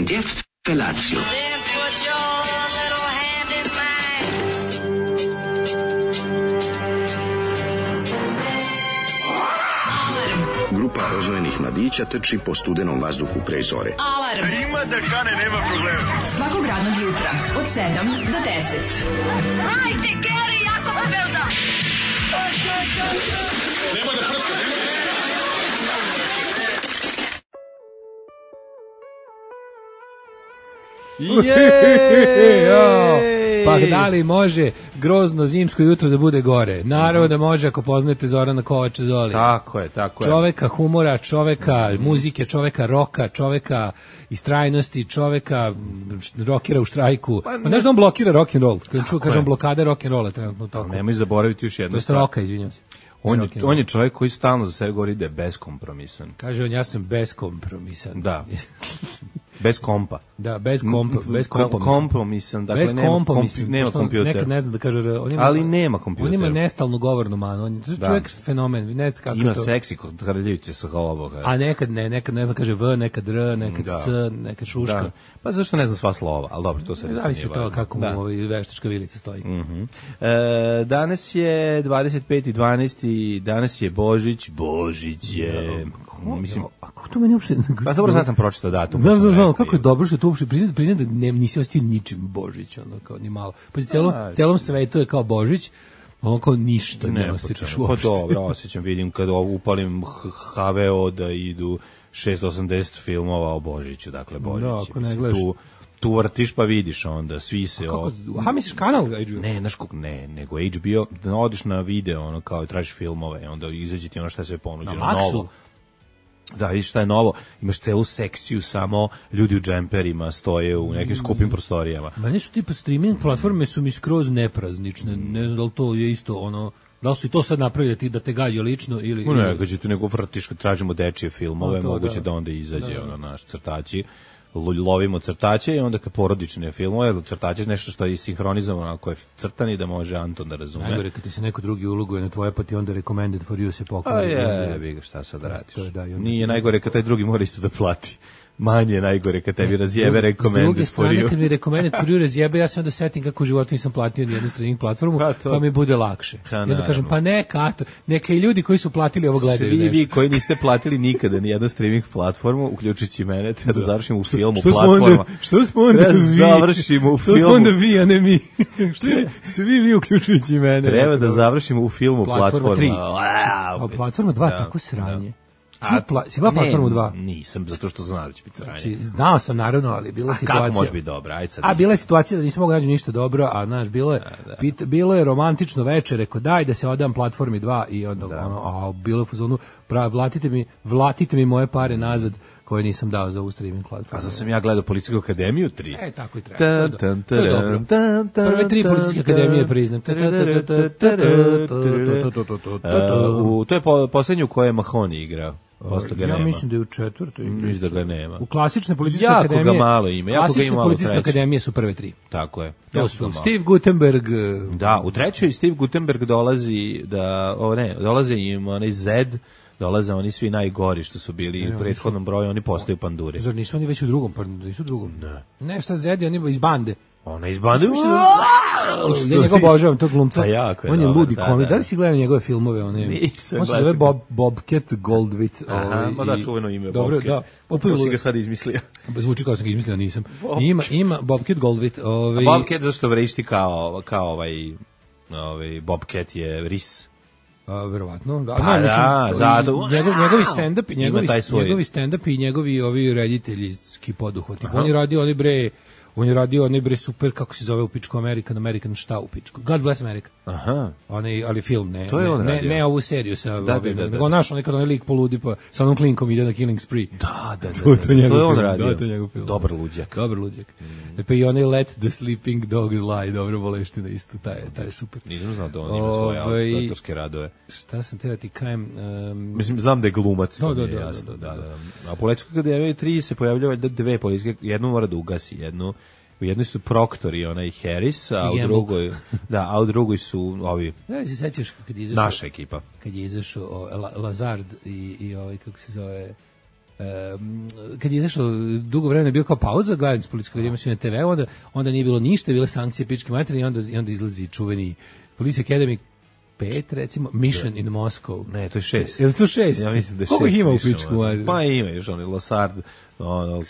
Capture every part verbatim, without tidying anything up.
Und jetzt Felatio. Grupa rozvojenih mladića trči po studenom vazduhu pre zore. Alarm! Ima da kane, nema problema. Svakog radnog jutra, od sedam do deset. Hajde, Geri, jako se velda! Nema da prska, nema da... Jej! Pa da li može grozno zimsko jutro da bude gore? Naravno da može ako poznate Zorana Kovača Zoli. Tako je, tako je. Čoveka humora, čoveka muzike, čoveka roka, čoveka istrajnosti, čoveka rokera u štrajku. Pa, ne. Znaš da on blokira rock and roll? Kad čuo kažem blokada rock and rolla trenutno tokom. Nemoj zaboraviti još jednu to stvar. To je roka, izvinjavam se. On je, on je čovjek koji stalno za sebe govori da je beskompromisan. Kaže on, ja sam beskompromisan. Da. Bez kompa. Da, bez kompa, bez kompa. Kompromisan, dakle bez nema, kompa, komp, mislim, nema kompjuter. Nekad ne zna da kaže, on ima, ali nema kompjuter. On ima nestalnu govornu manu, on je da. čovjek fenomen, ne zna kako ima to. seksi kod kraljevice sa ovoga. A nekad ne, nekad ne zna kaže v, nekad r, nekad da. s, nekad šuška. Da. Pa zašto ne zna sva slova, al dobro, to se ne zavisi od toga kako da. mu ovaj veštačka vilica stoji. Mhm. Mm e, danas je dvadeset peti decembar, danas je Božić, Božić je no, mislim, a kako to meni uopšte... Pa dobro, sad sam pročitao datum. Znam, znam, znam, kako je dobro što to uopšte priznam, priznam da ne, nisi ostio ničim Božić, ono, kao ni malo. Pa si celom, celom svetu je kao Božić, ono kao ništa ne, ne osjećaš uopšte. Pa dobro, osjećam, vidim kad upalim ha ve o da idu šesto osamdeset filmova o Božiću, dakle Božić. Da, ako ne gledaš... Tu, tu vrtiš pa vidiš onda, svi se... Kako, aha, misliš kanal H B O? Ne, znaš kog, ne, nego H B O, da odiš na video, ono, kao tražiš filmove, onda izađe ti ono šta se ponuđeno, na novo. Da, vidiš šta je novo, imaš celu sekciju samo ljudi u džemperima stoje u nekim skupim prostorijama. Meni su tipa streaming platforme su mi skroz nepraznične, ne znam da li to je isto ono... Da li su i to sad napravili ti da te gađa lično ili... Ne, ili... gađe tu nego vrtiš kad tražimo dečije filmove, to, moguće da. da onda izađe da, da. ono naš crtači. Lovimo crtače i onda kad porodične filmove, crtače je nešto što je sinhronizovano ako je crtani da može Anton da razume. Najgore kad ti se neko drugi uloguje na tvoje pa ti onda recommended for you se pokvari. A je, bi ga šta sad radiš. To je, da, onda... Nije najgore kad taj drugi mora isto da plati. Manje je najgore kad tebi razjebe recommended for you. S druge strane kad mi recommended for you razjebe, ja se onda setim kako u životu nisam platio ni jednu streaming platformu, pa, pa mi bude lakše. Ha, I onda kažem, pa neka, neka i ljudi koji su platili ovo gledaju Svi nešto. vi koji niste platili nikada ni jednu streaming platformu, uključujući mene, da, da završimo u filmu što platforma. Onda, što smo onda da vi? završimo u filmu. Što smo onda vi, a ne mi? Što svi vi uključujući mene. Treba da završimo u filmu platforma. A platforma dva, tako sranje. A, pla, si gleda platformu dva? Nisam, zato što znam da će biti sranje. Znači, znao sam naravno, ali bila a situacija... A kako može biti dobro? Ajde sad. A bila je situacija da nisam mogu naći ništa dobro, a znaš, bilo je, da, da. Pit, bilo je romantično večer, rekao daj da se odam platformi dva i onda, da. ono, a bilo je u fazonu, prav, vlatite mi, vlatite mi moje pare nazad koje nisam dao za ovu streaming platformu. A sad sam ja gledao Policijsku akademiju tri. E, tako i treba. To je, to je dobro. Prve tri Policijske akademije priznam. To je poslednju u kojoj je Mahoni igrao. Posle ga ja nema. mislim da je u četvrtoj. Mislim da ga nema. U klasične policijske jako akademije. Jako ga malo ima. Jako klasične ga ima policijske akademije su prve tri. Tako je. To su Steve Gutenberg. Da, u trećoj Steve Gutenberg dolazi da, o ne, dolaze im onaj Zed, dolaze oni svi najgori što su bili ne, u prethodnom broju, oni postaju panduri. Zar nisu oni već u drugom, pa nisu u drugom? Ne. Ne, šta Zed, oni iz bande. Ona iz bande. Ja njega obožavam, tog glumca. Pa jako je on je dobar, ludi da, komik. Da, da li si gledao njegove filmove? One, nisam. On se zove Bob, Bobcat Goldthwait. Aha, ovaj, ma da, čuveno ime dobro, Bobcat. Da, Kako si ga sad izmislio? Zvuči kao sam ga izmislio, nisam. Ima, ima Bobcat Goldthwait. Ovaj, Bobcat zašto vrišti kao, kao ovaj, ovaj Bobcat je ris. A, verovatno. Da, pa ne, da, mislim, zato. Njegov, njegovi stand-up, njegovi, svoj... njegovi stand-up i njegovi ovi rediteljski poduhvati. On je radio oni bre... On je radio onaj bre super, kako se zove u pičku American, American šta u pičku? God Bless America. Aha. Onaj, ali film, ne, to je on ne, ne, ne ovu seriju sa da, ovim, da, da, da. nego naš onaj kad onaj lik poludi pa sa onom klinkom ide na Killing Spree. Da, da, da. To, to, da, to je on film, radio. Da, to je njegov film. Dobar luđak. Dobar luđak. Mm. E pa i onaj Let the Sleeping Dog Lie, dobro boleština isto, taj, taj je super. Nisam znao da on ima svoje Ove, autorske radove. Šta sam te da ti kajem? Um, Mislim, znam da je glumac. Da, da, da, jasno, da, da, da, da. A Policijska akademija tri se pojavljava dve policijske, jednu mora da ugasi, jednu u jednoj su Proctor i onaj Harris, a u drugoj, da, a u drugoj su ovi. Ja se sećaš kad je izašao naša ekipa. Kad je izašao Lazard i i ovaj kako se zove Um, kad je izašao dugo vremena bio kao pauza gledanje političkog videa na te ve, onda, onda nije bilo ništa, bile sankcije pičke materije i onda, i onda izlazi čuveni Police Academy pet, recimo, Mission in Moscow. Ne, to je šest. Je li to šest? Ja mislim da je šest. Koliko ima u pičku materiju? Pa ima još oni Losard, ono,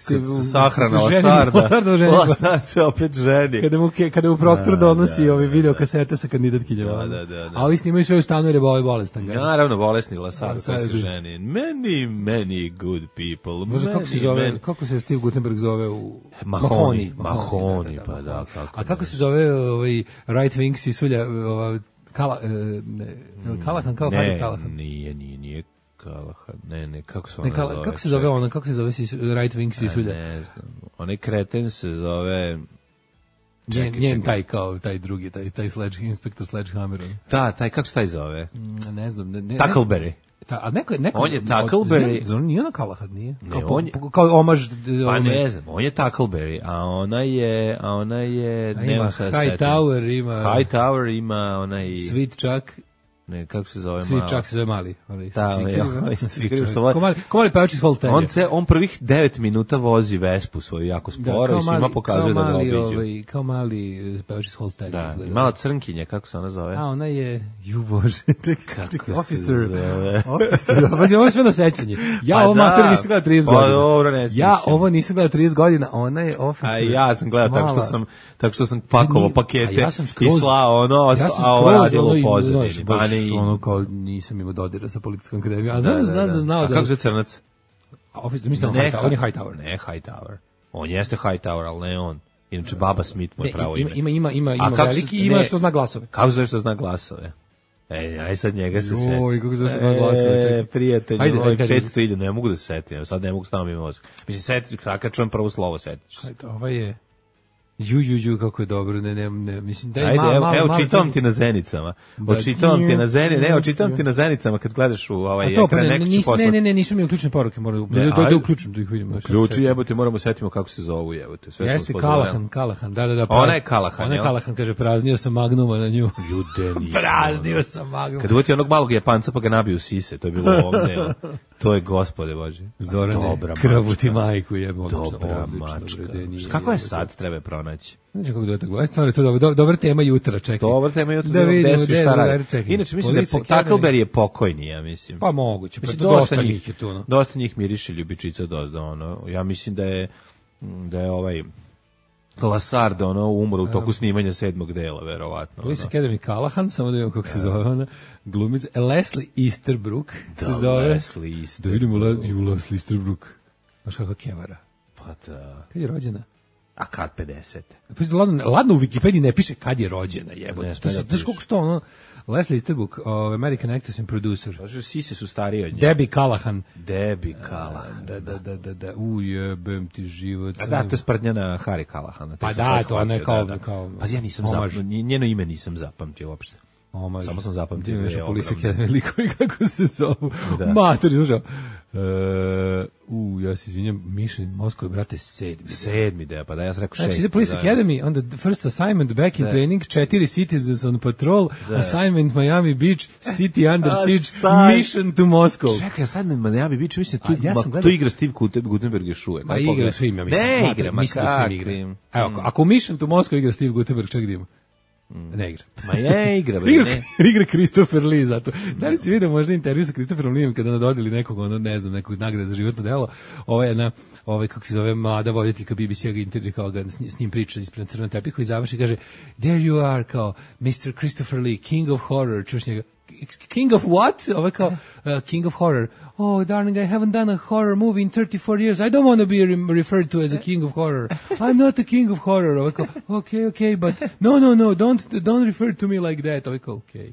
sahrana Losarda. Losard se opet ženi. Kada mu, kada mu Proctor donosi ove video kasete sa kandidatkinjama. Da, da, da. A ovi snimaju sve u stanu jer je ovaj bolestan. Naravno, bolesni Losard koji se ženi. Many, many good people. Možda kako se zove, kako se Steve Gutenberg zove u... Mahoni. Mahoni, pa da. A kako se zove ovaj right wing sisulja, ova Kala, ne, Kalahan, kao Harry Kalahan. Ne, nije, nije, nije Kalahan. Ne, ne, kako se ona ne, kala, zove? Kako se zove ona, kako se zove right wing sisulja? Ne znam. Onaj kreten se zove... Njen, njen taj kao, taj drugi, taj, taj sledge, inspektor Sledgehammer. Da, taj, kako se taj zove? Ne znam. Ne, ne, Tackleberry. Ta, a neko, neko, on je Tackleberry. Nije ona Kalahad, nije? Ne, kao, on je, po, kao omaž... Pa ne znam, on je Tackleberry, a ona je... A ona je... A ima Hightower, ima... Hightower ima onaj... Sweet Chuck. Ne, kako se zove Sweet Chuck se zove mali. Da, Sweet što Ko mali, ko mali pevač iz Holtenja. On, se, on prvih devet minuta vozi Vespu svoju jako sporo i svima pokazuje da ga obiđu. Ovaj, kao mali pevač iz Holtenja. Da, mala crnkinja, kako se ona zove? A, ona je... Ju bože, čekaj, čekaj, officer. Officer. Ovo je sve na sećanje. Ja ovo mater nisam gledao trideset godina. Dobro, ne ja ovo nisam gledao trideset godina, ona je officer. A ja sam gledao tako što sam, tako što sam pakovao pakete i slao ono, a ovo radilo u pozadini. Ono kao nisam imao dodira sa policijskom akademijom, a znam da, znam da znao da... A kako se Crnac? Officer, mislim da on je Hightower. Ne, Hightower. On jeste Hightower, ali ne on. Inače, Baba Smith mu je pravo ime. Ima, ima, ima, ima veliki i ima što zna glasove. Kako zove što zna glasove? Ej, aj sad njega se seti. Oj, kako zove što zna glasove. E, prijatelj, ajde, moj, petsto hiljada, ne mogu da se setim, sad ne mogu staviti mi mozak. Mislim, setit, kad čujem prvo slovo, setit ću se. Ovo je... Ju, ju, ju, kako je dobro, ne, ne, ne, mislim da je ajde, malo, evo, malo, evo, malo, čitavam ti na zenicama, očitavam ti na zeni, ne, očitavam ti na zenicama kad gledaš u ovaj ekran, pa ne, neko će poslati. Ne, ne, ne, nisu mi uključene poruke, moram da da uključim da ih vidimo. Ključi jebote, moramo setimo kako se zovu jebote, sve jeste Kalahan, Kalahan, da, da, da. Ona je Kalahan, ona je Kalahan, kaže, praznio sam magnuma na nju. Jude, nisam. Praznio sam magnuma. Kad uvati onog malog Japanca pa ga nabiju sise, to je bilo ovdje. To je, gospode Bože. Zorane, krvu ti majku jebo. Dobra mačka. Kako je sad, treba pronaći? Znači kako dođe tako, stvarno to dobro, dobra tema jutra, čekaj. Dobra tema jutra, da vidimo šta radi. Inače mislim da je Tackleberry je pokojni, ja mislim. Pa moguće, pa dosta njih je tu, no. Dosta njih miriše ljubičica dosta, ono. Ja mislim da je da je ovaj Lasard ono umro u toku snimanja sedmog dela, verovatno. Police Academy Kalahan, samo da vidimo kako se zove ona. Glumica Leslie Easterbrook se zove. Leslie Easterbrook. Da vidimo Leslie Easterbrook. Znaš kakva kevara. Pa da. Kad je rođena? A kad pedeset? Pa ladno, ladno u Wikipediji ne piše kad je rođena, jebote. To se znaš koliko sto ono Leslie Easterbrook, uh, American actress and producer. Pa sise su stariji od nje. Debbie Callahan. Debbie Callahan. Da, da, da, da, da. U jebem ti život. A da, to je sprdnja na Harry Callahana. Pa da, to ona je kao... kao pa ja nisam zapamtio, njeno ime nisam zapamtio uopšte. Omaž. Samo sam zapamtio. Nešto Police Academy likovi kako se zovu. Matori, slušao. Uh, u, ja se izvinjam, Mission Moscow, brate, sedmi. Sedmi, da, pa da, ja sam rekao šest. Znači, za Police Academy, onda first assignment, back in training, četiri citizens on patrol, assignment Miami Beach, city under siege, mission to Moscow. Čekaj, assignment Miami Beach, mislim, tu, ja ma, tu igra Steve Gutenberg još uvek. Ma igra svim, ja mislim. Ne igra, ma kakvim. Evo, ako mission to Moscow igra Steve Gutenberg, ček idemo. Mm. Ne igra. Ma je igra, bre, igra, ne. Igra Christopher Lee, zato. Da li si vidio možda intervju sa Christopherom Leeom kada nam dodali nekog, ono, ne znam, nekog nagrada za životno delo, ovaj jedna, ovaj, kako se zove, mlada voditeljka B B C-a ga intervju, kao ga s, s njim priča ispred crvenog tepiha i završi, kaže, there you are, kao, mister Christopher Lee, king of horror, čuš njega, king of what? Ovaj kao, uh, king of horror. Oh, darling, I haven't done a horror movie in thirty-four years. I don't want to be re- referred to as a king of horror. I'm not a king of horror. Ovaj kao, okay, okay, but no, no, no, don't, don't refer to me like that. Ovaj kao, okay.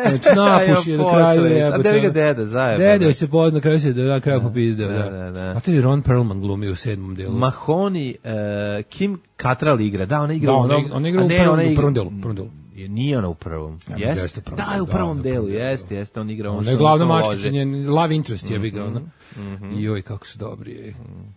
Znači, napuši je na kraju. A da vi ga deda zajedno. Deda se pod, na kraju se na kraju popizdeo, da. da, da. A to je Ron Perlman glumio u sedmom delu. Mahoney, uh, Kim Cattrall igra. Da, ona igra da, u onom. Ona igra u prvom, u prvom delu. Prvom delu. Nije ona u prvom. Ja, jeste? Da, je u prvom da, delu, jeste, jeste, on igra on. Ona je glavna mačkica, njen love interest je bi ga ona. Mm-hmm. I joj, kako su dobri, je.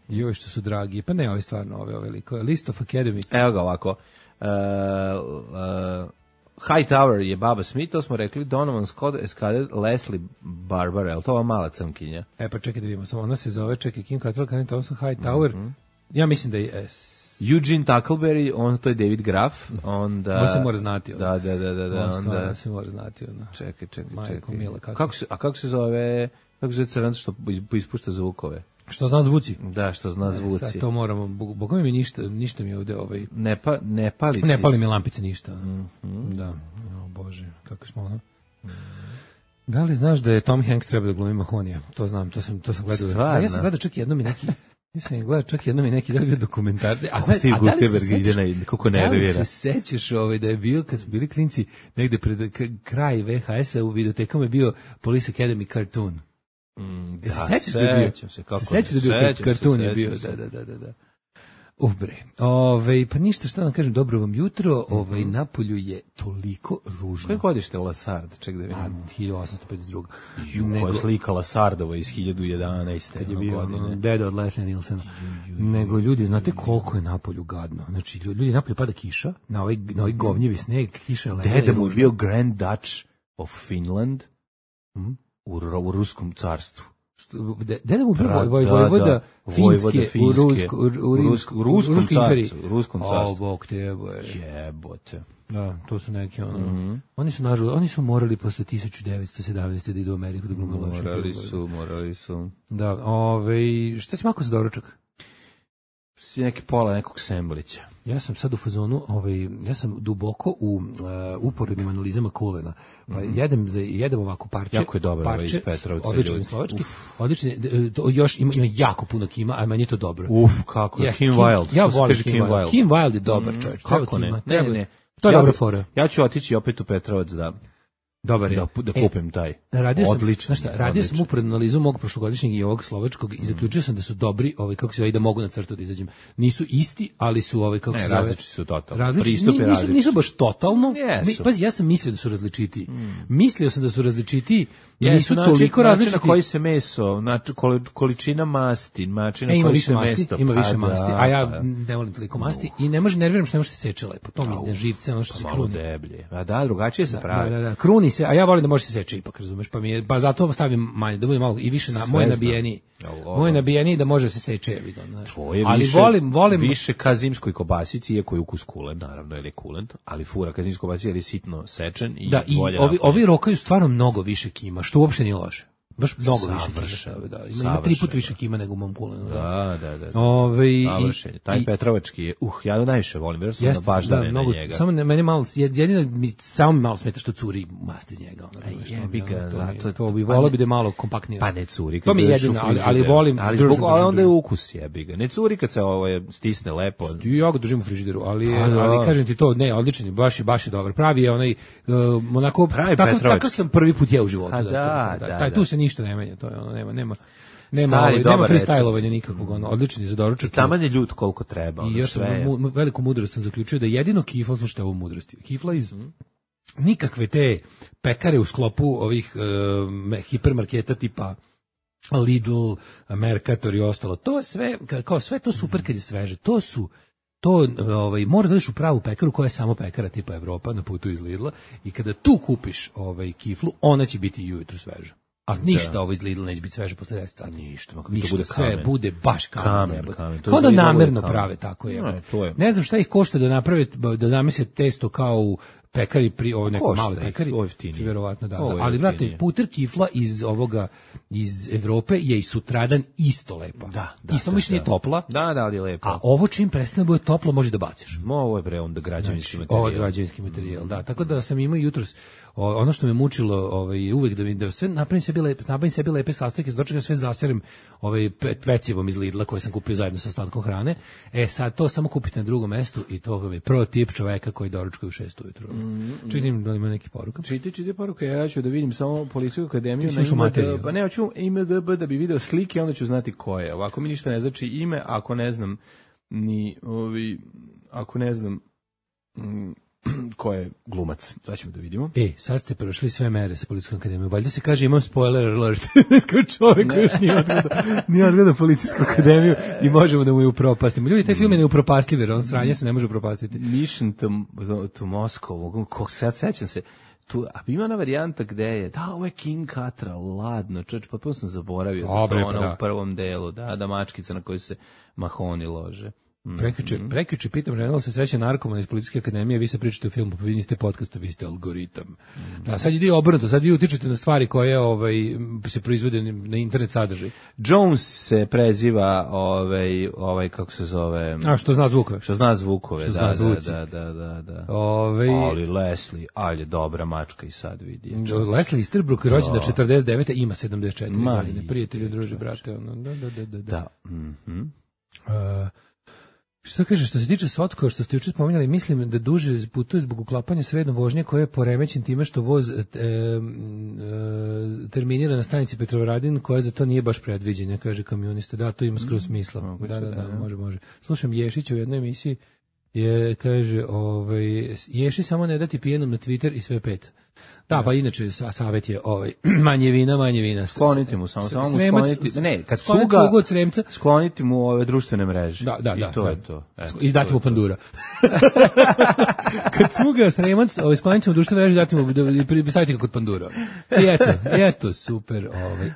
I joj, što su dragi. Pa ne, ove stvarno, ove, ove liko. List of Academy. Evo ga ovako. Uh, uh, Hightower je Baba Smith, to smo rekli, Donovan Scott, Eskader, Leslie Barbara, je li to ova mala crnkinja? E pa čekaj da vidimo, samo ona se zove, čekaj, Kim Cattrall, Karen Thompson, Hightower, mm-hmm. ja mislim da je... S... Eugene Tackleberry, on to je David Graf, onda... On se mora znati. Da, da, da, da. da on onda... stvarno se mora znati. Onda. Čekaj, čekaj, Majko čekaj. Mila, kako... Kako se, a kako se zove, kako se zove crnac što ispušta zvukove? Što zna zvuci? Da, što zna zvuci. Sad to moramo, bogom mi ništa, ništa mi ovde ovaj... Ne, pa, ne pali Ne pali mi lampice ništa. Mm-hmm. Da, o Bože, kako smo ono... Da li znaš da je Tom Hanks treba da glumi Mahonija? To znam, to sam, to sam gledao. Stvarno? Ja sam gledao čak jednom i neki... Nisam gledao čak jednom i neki da bio dokumentarci. A, a, a da li se sećaš, kako nervira? Da li se sećaš ovaj, da je bio, kad smo bili klinci, negde pred k- kraj V H S-a u videotekama je bio Police Academy cartoon. Mm, da, se sećaš da je bio? Se, kako se sećaš da je bio kartun je bio, da, da, da, da, da. Ubre. Ove, pa ništa, šta da kažem, dobro vam jutro, ovaj, mm-hmm. napolju je toliko ružno. Koje godište Lasard? Ček da vidim. A, hiljadu osamsto pedeset druga. Ju, nego, koja slika Lasardova iz hiljadu jedanaeste. Kad je bio godine. Deda od Leslie Nielsena. Nego ljudi, znate koliko je napolju gadno? Znači, ljudi, napolju pada kiša, na ovaj, na ovaj govnjevi sneg, kiša je Deda mu je bio Grand Duch of Finland mm? u, u Ruskom carstvu. Deda mu bio vojvoda Finske u Ruskom carstvu. U Ruskom carstvu. O, bog te jeboje. Jebote. Da, to su neki ono. Mm-hmm. Oni su nažalost, oni su morali posle tisuću devetsto sedamnaeste da idu u Ameriku da glume loše. Morali su, morali su. Da, ovaj, šta si mako za doručak? Si neki pola nekog semblića. Ja sam sad u fazonu, ovaj, ja sam duboko u uh, uporednim analizama kolena. Pa mm-hmm. jedem za jedem ovako parče. Jako je dobro parče, iz Petrovca. Odličan slovački. Odličan, to još ima, ima jako puno kima, a meni je to dobro. Uf, kako je. Yes, Kim Wilde. Ja volim Kim Wilde. Kim Wilde je dobar čovjek. Kako ne? Ne, ne. To je ja dobra fora. Ja ću otići opet u Petrovac da dobar je. Da, da kupim taj. E, radio sam, odlično. Znaš šta, radio odlično. sam uporednu analizu mog prošlogodišnjeg i ovog slovačkog mm. i zaključio sam da su dobri, ovaj kako se zove, da mogu na crtu da izađem. Nisu isti, ali su ovaj kako ne, se zove. Različiti su totalno. Različiti, Pristup je nisu, nisu baš totalno. Yes. Mi, pazi, ja sam mislio da su različiti. Mm. Mislio sam da su različiti. Yes, nisu način, toliko različiti. Način na koji se meso, znači količina masti, način na e, koji se masti, mesto. Ima više pa, masti, da, a ja pa, ne volim toliko masti i ne može nerviram što ne može se seče lepo. To mi ne živce, ono što se malo kruni. deblje. A da, drugačije se da, pravi. Da, da, da, kruni se, a ja volim da može se seče ipak, razumeš, pa mi je, pa zato stavim manje, da bude malo i više na moje nabijeni. Moje nabijeni da može se seče, je vidio, znači. Ali više, volim, volim više ka zimskoj kobasici, iako je ukus kulen, naravno, jer je kulent, ali fura ka zimskoj kobasici jer je sitno sečen i da, i bolje ovi, napolje. ovi rokaju stvarno mnogo više kima, što uopšte nije loše. Baš mnogo više kima, da. Ima, ima tri put više kima nego u mom kulenu. Da, da, da. da. Ove, i, Taj i, Petrovački je, uh, ja najviše volim, jer sam jest, baš da, da mnogo, na njega. Samo ne, meni malo, jedino mi samo mi malo smeta što curi masti iz njega. Ono, Aj, jebi ga, to, zato, to bi volao bi da je malo kompaktnije. Pa ne curi. To mi je jedino, ali, ali volim. Ali zbog, onda je ukus jebi ga. Ne curi kad se ovo stisne lepo. Ja ga držim u frižideru, ali, ali kažem ti to, ne, odličan je, baš je, baš je dobar. Pravi je onaj, onako, tako sam prvi put je u životu. Taj tu se ništa ne menja, to je nema nema nema ovaj, nema freestylovanja nikakvog, ono odlični za doručak. Taman je ljud koliko treba, ono, i još sve. Mu, veliku mudrost sam zaključio da jedino kifla, slušajte ovu mudrost. Kifla iz mm. nikakve te pekare u sklopu ovih uh, hipermarketa tipa Lidl, Mercator i ostalo. To sve kao sve to super kad je sveže. To su to ovaj mora da ideš u pravu pekaru koja je samo pekara tipa Evropa na putu iz Lidla i kada tu kupiš ovaj kiflu, ona će biti i ujutru sveža. A ništa da. Ovo iz Lidla neće biti sveže posle deset sati. Ništa, ništa, to bude sve kamen. bude baš kamen. kamen, kamen. Kao da namerno prave tako je. Ne, to je. Ne znam šta ih košta da naprave, da zamisle testo kao u pekari, pri ovo neko mali pekari. Verovatno da. Ali brate, puter kifla iz ovoga, iz Evrope je i sutradan isto lepa. Da, da, isto mišljenje da, topla. Da, da, ali je lepo. A ovo čim prestane bude toplo može da baciš. Mo, ovo je bre onda građevinski znači, materijal. Ovo je građevinski materijal, da. Tako da sam imao jutros ono što me mučilo, ovaj uvek da mi da sve napravim sebi lepe, napravim sebi lepe sastojke, s dočega sve zaserem ovaj pecivom iz Lidla koje sam kupio zajedno sa ostatkom hrane. E sad to samo kupite na drugom mestu i to vam je pro tip čoveka koji doručkuje u šest ujutru. Mm, Činim da li ima neki poruka? Čiti, čiti poruka, ja ću da vidim samo Policijsku akademiju na ime, da, pa ne, hoću ime D B da bi video slike, onda ću znati ko je. Ovako mi ništa ne znači ime, ako ne znam ni ovi, ako ne znam m, ko je glumac. Sad ćemo da vidimo. E, sad ste prošli sve mere sa policijskom akademijom. Valjda se kaže imam spoiler alert. Kao čovjek koji još nije odgledao, nije odgledao policijsku akademiju i možemo da mu je upropastimo. Ljudi, taj film je neupropastljiv, jer on sranje se ne može upropastiti. Mission to, to Moscow. Kog sad sećam se. Tu, a ima ona varijanta gde je, da, ovo je King Cattrall, ladno, čoč, pa sam zaboravio. Dobre, da, ono pa da. u prvom delu, da, da mačkica na koju se mahoni lože. Mm. Prekjuče, prekjuče pitam žena, se sreće narkoman iz policijske akademije, vi se pričate o filmu, pa vi niste podcasta, vi ste algoritam. Mm. Da, sad ide obrnuto, sad vi utičete na stvari koje ovaj, se proizvode na internet sadržaj. Jones se preziva, ovaj, ovaj kako se zove... A, što zna zvukove. Što zna zvukove, što da, zna da, da, da, da. Ove... Ali Leslie, ali je dobra mačka i sad vidi. Leslie Easterbrook, rođena četrdeset devete ima sedamdeset četiri Ma, godine. Prijatelju, druže, brate, ono, da, da, da, da. Da, mhm. Uh, Što kaže, što se tiče Sotkova, što ste juče spominjali, mislim da duže putuje zbog uklapanja srednom vožnje koje je poremećen time što voz e, e, terminira na stanici Petrovaradin, koja za to nije baš predviđena, kaže kamionista. Da, to ima skroz smisla. Mm, da, da, da, da, može, može. Slušam Ješića u jednoj emisiji, je, kaže, ovaj, Ješi samo ne dati pijenom na Twitter i sve pet. Da, pa inače savjet je ovaj manje vina, manje vina. Skloniti mu samo, samo mu skloniti. Ne, kad cuga od Sremca, skloniti mu ove društvene mreže. Da, da, I da, to da. je to. Eto, I dati mu pandura. Kad cuga Sremac, ovaj skloniti mu društvene mreže, dati mu da staviti ga kod pandura. I eto, eto super, ovaj.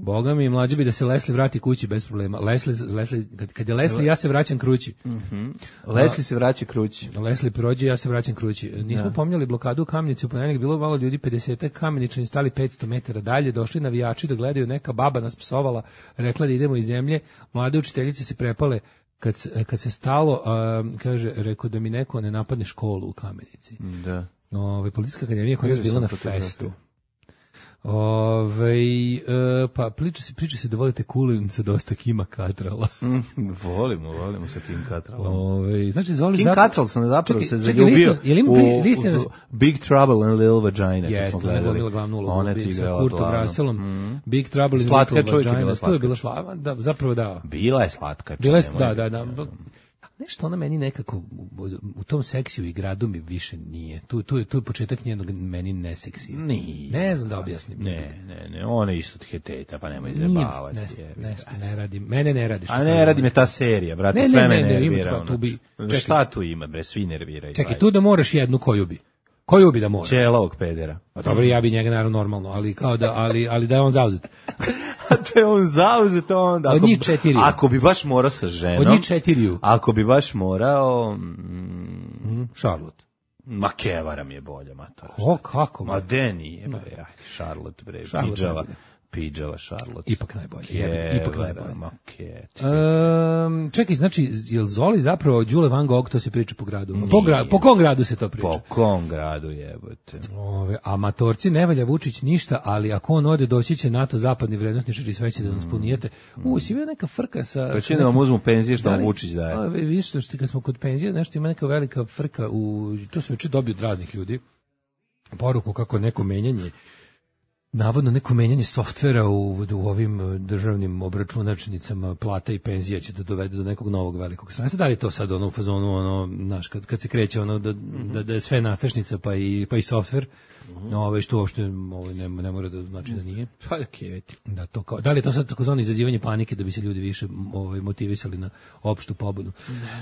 Boga mi, mlađe bi da se Leslie vrati kući bez problema. Leslie, Leslie kad, kad je Leslie, ja se vraćam kući. Mhm. Leslie se vraća kući. Leslie prođe, ja se vraćam kući. Nismo pominjali blokadu u Kamenici, u ponedeljak bilo malo ljudi, pedeset Kameničani stali petsto metara dalje, došli navijači da gledaju, neka baba nas psovala, rekla da idemo iz zemlje, mlade učiteljice se prepale kad se, kad se stalo, a, kaže, rekao da mi neko ne napadne školu u Kamenici. Da. Ove, Policijska akademija koja je bila na festu. Ove, e, pa priča se, priča se da volite Kulinca dosta Kima Cattralla. Mm, volimo, volimo sa Kim Cattrallom. Ove, znači, Zoli Kim zap... Cattrall sam zapravo čekaj, se čekaj, zaljubio lista, je li u, lista, u Big Trouble in Little Vagina. Jeste, ona je glumila glavnu ulogu. Ona je sa Kurtom Rusellom. Mm. Big Trouble in slatka Little čovjek je Vagina. bila To je bila slava, da, zapravo da. Bila je slatka. Bila je, da, da, da. Nešto ona meni nekako u tom seksiju i gradu mi više nije. Tu tu je tu je početak njenog meni neseksija. Nije. Ne znam da objasnim. Ne, ne, ne, ona je isto heteta, pa nemoj zabavati. Nešto, nešto ne radi. Mene ne radi. A ne radi me ta serija, brate, ne, sve ne, me ne, ne, nervira. ima, tu bi, čekaj, šta tu ima, bre, svi nerviraju. Čekaj, tu da moraš jednu koju bi. Koju bi da moraš? Ćelavog pedera. Pa dobro, ja bi njega naravno normalno, ali kao da, ali, ali da je on zauzet. A da je on zauzet onda. Od njih četiri. Ako bi baš morao sa ženom. Od njih četiriju. Ako bi baš morao... Mm, Charlotte. Ma Kevara mi je bolja, ma to. O, kako? Ma de nije, bre, aj, Charlotte, bre, Charlotte Pidžava. najbolje. Pidžava Charlotte. Ipak najbolje. Jebe, ipak najbolje. Ma ke. Um, čekaj, znači, je li Zoli zapravo Đule Van Gogh, to se priča po gradu? Po, gra, po kom gradu se to priča? Po kom gradu, jebote. Ove, amatorci, ne valja Vučić ništa, ali ako on ode, doći će NATO zapadni vrednosničari i sve će da nas punijete. U, si bio neka frka sa... Pa će da vam uzmu penzije što vam Vučić daje. A, vidiš što, što kad smo kod penzije, nešto ima neka velika frka, u, to sam već dobio od raznih ljudi, poruku kako neko menjanje, navodno neko menjanje softvera u, u ovim državnim obračunačnicama plata i penzija će da dovede do nekog novog velikog sranstva. Da li to sad ono u fazonu, ono, znaš, kad, kad se kreće ono da, da, da je sve nastrešnica pa i, pa i softver, no, ove, što uopšte ove, ne, ne mora da znači da nije. Pa da kjeveti. Da, to kao, da li je to sad takozvano izazivanje panike da bi se ljudi više ovaj, motivisali na opštu pobudu?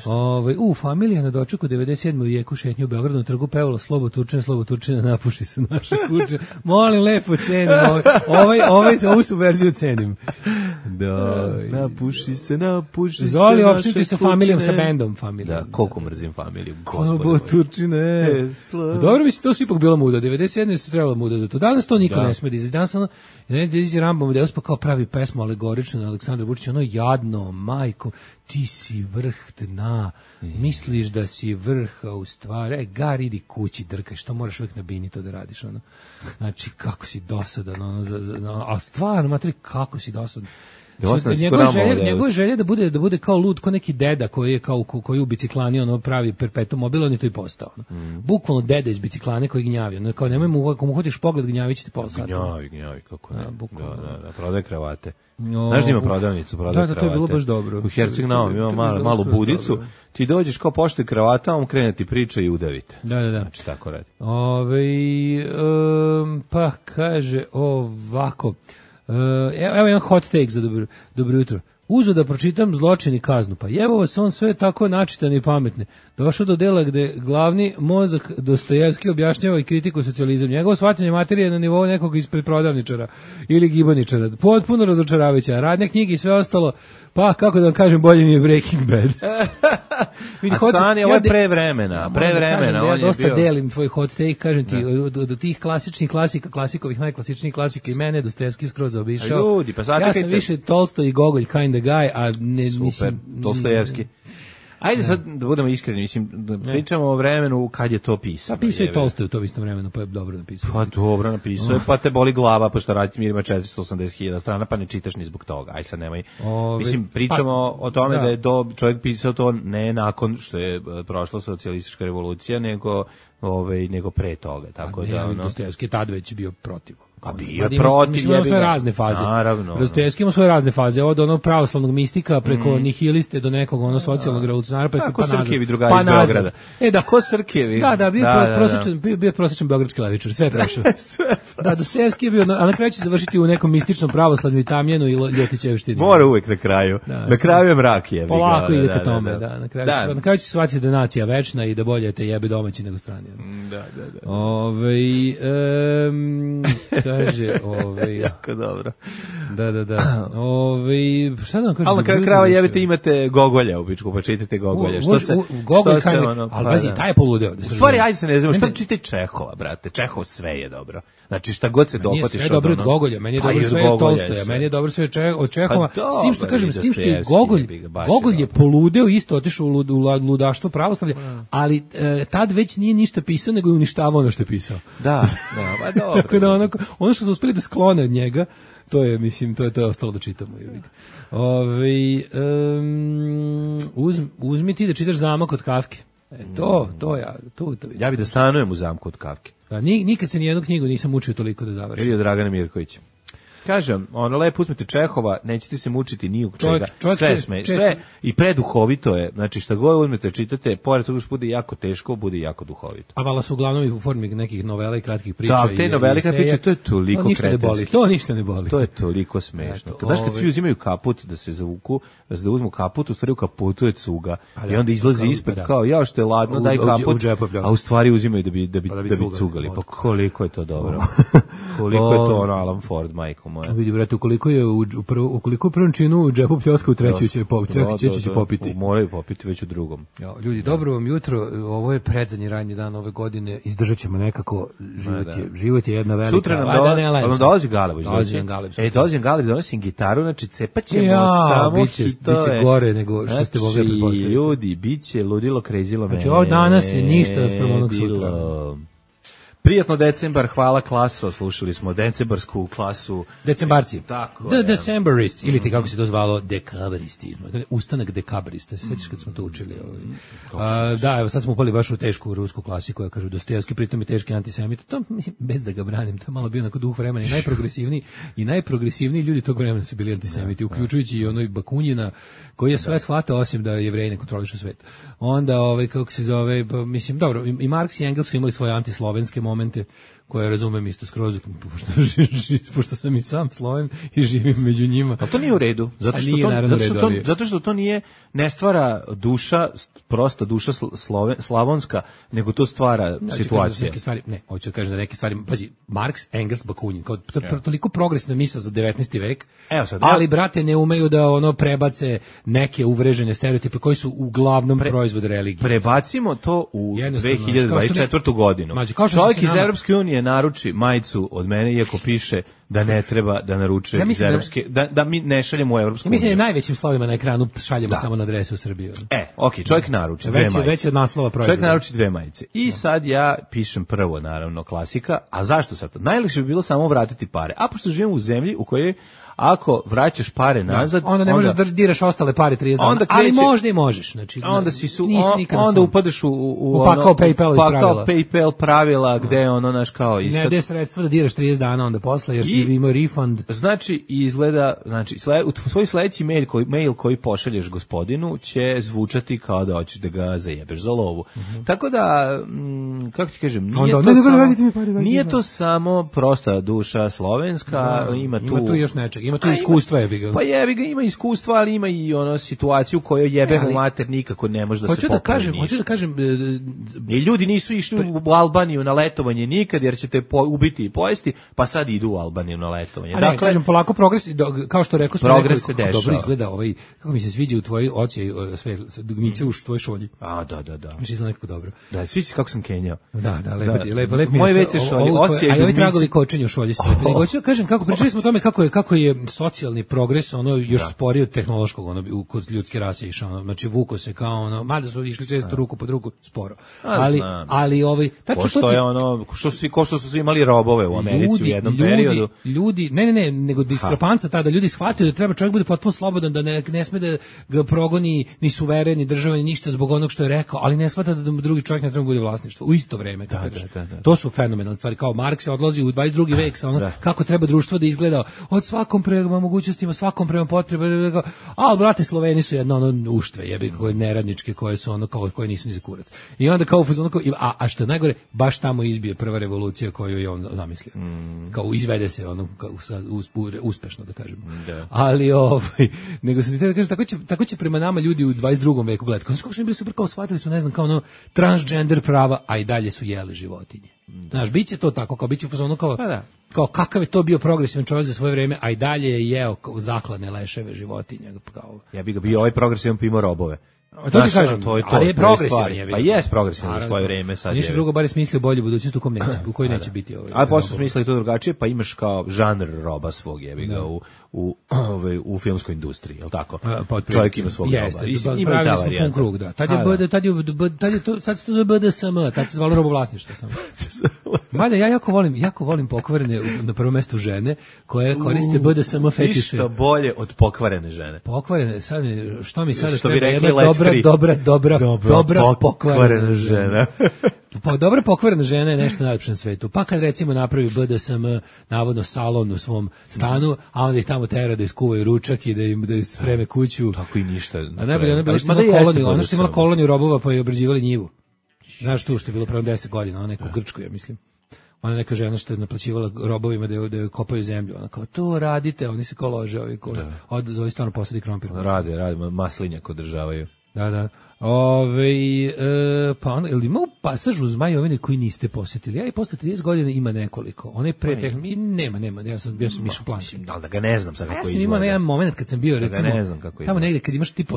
Ovaj, u, familija na dočeku devedeset sedme u jeku šetnju u Beogradu na trgu pevala Slobo Turčina, Slobo Turčina, napuši se naša kuća. Molim, lepo cenim. Ovaj, ovaj, ovaj, ovu su verziju cenim. Da, napuši se, napuši Zoli, se. Zoli, opštiti sa familijom, sa bendom familijom. Da, koliko mrzim familiju. Slobo Turčine. Dobro, mislim, to su ipak bila muda. devedeset sedme su trebala muda za to. Danas to niko da. ne sme da izde. Danas ono, ne da izde Rambom, da pa kao pravi pesmu alegorično na Aleksandra Vučića, ono jadno, majko, ti si vrh dna, misliš da si vrh, a u stvari, e, gar, idi kući, drkaj, što moraš uvijek na bini to da radiš, ono. Znači, kako si dosadan, ono, za, za, za, a stvarno, materi, kako si dosadan. Njegova želja, njegova želja da bude da bude kao lud, kao neki deda koji je kao koji u biciklani ono pravi perpetuum mobile, on je to i postao. Mm. Bukvalno deda iz biciklane koji gnjavi. Ono kao nemoj mu ako mu hoćeš pogled gnjavići ti pola sata. Gnjavi, gnjavi kako ne. Da, da, da, da, prodaje kravate. No, znaš da ima prodavnicu, prodaje da, da, to je bilo baš dobro. U Herceg-Novom ima malu, malu budicu, dobro. Ti dođeš kao poštuje kravata, on krene ti priča i udavite. Da, da, da. Znači, tako radi. Ove, um, pa kaže ovako, uh, evo jedan hot take za dobro, dobro jutro. Uzo da pročitam Zločin i kaznu, pa jevo vas on sve tako načitan i pametne. Došao do dela gde glavni mozak Dostojevski objašnjava i kritiku socijalizam. Njegovo shvatanje materije na nivou nekog ispred prodavničara ili gibaničara. Potpuno razočaravajuća. Radne knjige i sve ostalo, pa kako da vam kažem, bolje mi je Breaking Bad. A stani, ovo je pre vremena, pre vremena. Da ja dosta bio... delim tvoj hot take, kažem ti, od, od tih klasičnih klasika, klasikovih, najklasičnijih klasika i mene, Dostojevski skroz zaobišao. Ljudi, pa ja sam više Tolstoj i Gogolj kind of guy, a ne... Super, mislim, Dostojevski. Ajde sad da budemo iskreni, mislim, da pričamo o vremenu kad je to pisano. Pa pisao je Tolstoj u to istom vremenu, pa je dobro napisao. Pa dobro napisao je, pa te boli glava, pa što raditi mir ima četiristo osamdeset hiljada strana, pa ne čitaš ni zbog toga. Aj sad nemoj. Ove, mislim, pričamo pa, o tome da. da je do, čovjek pisao to ne nakon što je prošla socijalistička revolucija, nego, ove, nego pre toga. Tako a da, ne, ono... Dostojevski tad već bio protiv. A bio je protiv, mislim, ima svoje razne faze. Naravno. Dostojevski ima svoje razne faze, od onog pravoslavnog mistika preko mm. nihiliste do nekog ono socijalnog revolucionara preko pa nazad. Srkevi drugari iz Beograda. E da, ko Srkevi? Da, da, bio da, prosječan, bio, bio prosječan beogradski levičar, sve je prešao. Da, Dostojevski je bio, a na kraju će završiti u nekom mističnom pravoslavlju i tamjenu i Ljotićevštini. Mora uvek na kraju. Da, na kraju je mrak je. Polako ide ka tome, da, da. Na kraju da. Na kraju će se shvatiti da je nacija večna i da bolje te jebe domaći nego strani. Da, da, da. Ovaj um, kaže, ovaj jako dobro. Da, da, da. Ove, šta da vam kažem? Ali na kraju krava jebite imate Gogolja u pičku, pa čitate Gogolja. Što se, Gogolj što se ono, ali vazi, taj je poludeo. U stvari, ajde se ne znamo, šta čitaj Čehova, brate? Čehov sve je dobro. Znači, šta god se dopatiš od ono. Meni je sve dobro od Gogolja, meni je dobro sve od Tolstoja, meni je dobro sve od Čehova. S tim što kažem, s tim što je Gogolj, Gogolj je poludeo, isto otišao u ludaštvo pravoslavlja, ali tad već nije ništa pisao, nego je uništavao ono što je pisao. Da, da, pa dobro. Tako da ono što su uspeli da sklone od njega, to je, mislim, to je to je ostalo da čitamo. Ovaj um, uzmi, uzmi ti da čitaš Zamak od Kafke. E, to, to ja, to, to ja bih da stanujem u Zamku od Kafke. Pa nikad se ni jednu knjigu nisam učio toliko da završim. Ili od Dragana Mirkovića. Kažem, ono lepo uzmite Čehova, nećete se mučiti ni u čega. Sve sme, sve i preduhovito je. Znači šta god uzmete, čitate, pored toga što bude jako teško, bude jako duhovito. A vala su uglavnom u formi nekih novela i kratkih priča. Da, te novele i kratkih priča, to je toliko kretenski. To ništa ne boli. To je toliko smešno. Znaš kad svi uzimaju kaput da se zavuku, da uzmu kaput, u stvari u kaputu je cuga. I onda izlazi ispred kao, ja što je ladno, daj kaput, a u stvari uzimaju da bi da bi da bi cugali. Pa koliko je to dobro. Koliko je to ono Alan Ford, majko moja. Vidi, brate, ukoliko je u, u, prv, ukoliko u prvom činu u džepu pljoska, u treću će, po, da, će, će, će popiti. Moraju popiti već u drugom. Jo, ljudi, dobro vam jutro, ovo je predzadnji radnji dan ove godine, izdržat ćemo nekako, život, da, da. Je, život je jedna velika. Sutra nam, do, da ne nam dolazi Galeb. Dolazi nam Galeb. E, dolazi nam Galeb, donosim gitaru, znači cepat ćemo ja, samo biće, hitove. Biće gore nego što ste mogli pretpostaviti. Ljudi, biće ludilo, krezilo mene. Znači, ovo danas je ništa nasprem onog sutra. Prijatno decembar, hvala klaso, slušali smo decembarsku klasu. Decembarci. Tako The Decemberists, ili ti kako se to zvalo, dekabaristi. Ustanak dekabarista, se sećaš kad smo to učili. A, da, evo sad smo upali baš u tešku rusku klasiku, koja kaže Dostojevski, pritom je teški antisemit. To, mislim, bez da ga branim, to je malo bio onako duh vremena i najprogresivniji, i najprogresivniji ljudi tog vremena su bili antisemiti, uključujući i onoj Bakunjina, koji je sve shvatao, osim da Jevreji ne kontrolišu svet. Onda, ovaj, kako se zove, mislim, dobro, i Marks i Engels su imali svoje antislovenske momente, koje razumem isto skroz, pošto, pošto sam i sam Sloven i živim među njima. Ali to nije u redu, zato što, to, zato što, to, zato što to nije, ne stvara duša, prosta duša sloven, slavonska, nego to stvara ja, situacija. Neke stvari, ne, hoću da kažem za neke stvari, pazi, Marks, Engels, Bakunin, kao to, to, toliko progresna misao za devetnaesti vek, evo sad, ali, brate, ne umeju da ono prebace neke uvrežene stereotipe koji su uglavnom Pre, proizvod religije. Prebacimo to u dve hiljade dvadeset četvrtu godinu. Mađi, čovjek iz Evropske unije naruči majicu od mene, iako piše da ne treba da naruče ja iz Evropske, da, da mi ne šaljemo u Evropsku uniju. Ja mislim da najvećim slovima na ekranu šaljemo da. Samo na adresu u Srbiju. E, okej, okay, čovjek naruči dve majice. Već od naslova proizvoda. Čovjek naruči dve majice. I da. Sad ja pišem prvo, naravno, klasika. A zašto sad to? Najlakše bi bilo samo vratiti pare. A pošto živimo u zemlji u kojoj Ako vraćaš pare nazad, da, onda ne možeš da diraš ostale pare trideset dana, kreće, ali možda i možeš. Znači, onda si su, on, onda sam, upadaš u, u, u pakao ono, PayPal pravila. PayPal pravila gde ono naš kao i ne, gde sredstva da diraš trideset dana onda posle, jer si imao refund. Znači, izgleda, znači, sled, u svoj sledeći mail koji, mail koji pošalješ gospodinu će zvučati kao da hoćeš da ga zajebeš za lovu. Mm-hmm. Tako da, m, kako ti kažem, nije, onda, to, ne, samo, mi pari, nije to samo prosta duša slovenska, da, ima tu... Ima tu još nečeg, ima tu a, iskustva jebi ga. Pa jebi ga, ima iskustva, ali ima i ono situaciju u kojoj jebemo ne, mater nikako ne može da se popravi. Da kažem, hoću da kažem... I ljudi nisu išli u Albaniju na letovanje nikad, jer ćete po, ubiti i pojesti, pa sad idu u Albaniju na letovanje. A ne, dakle, kažem, polako progres, kao što rekao smo, progres se dešava. Dobro izgleda ovaj, kako mi se sviđa u tvojoj oci, sve, dugmiće u tvojoj šolji. A, da, da, da. Mi se izgleda nekako dobro. Da, sviđa se kako sam kenjao. Da, da, lepo ti, lepo, lepo. Moje veće šolje, oci i ovi tragovi kočenja u šolji. Nego hoću da kažem, kako pričali smo o tome kako je, kako je socijalni progres, ono, još sporije od tehnološkog, ono, kod ljudske rase išao, ono, znači vuko se kao, ono, mada su išli često ruku pod ruku, sporo. Ali, ali, ovaj, tačno što je ono, što svi, ko što su svi imali robove u Americi u jednom periodu. Ljudi, ne, ne, ne, nego diskrepanca tada, ljudi shvatio da treba čovjek bude potpuno slobodan, da ne, ne sme da ga progoni ni suveren, ni država, ni ništa zbog onog što je rekao, ali ne shvata da drugi čovjek ne treba bude vlasništvo u isto vreme. Da, da, da, da. To su fenomenalne stvari, kao Marks se odlazi u dvadeset drugi vek sa ono, kako treba društvo da izgleda od svakom prema mogućnostima, svakom prema potreba, a brate Sloveni su jedno ono uštve, jebi koje neradničke, koje su ono kao koje nisu ni za kurac. I onda kao ono, a, a što je najgore, baš tamo izbije prva revolucija koju je on zamislio. Mm. Kao izvede se ono kao sad uspešno da kažem. Da. Ali ovaj nego se ti da kaže tako će tako će prema nama ljudi u dvadeset drugom veku gledati. Kako su bili super, kao shvatili su, ne znam, kao ono transgender prava, a i dalje su jeli životinje. Da. Znaš, biće to tako, kao biće ono kao pa da. Kao kakav je to bio progresivan čovjek za svoje vreme, a i dalje je jeo zaklane leševe životinja. Kao, ja bih ga bio ovaj progresivan pimo robove. A to ti kažem, to je to, ali je progresivan je. Pa jes progresivan za svoje vreme sad. Ništa drugo, bar je smislio bolju budućnost u kom neće, u kojoj neće biti ovaj. A posle su smislili to drugačije, pa imaš kao žanr roba svog, jebi ga u u ovaj u filmskoj industriji, je l' tako? Pa, čovjek ima svog roba. Ima ta varijanta. Krug, da. Tad je B D, tad je tad je to sad se to zove B D S M, tad se zvalo robovlasništvo samo. Mada ja jako volim, jako volim pokvarene na prvom mestu žene koje koriste B D S M fetiše. Ništa bolje od pokvarene žene. Pokvarene, sad što mi sada treba jedna dobra, dobra, dobra, dobra pokvarena žena. Pa dobra pokvarena žena je nešto najlepše na svetu. Pa kad recimo napravi B D S M navodno salon u svom stanu, a onda ih tamo tera da iskuvaju ručak i da im da spreme kuću. Tako i ništa. A najbolje ona bila što imala koloniju, ona što imala koloniju robova pa je obrađivali njivu. Znaš tu što je bilo pre deset godina, ona neka u Grčkoj, ja mislim. Ona neka žena što je naplaćivala robovima da je, da je kopaju zemlju. Ona kao, to radite, oni se kao lože, ovi, ko, od, ovi stvarno posadi krompir. Rade, rade, maslinjak održavaju. Da, da. Ove, e, pa ono, ili ima u pasažu Zmajovine koji niste posjetili? Ja i posle trideset godina ima nekoliko. One pre teh, nema, nema, ja sam, ja sam išao plan. Da, da ga ne znam sad kako ja izgleda. Ja sam imao jedan moment kad sam bio, da recimo, ne znam kako tamo negde kad imaš tipa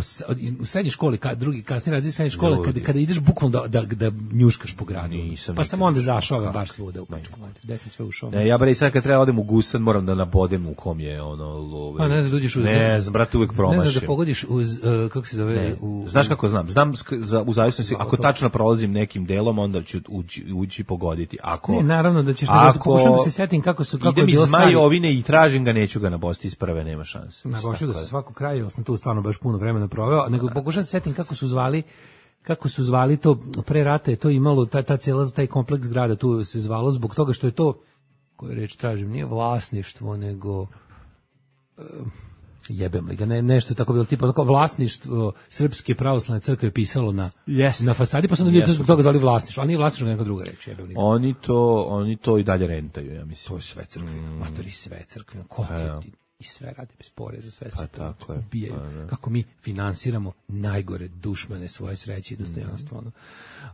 u srednjoj školi, kad drugi, kasnije razred srednje škole, kada, kada ideš bukvalno da, da, da njuškaš po gradu. Nisam pa sam onda zašao baš svuda u Pačku, gde sam sve ušao. Ne, ja bre sad kad treba odem u Gusan, moram da nabodem u kom je ono love. Pa ne znam, dođeš uz. Ne, znam, brate, uvek promašim. Ne znam da pogodiš uz, uh, kako se zove, ne, u. Znaš kako znam? Znam za u zavisnosti, ako tačno prolazim nekim delom, onda ću ući, ući pogoditi. Ako ne, naravno da ćeš da se pokušam da se setim kako su kako je bilo stanje. Idem iz Zmajovine i tražim ga, neću ga nabosti iz prve, nema šanse. Nabošio ga sa svakog kraja, jer sam tu stvarno baš puno vremena proveo, nego pokušam se setim kako su zvali kako su zvali to pre rata, je to imalo ta ta cela taj kompleks zgrada, tu se zvalo zbog toga što je to, koju reč tražim, nije vlasništvo, nego uh, jebem li ga, ne, nešto tako bilo tipa tako vlasništvo Srpske pravoslavne crkve pisalo na yes. na fasadi, pa su ljudi zbog toga zvali vlasništvo, a nije vlasništvo neka druga reč, jebem li ga. Oni to, oni to i dalje rentaju, ja mislim. To je sve crkveno, mm. matori sve crkveno, ko ja. ti i sve radi bez poreza, sve se pa, tako je. Ubijaju. Pa, kako mi finansiramo najgore dušmane svoje sreće i dostojanstvo. Mm.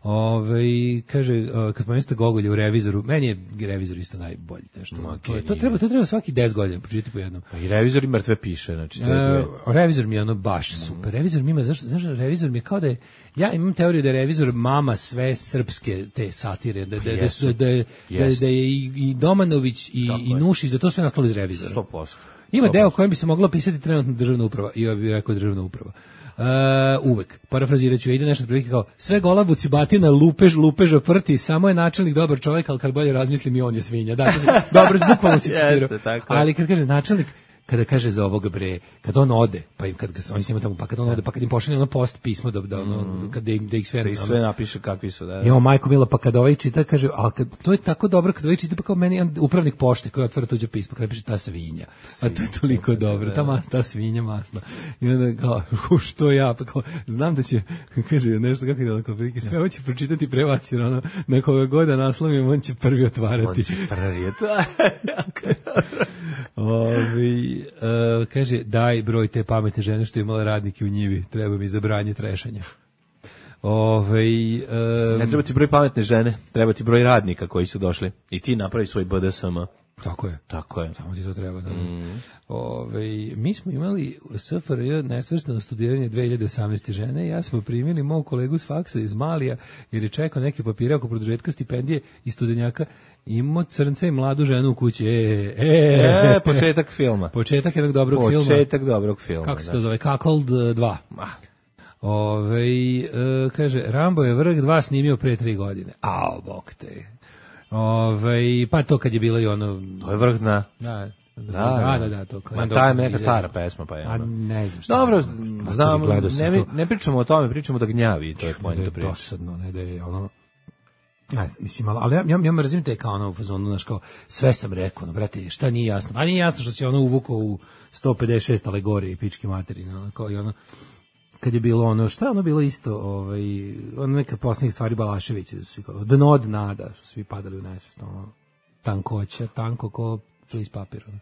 Ove, kaže, kad pomenete Gogolja u Revizoru, meni je Revizor isto najbolji. Nešto. No, to, je, to, treba, to treba svaki deset godina pročitati po jednom. I Revizor i mrtve piše. Znači, to je... uh, Revizor mi je ono baš super. Revizor mi ima, zašto, zašto Revizor mi je kao da je, ja imam teoriju da je Revizor mama sve srpske te satire, da, da, da, da, da, da, da je i, i Domanović i, i Nušić, da to sve nastalo iz Revizora. sto posto. Ima deo kojem bi se moglo pisati trenutno državna uprava, i ja bih rekao državna uprava. Uh, uvek, parafrazirat ću, ide nešto prilike kao sve golabuci batina, lupež, lupeža prti, samo je načelnik dobar čovjek, ali kad bolje razmislim i on je svinja. Da, dobro, bukvalno si citirao. Ali kad kaže načelnik, kada kaže za ovoga bre, kad on ode, pa im kad ga oni se tamo, pa kad on ode, pa kad im pošalje ono post pismo da da ono mm. kad da, da ih sve da ih sve napiše kakvi su, da. Jo, majko mila, pa kad ovaj čita kaže, al kad to je tako dobro kad ovaj čita pa kao meni upravnik pošte koji otvara tuđe pismo, kaže piše ta svinja. A to je toliko dobro, ta masna, ta svinja masna. I onda kao što ja, pa kao znam da će kaže nešto kako ide tako prilike, sve hoće pročitati pre vas jer ono na koga god da naslovim on će prvi otvarati. On će prvi to. Ovi, uh, kaže, daj broj te pametne žene što je imala radnike u njivi, treba mi zabranje trešanja. Ove, um, ne treba ti broj pametne žene, treba ti broj radnika koji su došli i ti napravi svoj B D S M. Tako je. Tako je. Samo ti to treba. Da. Mm. Ove, mi smo imali S F R J nesvrstano studiranje dve hiljade osamnaeste žene, ja smo primili mog kolegu s faksa iz Malija, jer je čekao neke papire oko produžetka stipendije i studenjaka, imao crnce i mladu ženu u kući. E, e, e početak filma. Početak jednog dobrog početak filma. Početak dobrog filma. Kako se to zove? Cuckold dva. Ah. Ove, e, kaže, Rambo je vrh dva snimio pre tri godine. Ao, bok te. Ove, pa to kad je bilo i ono... To je vrh dna. Da, da, da, da, da to. Ma ta je neka stara pesma, pa je ono. A ne znam šta. Dobro, znam, ne, ne pričamo o tome, pričamo da gnjavi, to je pojenta priča. Dosadno, ne da je ono... Ja, mislim, ali ja, ja, ja mrzim te kao ono u fazonu, znaš, kao sve sam rekao, no, brate, šta nije jasno? A nije jasno što se ono uvukao u sto pedeset šest alegorije i pičke materine, ono, kao i ono... kad je bilo ono, šta je ono bilo isto, ovaj, ono neka posljednjih stvari Balaševića, da su svi kao, dno od nada, što svi padali u nesvest, ono, tankoća, tanko ko flis papir, ono.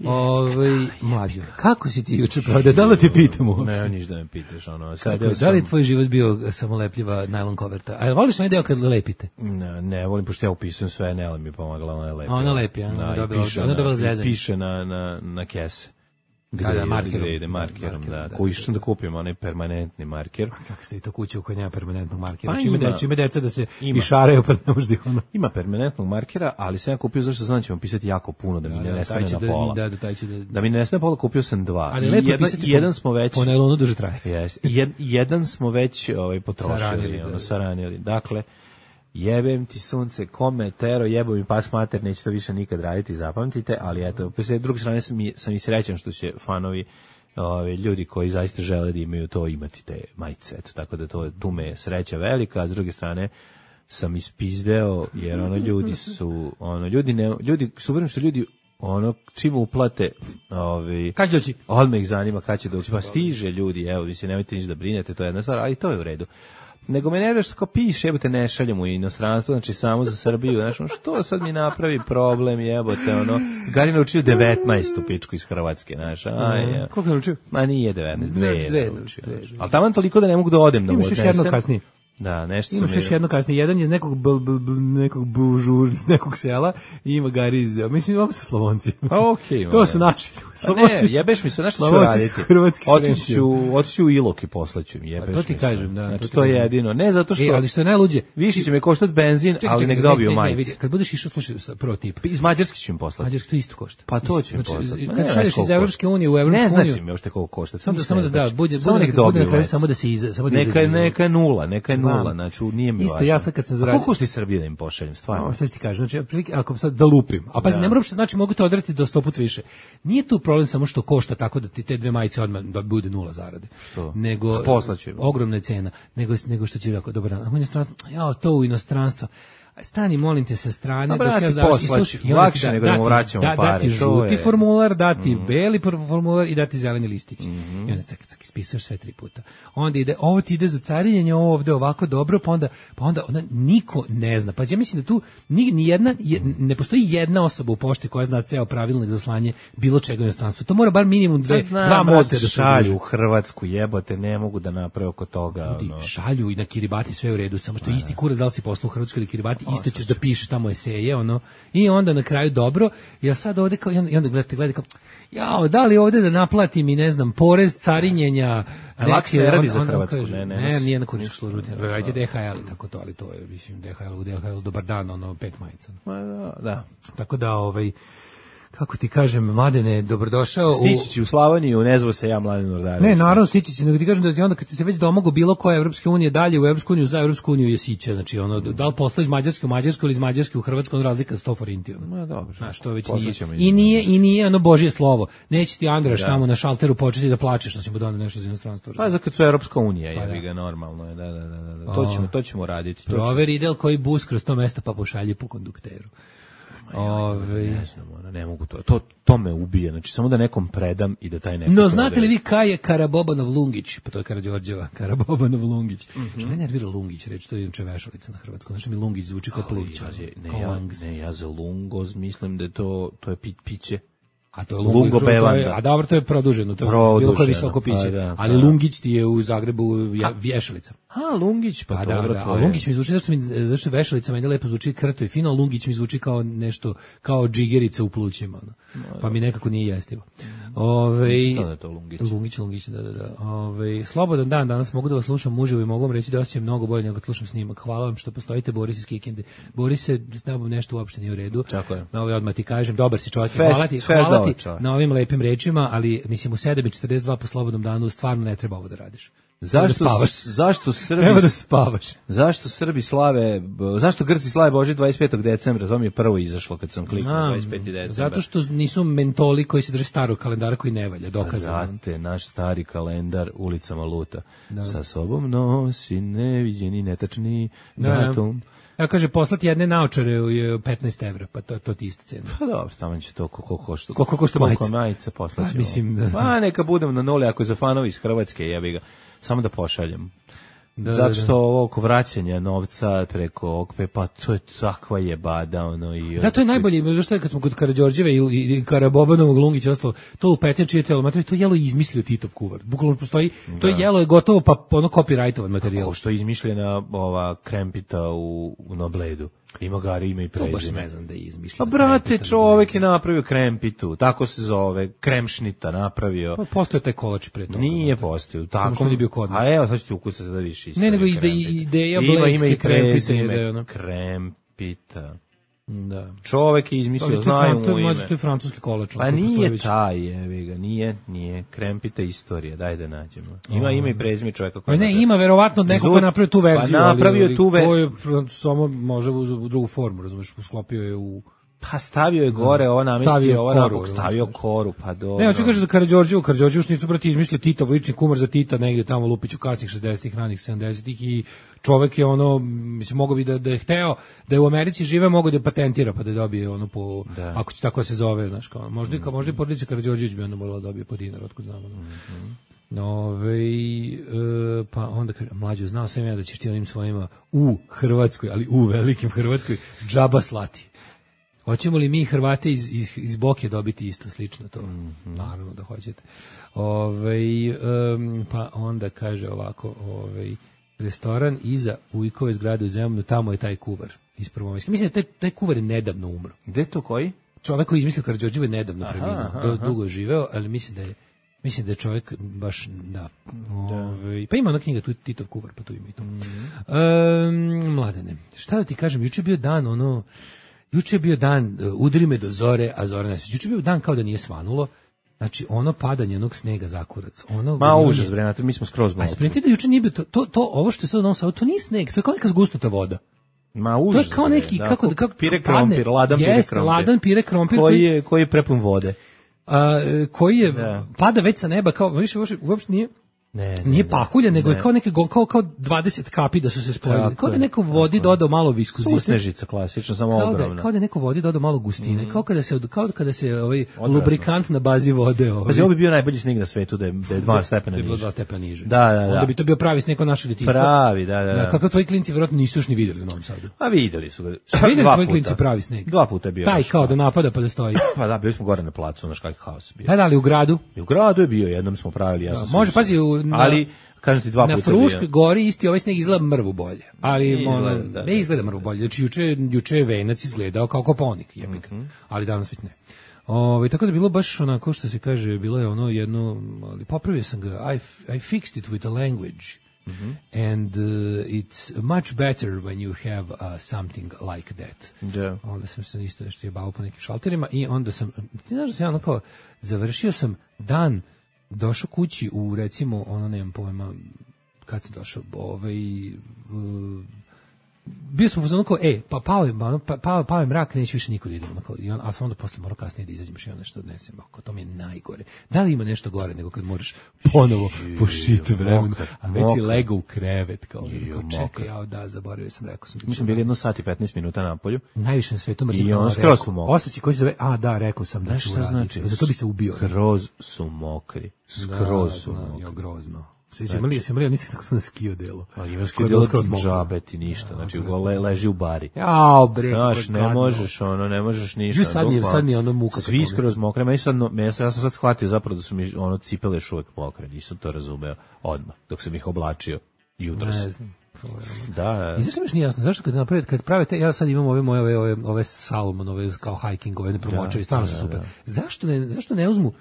Ovaj, mlađo, kako si ti juče pravda, da li te pitam uopšte? Ne, niš da me pitaš, ono, sad kako, da li je tvoj život bio samo lepljiva najlon koverta? A voliš onaj deo kad lepite? Ne, ne volim, pošto ja upisujem sve, Nela mi je pomagala, ona je lepi. Ona lepi, ona da, dobila, piše, ona dobila zezanje. Piše na, na, na kese. Gde, da, da, markerom. Gde ide markerom, markerom da, da, koji išao da kupim onaj permanentni marker. A kako ste vi to kuće u kojoj nema permanentnog markera? Pa čime, ima, deca, čime deca da se ima. Išaraju pa ne možda ih ono. Ima permanentnog markera, ali sam ja kupio zašto znam da ćemo pisati jako puno, da mi da, ne nestane na pola. Da, da, taj će da, da mi ne nestane na pola, kupio sam dva. Ali lepo jedan, pisati jedan po, smo već... Po nailonu duže traje. Yes, jed, jedan smo već ovaj, potrošili, saranili, ono, da, saranili. Dakle, jebem ti sunce, kome, tero, jebo mi pas mater, neću to više nikad raditi, zapamtite, ali eto, s druge strane sam i, sam i srećan što će fanovi Ove, ljudi koji zaista žele da imaju to, imati te majice, eto, tako da to, tu me je sreća velika, a s druge strane sam ispizdeo, jer ono ljudi su, ono, ljudi ne, ljudi, super što ljudi, ono, čim uplate, ovi, kad će doći? Odmah ih zanima kad će doći, pa stiže ljudi, evo, vi se nemojte ništa da brinete, to je jedna stvar, ali to je u redu. Nego me nervira što kao piše, jebote, ne šaljem u inostranstvo, znači samo za Srbiju, znači, ono, što sad mi napravi problem, jebote, ono, Gari naučio devetnaestu pičku iz Hrvatske, znaš, aj, ja. Koliko naučio? Ma nije devetnaest, dve je dve, naučio, dve, dve. ali taman toliko da ne mogu da odem da mu odnesem. Imaš još jedno kasnije. Da, nešto imaš još jedno kasnije, jedan je iz nekog bl, bl, bl, nekog bužur, iz nekog sela i ima Gari iz, mislim, ovo su Slavonci. A okej. Okay, to su naši. Slavonci. Ne, jebeš mi se, nešto ću raditi. Otiću, otiću u Ilok i poslaću mi, jebeš mi se. To ti kažem, da. Znači, to je jedino. Ne, zato što... E, ali što je najluđe... Više će me koštati benzin, čekaj, ali čekaj, nek dobiju majice. Kad budeš išao, slušaj, prvo tip. Iz Mađarske ću im poslati. Mađarske to isto košta. Pa to ću im poslati. Kad šalješ iz Evropske unije u Evropsku uniju... Ne znači mi uopšte koliko košta. Samo da, samo da, da, bude, bude samo da se iza... Neka je nula, neka je nula, znači nije mi isto važno. Ja sad kad sam zaradio. Koliko ti Srbije da im pošaljem, stvarno? No, šta ti kažem, znači ako sad da lupim. A pa ja. Ne moram što znači mogu te odrati do sto puta više. Nije tu problem samo što košta tako da ti te dve majice odmah da bude nula zarade. Što? Nego ogromna je cena, nego nego što će tako dobro. A u inostranstvu, ja to u inostranstvo. Stani, molim te, sa strane, dok ja završim, i slušaj, lakše nego da mu vraćamo da, pare. Dati žuti je... formular, dati mm. beli formular i dati zeleni listić. Mm -hmm. I onda cak, cak, ispisuješ sve tri puta. Onda ide, ovo ti ide za carinjenje, ovo ovde ovako dobro, pa onda, pa onda ona, niko ne zna. Pa ja mislim da tu ni, ni jedna, je, ne postoji jedna osoba u pošti koja zna ceo pravilnik za slanje bilo čega u inostranstvu. To mora bar minimum dve, znam, dva mozga da šalju u Hrvatsku, jebote, ne mogu da naprave oko toga. Ljudi, ono. šalju i na Kiribati sve u redu, samo što isti kurac da li si poslao u Hrvatskoj ili Kiribati, isto ćeš da pišeš tamo eseje, ono, i onda na kraju dobro, ja sad ovde kao, i onda gledate, gledate kao, jao, da li ovde da naplatim i ne znam, porez carinjenja, Laks ne radi za Hrvatsku, ne, ne. Ne, nije na kuričku službu, radite D H L i tako to, ali to je, mislim, D H L, u D H L, dobar dan, ono, pet majica. Ma da, da. Tako da, ovaj, kako ti kažem, Mladene, dobrodošao. Stići će u Slavoniju, ne zvo se ja Mladen Urdarević. Ne, naravno stići će, nego ti kažem da ti onda kad se već domogu bilo koje Evropske unije dalje u Evropsku uniju, za Evropsku uniju je siće, znači ono, da li posla iz Mađarske u Mađarsku ili iz Mađarske u Hrvatsku, ono razlika sto forinti. Ono. Ma dobro. Znaš, to već nije. I nije, i nije ono Božje slovo. Neće ti Andraš tamo na šalteru početi da plačeš, što si mu doneo nešto iz inostranstva. Pa za kad su Evropska unija, pa, jebi ga, normalno je, da, da, da, da. To ćemo, to ćemo raditi. Proveri idel koji bus kroz to mesto pa pošalje po kondukteru. Ove... Ne znam, ono, ne mogu to. to. To me ubije, znači samo da nekom predam i da taj neko... No, znate li vi kaj je Karabobanov Lungić? Pa to je Karađorđeva, Karabobanov Lungić. Mm -hmm. Što me nervira Lungić, reći, to je inače vešalica na hrvatskom. Znači mi Lungić zvuči kao pluć. Ja, ne, ja, ne, ja za Lungoz mislim da je to, to je pit, piće. A to je Lungo Belanda. A dobro, to je produženo, to je produženo. Bilo koje visoko piće. Da, ali da. Lungić ti je u Zagrebu vješalica. A, Lungić, pa, pa dobro, da, da. to A Lungić mi zvuči, zašto mi, zašto vešalica meni lepo zvuči krto i fino, Lungić mi zvuči kao nešto, kao džigerica u plućima. No. Pa mi nekako nije jestivo. Ove, Sada je to Lungić. Lungić, Lungić, da, da, da. Ove, slobodan dan, danas mogu da vas slušam uživo i mogu vam reći da osjećam mnogo bolje nego slušam snimak. Hvala vam što postojite, Boris iz Kikinde. Boris se s nabom nešto uopšte nije u redu. Tako je. Na ovaj odmah ti kažem, dobar si čovjek. Hvala ti, hvala ti na ovim lepim rečima, ali mislim u sedam i četrdeset dva po slobodnom danu stvarno ne treba ovo da radiš. Zašto da zašto Srbi treba da spavaš? Zašto Srbi slave, zašto Grci slave Božić dvadeset petog decembra? To mi je prvo izašlo kad sam kliknuo dvadeset peti decembar. Zato što nisu mentoli koji se drže starog kalendara koji ne valja, dokazano. Znate, naš stari kalendar ulicama luta. Da. Sa sobom nosi neviđeni netačni datum. Ja kaže poslati jedne naočare je petnaest evra, pa to to ti isto cena. Pa dobro, tamo će to koliko košta. Koliko košta majica? Koliko majica poslaćemo. Pa, mislim da. Pa neka budem na nuli ako je za fanovi iz Hrvatske, jebi ga. Samo da pošaljem. Da, zato što da, da. ovo oko vraćanja novca preko okve, pa to je takva jebada, ono i... Da, to je najbolje, što je kad smo kod Karađorđeve i, i Karabobanovog Lungića ostalo, to u Petnjači je telo materijal, to jelo je izmislio Titov kuvar. Bukvalno postoji, da. To jelo je gotovo pa ono copyrightovan materijal. Kako što je izmišljena ova Krempita u, u Nobledu. Ima gari, ima i prezime. To baš ne znam da je izmišljeno. Pa brate, čovek je napravio Krempitu, tako se zove, Kremšnita napravio. Pa postoje taj kolač pre toga. Nije postojao, tako. Samo bio kod nas. A evo, sad ću ti ukusati da više isto. Ne, nego ide ideja Blejske Krempite. Ima ime ono. Krempita. Da. Čovek je izmislio, znaju mu ime. To je francuski kolač. Pa nije taj, jevi ga, nije, nije. Krempita istorija, daj da nađemo. Ima ime i prezime čoveka koji... Ne, ima verovatno neko ko napravio tu verziju. Pa napravio tu verziju. Ko je samo može u drugu formu, razumiješ, sklopio je u... Pa stavio je gore, ovo namestio, ovo nabok, stavio koru, pa dobro. Ne, hoću kažem za Karađorđevu, Karađorđevu šnicu, brati, izmislio Titov, lični kumar za Tita, negde tamo Lupiću kasnih šezdesetih, ranih sedamdesetih i čovek je ono, mislim, mogo bi da, da je hteo, da je u Americi žive, mogo da je patentira, pa da je dobije ono po, da. Ako će tako se zove, znaš, kao, možda, mm -hmm. možda i porodica Karađorđević bi onda morala da dobije po dinar, otkud znamo. Mm -hmm. Ove, e, pa onda kaže, mlađo, znao sam ja da ćeš ti onim svojima u Hrvatskoj, ali u velikim Hrvatskoj, džaba slati. Hoćemo li mi Hrvate iz, iz, iz Boke dobiti isto slično to? Mm -hmm. Naravno da hoćete. Ove, um, pa onda kaže ovako, ovaj restoran iza Ujkove zgrade u Zemunu, tamo je taj kuvar iz Prvomajske. Mislim da taj, taj kuvar je nedavno umro. Gde to koji? Čovjek koji izmislio Karađorđevu je nedavno preminuo. Dugo je živeo, ali mislim da je mislim da je čovjek baš, da. Ove, pa ima ona knjiga, tu Titov kuvar, pa tu ima i to. Mm -hmm. um, Mladene, šta da ti kažem, juče je bio dan, ono, juče je bio dan, uh, udri me do zore, a zora ne. Juče je bio dan kao da nije svanulo. Znači, ono padanje onog snega zakurac. Ono Ma užas, bre, mi smo skroz malo. A spremite da juče nije bio to, to, to, ovo što je sad u Novom Sadu, to nije sneg, to je kao neka zgusnuta voda. Ma užas. To je kao neki, da, kako, kako, pire krompir, ladan pire jest, krompir. ladan pire krompir. Koji je, koji je prepun vode. A, koji je, da. Pada već sa neba, kao, više, uopšte nije, Ne, ne, nije pahulja, nego ne. je kao neke kao kao dvadeset kapi da su se spojili. Kao da neko vodi dodao malo viskozite. Susnežica klasično, samo kao ogromna. Da, kao da neko vodi dodao malo gustine, mm. kao kada se kao kada se ovaj odvratno. Lubrikant na bazi vode, ovaj. Pa ovo bi bio najbolji sneg na svetu da je, da je dva stepena niže. Da je dva stepena niže. Da, da, da. Onda bi to bio pravi sneg naše detinjstvo. Pravi, da, da. da. Kako tvoji klinci verovatno nisu još ni videli u Novom Sadu. A videli su ga. Videli tvoji klinci pravi sneg. Dva puta je bio. Taj kao da napada pa da stoji. Pa da, bili smo gore na placu, znaš kakav haos bio. Da, da, ali u gradu. I u gradu je bio, jednom smo pravili, ja sam. Može, pazi, ali kažem ti dva na puta. Na Fruškoj gori isti ovaj sneg izgleda mrvu bolje. Ali izgleda, ono, da, da, ne izgleda mrvu bolje. Znači juče juče je venac izgledao kao Kopaonik, jebik. Mm -hmm. Ali danas već ne. Ovaj tako da bilo baš onako što se kaže, bilo je ono jedno, ali popravio sam ga. I I fixed it with a language. Mm-hmm. And uh, it's much better when you have uh, something like that. Da. Onda sam se isto nešto jebao po nekim šalterima i onda sam, ti znaš da sam ja ono kao, završio sam dan, došao kući u recimo, ono nemam pojma, kad sam došao, ovaj, uh, bio sam u fazonu kao, e, pa pao je, pa, pao, pao je mrak, neće više niko da idem, ali sam onda posle morao kasnije da izađem i ono nešto odnesem, ako to mi je najgore. Da li ima nešto gore nego kad moraš ponovo po šitu vremenu, a već si legao u krevet, kao, kao čekaj, ja da, zaboravio sam, rekao sam. Mi smo bili jedno sat i petnaest minuta na polju. Najviše na svetu mrzim. I on skroz su mokri. Osjećaj koji se zove, a da, rekao sam da ću uraditi. Znači? Zato bi se ubio. Skroz su mokri. Skroz su da, mokri. Ja, grozno. Svi smo imali, imali, nisi tako sam na skio delo. A ima skio delo džabeti ništa, znači le, leži u bari. Jao, bre. Znaš, ne možeš, ono, ne možeš ništa. Ju sad mi, sad mi ono muka. Svi skroz mokre, meni sad, ja sam sad shvatio zapravo da su mi ono cipele još uvek mokre, nisam to razumeo odmah, dok sam ih oblačio jutros. Ne znam. Da. I zašto mi nije jasno, zašto kad naprave, kad prave te, ja sad imam ove moje, ove, ove, ove Salomon, ove kao hiking, ove ne promočaju, stvarno su super. Zašto ne, zašto ne uzmu,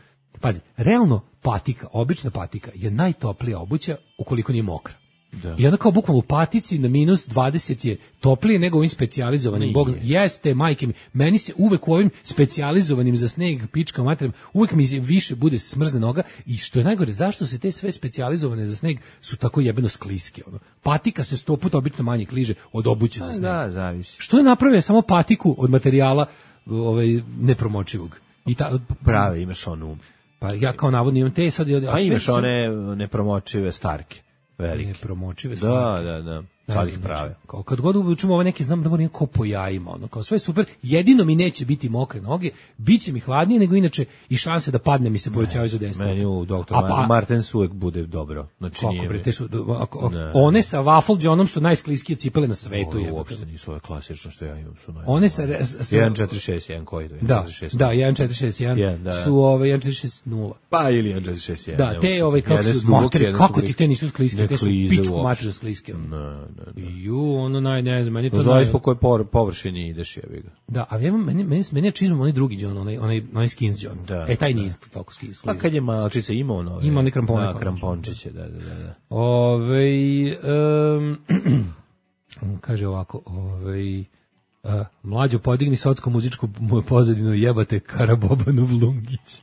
pazi, realno patika, obična patika je najtoplija obuća ukoliko nije mokra. Da. I onda kao bukvalno u patici na minus dvadeset je toplije nego ovim specijalizovanim. Bog, jeste, majke mi, meni se uvek u ovim specijalizovanim za sneg, pička materijem, uvek mi više bude smrzne noga i što je najgore, zašto se te sve specijalizovane za sneg su tako jebeno skliske? Ono? Patika se sto puta obično manje kliže od obuće za sneg. Da, zavisi. Što je napravio samo patiku od materijala ovaj, nepromočivog? I ta, Prave, imaš onu. Pa ja kao navodno imam te sad... A, a imaš sam... one nepromočive starke, velike. Nepromočive starke. Da, da, da. Sad ih prave. Kao kad god učimo ove neke, znam da moram kao po jajima, ono, kao sve super, jedino mi neće biti mokre noge, bit će mi hladnije nego inače i šanse da padne mi se povećavaju za deset. Meni u doktor pa, Martens uvek bude dobro. Znači, kako bre, te su, ako, one sa waffle džonom su najskliskije cipele na svetu. Ovo uopšte nisu ove klasično što ja imam. Su one sa... jedan četiri šest jedan koji? Da, da, jedan četiri šest jedan su ove jedan četiri šest nula. Pa ili jedan četiri šest jedan. Da, te ove kako su, materi, kako ti te nisu skliske, te su pičku materiju skliske. Ju, ono naj, ne znam, meni to... Zavisi po kojoj površini ideš, jebi ga. Da, a ja, meni, meni, meni je čizmom onaj drugi džon, onaj, onaj, onaj skins džon. Da, e, taj nije toliko skins. Pa kad je malčica imao nove... Ima onaj krampone. Da, krampončiće, da, da, da. Ovej, um, kaže ovako, ovej... Uh, mlađo, podigni socko muzičku pozadinu, jebate Karabobanu Vlungić.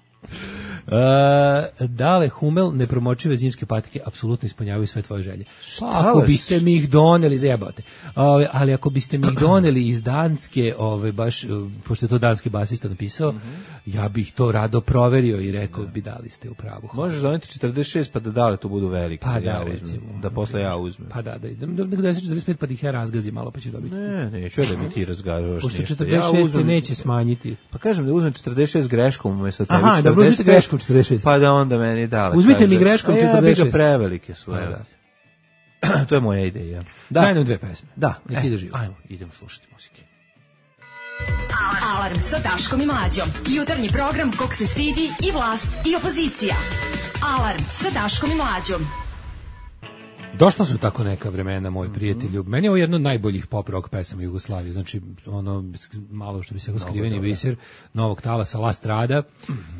Uh, dale, Humel, nepromočive zimske patike apsolutno ispunjavaju sve tvoje želje. Pa, ako biste mi ih doneli, zajebate. Ove, ali ako biste mi ih doneli iz Danske, ove, baš, pošto je to danski basista napisao, mm-hmm. ja bih to rado proverio i rekao da. bi dali ste u pravu. Možeš doneti četrdeset šest pa da dale to budu velike. Pa da, ja recimo. Da posle ja uzmem. Pa da, da idem do četrdeset pet pa da ih ja razgazim malo pa će dobiti. Ne, neću ja da mi ti razgažavaš pošto ništa. Pošto četrdeset šest ja uzmem, se neće smanjiti. Pa kažem da uzmem četrdeset šest greškom umjesto tebi. Aha, da uzmite greškom četrdeset šest. Pa da onda meni dale. Uzmite kaže, mi greškom četrdeset šest. Ja bi ga prevelike su. Da. To je moja ideja. Da. Daj nam dve pesme. Da. Nek ide živo. Ajmo, idemo slušati muzike. Alarm sa Daškom i Mlađom. Jutarnji program kog se stidi i vlast i opozicija. Alarm sa Daškom i Mlađom. Došla su tako neka vremena, moj prijatelju. Meni je ovo jedno od najboljih pop rock pesama Jugoslavije. Znači, ono, malo što bi se skriveni biser, Novog talasa, La Strada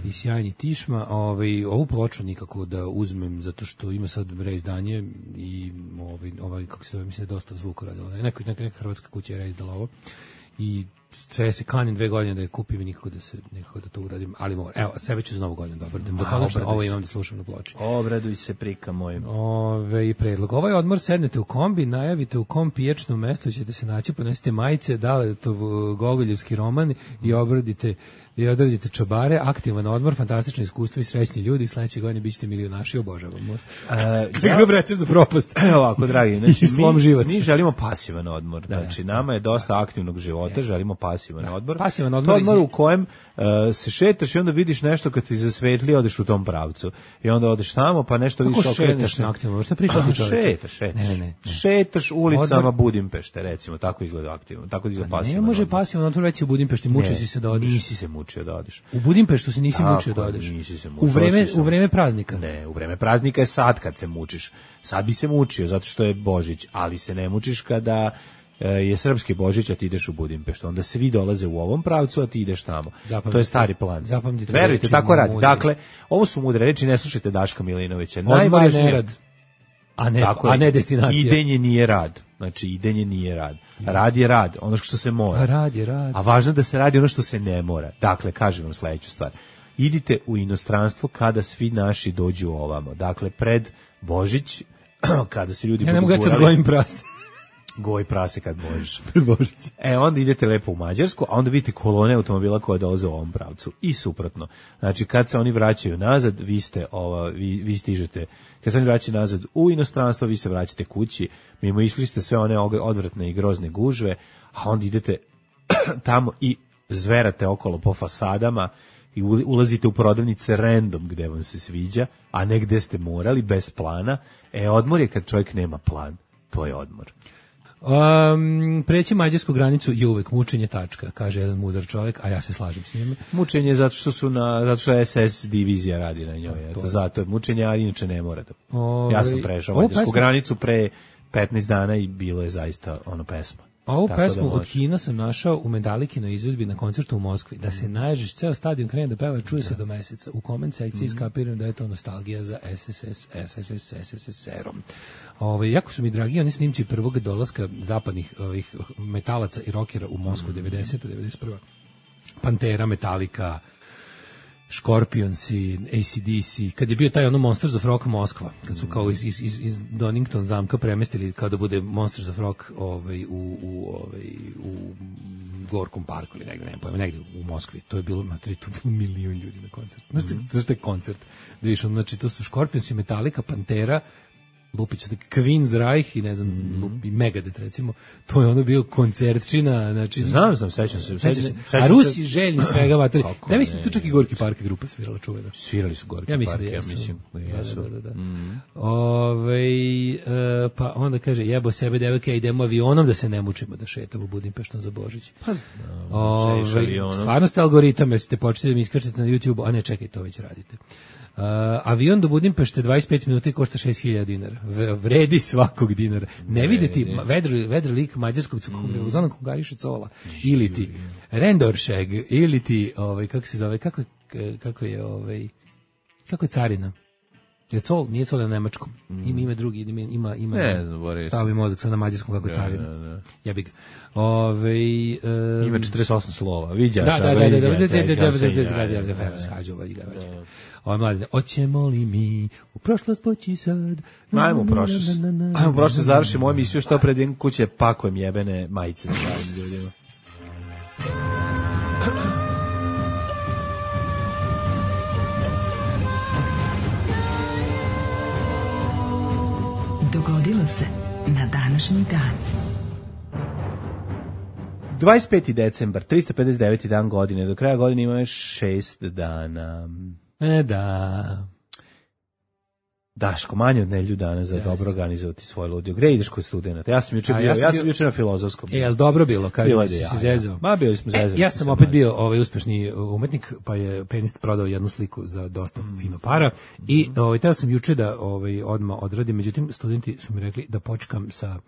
i Sjajni Tišma. Ovaj, ovu ploču nikako da uzmem, zato što ima sad reizdanje i ovaj, ovaj kako se zove, mislim da je dosta zvuka radila. Neka, neka, neka hrvatska kuća je reizdala ovo. I sve se kanim dve godine da je kupim i nikako da se nikako da to uradim, ali moram. Evo, sebe ću za novu godinu dobro. Da konačno ovo imam da slušam na ploči. Obraduj se, prika moj. Ove i predlog. Ovaj odmor sednete u kombi, najavite u kom pijačnom mestu ćete se naći, ponesete majice, dale to Gogoljevski roman i obradite i odradite čabare, aktivan odmor, fantastično iskustvo i srećni ljudi, sledeće godine bićete milionaši, obožavam vas. Kakav recept za propast. Evo ovako, dragi, znači, slom život. Mi želimo pasivan odmor, da, znači nama je dosta da. aktivnog života, ja. želimo pasivan da. odmor. Pasivan odmor, odmor u kojem uh, se šetaš i onda vidiš nešto kad ti zasvetli, odeš u tom pravcu. I onda odeš tamo, pa nešto kako više okreneš. Kako šetaš na aktivno? Šta pričati čovječe? Šetaš, šetaš. Ne, ne, ne. Šetaš ulicama odmor... Budimpešte, recimo, tako izgleda aktivno, tako izgleda pasivan. Ne može pasivan odmor reći u Budimpešti, mučio si se da odeš. Nisi se mučio da odeš. U Budimpeštu se nisi tako, mučio da odeš. Nisi se mučio. U vreme, u vreme praznika. Ne, u vreme praznika je sad kad se mučiš. Sad bi se mučio zato što je Božić, ali se ne mučiš kada je srpski Božić, a ti ideš u Budimpeštu. Onda svi dolaze u ovom pravcu, a ti ideš tamo. Zapamtite, to je stari plan. Zapamtite. Verujte, tako radi. Dakle, ovo su mudre reči, ne slušajte Daška Milinovića. Najvažnije nerad. a ne, Tako a ne destinacija. Idenje nije rad. Znači, idenje nije rad. Rad je rad, ono što se mora. A rad je rad. A važno je da se radi ono što se ne mora. Dakle, kažem vam sledeću stvar. Idite u inostranstvo kada svi naši dođu ovamo. Dakle, pred Božić, kada se ljudi ja ne budu mogu gurali... Ja gojim prase. Goj prase kad možeš. Pred Božić. E, onda idete lepo u Mađarsku, a onda vidite kolone automobila koje dolaze u ovom pravcu. I suprotno. Znači, kad se oni vraćaju nazad, vi ste, ova, vi, vi stižete, kad se oni vraćaju nazad u inostranstvo, vi se vraćate kući, mimo išli ste sve one odvratne i grozne gužve, a onda idete tamo i zverate okolo po fasadama i ulazite u prodavnice random gde vam se sviđa, a ne gde ste morali, bez plana. E, odmor je kad čovjek nema plan. To je odmor. Um, preći mađarsku granicu je uvek mučenje tačka, kaže jedan mudar čovjek, a ja se slažem s njim. Mučenje zato što su na zato što S S divizija radi na njoj, eto, zato je mučenje, a inače ne mora da. Ove, ja sam prešao mađarsku granicu pre petnaest dana i bilo je zaista ono pesma. A ovu pesmu da od Kina sam našao u Medalikinoj izvedbi na koncertu u Moskvi. Da se naježiš, ceo stadion krene da peva, čuje se do meseca. U koment sekciji skapiram da je to nostalgija za S S S, S S S, S S S R-om. Ove, jako su mi dragi oni snimci prvog dolaska zapadnih ovih metalaca i rokera u Moskvu, devedeseta, devedeset prva. Pantera, Metallica, Scorpions i A C D C, kad je bio taj ono Monsters of Rock Moskva, kad su kao iz, iz, iz Donington zamka premestili kao da bude Monsters of Rock ovaj, u, u, ovaj, u Gorkom parku ili negde, ne pojma, negde u Moskvi. To je bilo, materi, to je bilo milion ljudi na koncertu. Znaš mm. zašto je koncert? Da viš, znači, to su Scorpions i Metallica, Pantera, Lupić, Queen's Reich i ne znam, mm. i Megadeth recimo, to je ono bio koncertčina, znači... Znam, znam, sećam se. Sećam se. A Rusi se... željni svega, vateri. Da, mislim, tu čak i Gorki Park grupa svirala čuvena. Svirali su Gorki ja mislim Park, da jesu. ja mislim da jesu. Da, da, da. Mm. Ove, e, pa onda kaže, jebo sebe devojke, idemo avionom da se ne mučimo da šetamo Budimpeštom za Božić. Pa, no, Ove, stvarno ste algoritam, jer ste počeli da mi iskačete na YouTube, a ne, čekaj, to već radite. Uh, avion do Budimpešte dvadeset pet minuta i košta šest hiljada dinara. Vredi svakog dinara. Ne vidi ti vedri, vedri lik mađarskog cukumre, mm. uz onom kongariše cola. Ili ti Rendoršeg, ili ti, ovaj, kako se zove, kako, kako je, ovaj, kako je carina? Je col, nije col na nemačkom. Mm. Ima ime drugi, ima, ima, ima ne znam, stavi mozak sad na mađarskom kako je carina. Ne, ne. Jebi ga. Ove, um, ima četrdeset osam slova, viđaš. Da, da, da, da, da, Ovo mladine, oćemo li mi u prošlost poći sad? Ajmo u prošlost. Ajmo u prošlost, završimo ovu emisiju, što pred jednom kuće pakujem jebene majice za pravim ljudima. Dogodilo se na današnji dan. dvadeset peti decembar, tristo pedeset deveti dan godine, do kraja godine ima još šest dana. E da. Daško, manje od nelju dana za yes. dobro organizovati svoj ludio. Gde ideš kod studenta? Ja sam juče bio, ja sam, ja sam bio... juče na filozofskom. E, jel dobro bilo? Kažem da si ja, se zezao. Ma, bili smo zezali. E, ja sam opet bio ovaj uspešni umetnik, pa je Penist prodao jednu sliku za dosta mm. fino para i ovaj, teo sam juče da ovaj, odmah odradim, međutim, studenti su mi rekli da počkam sa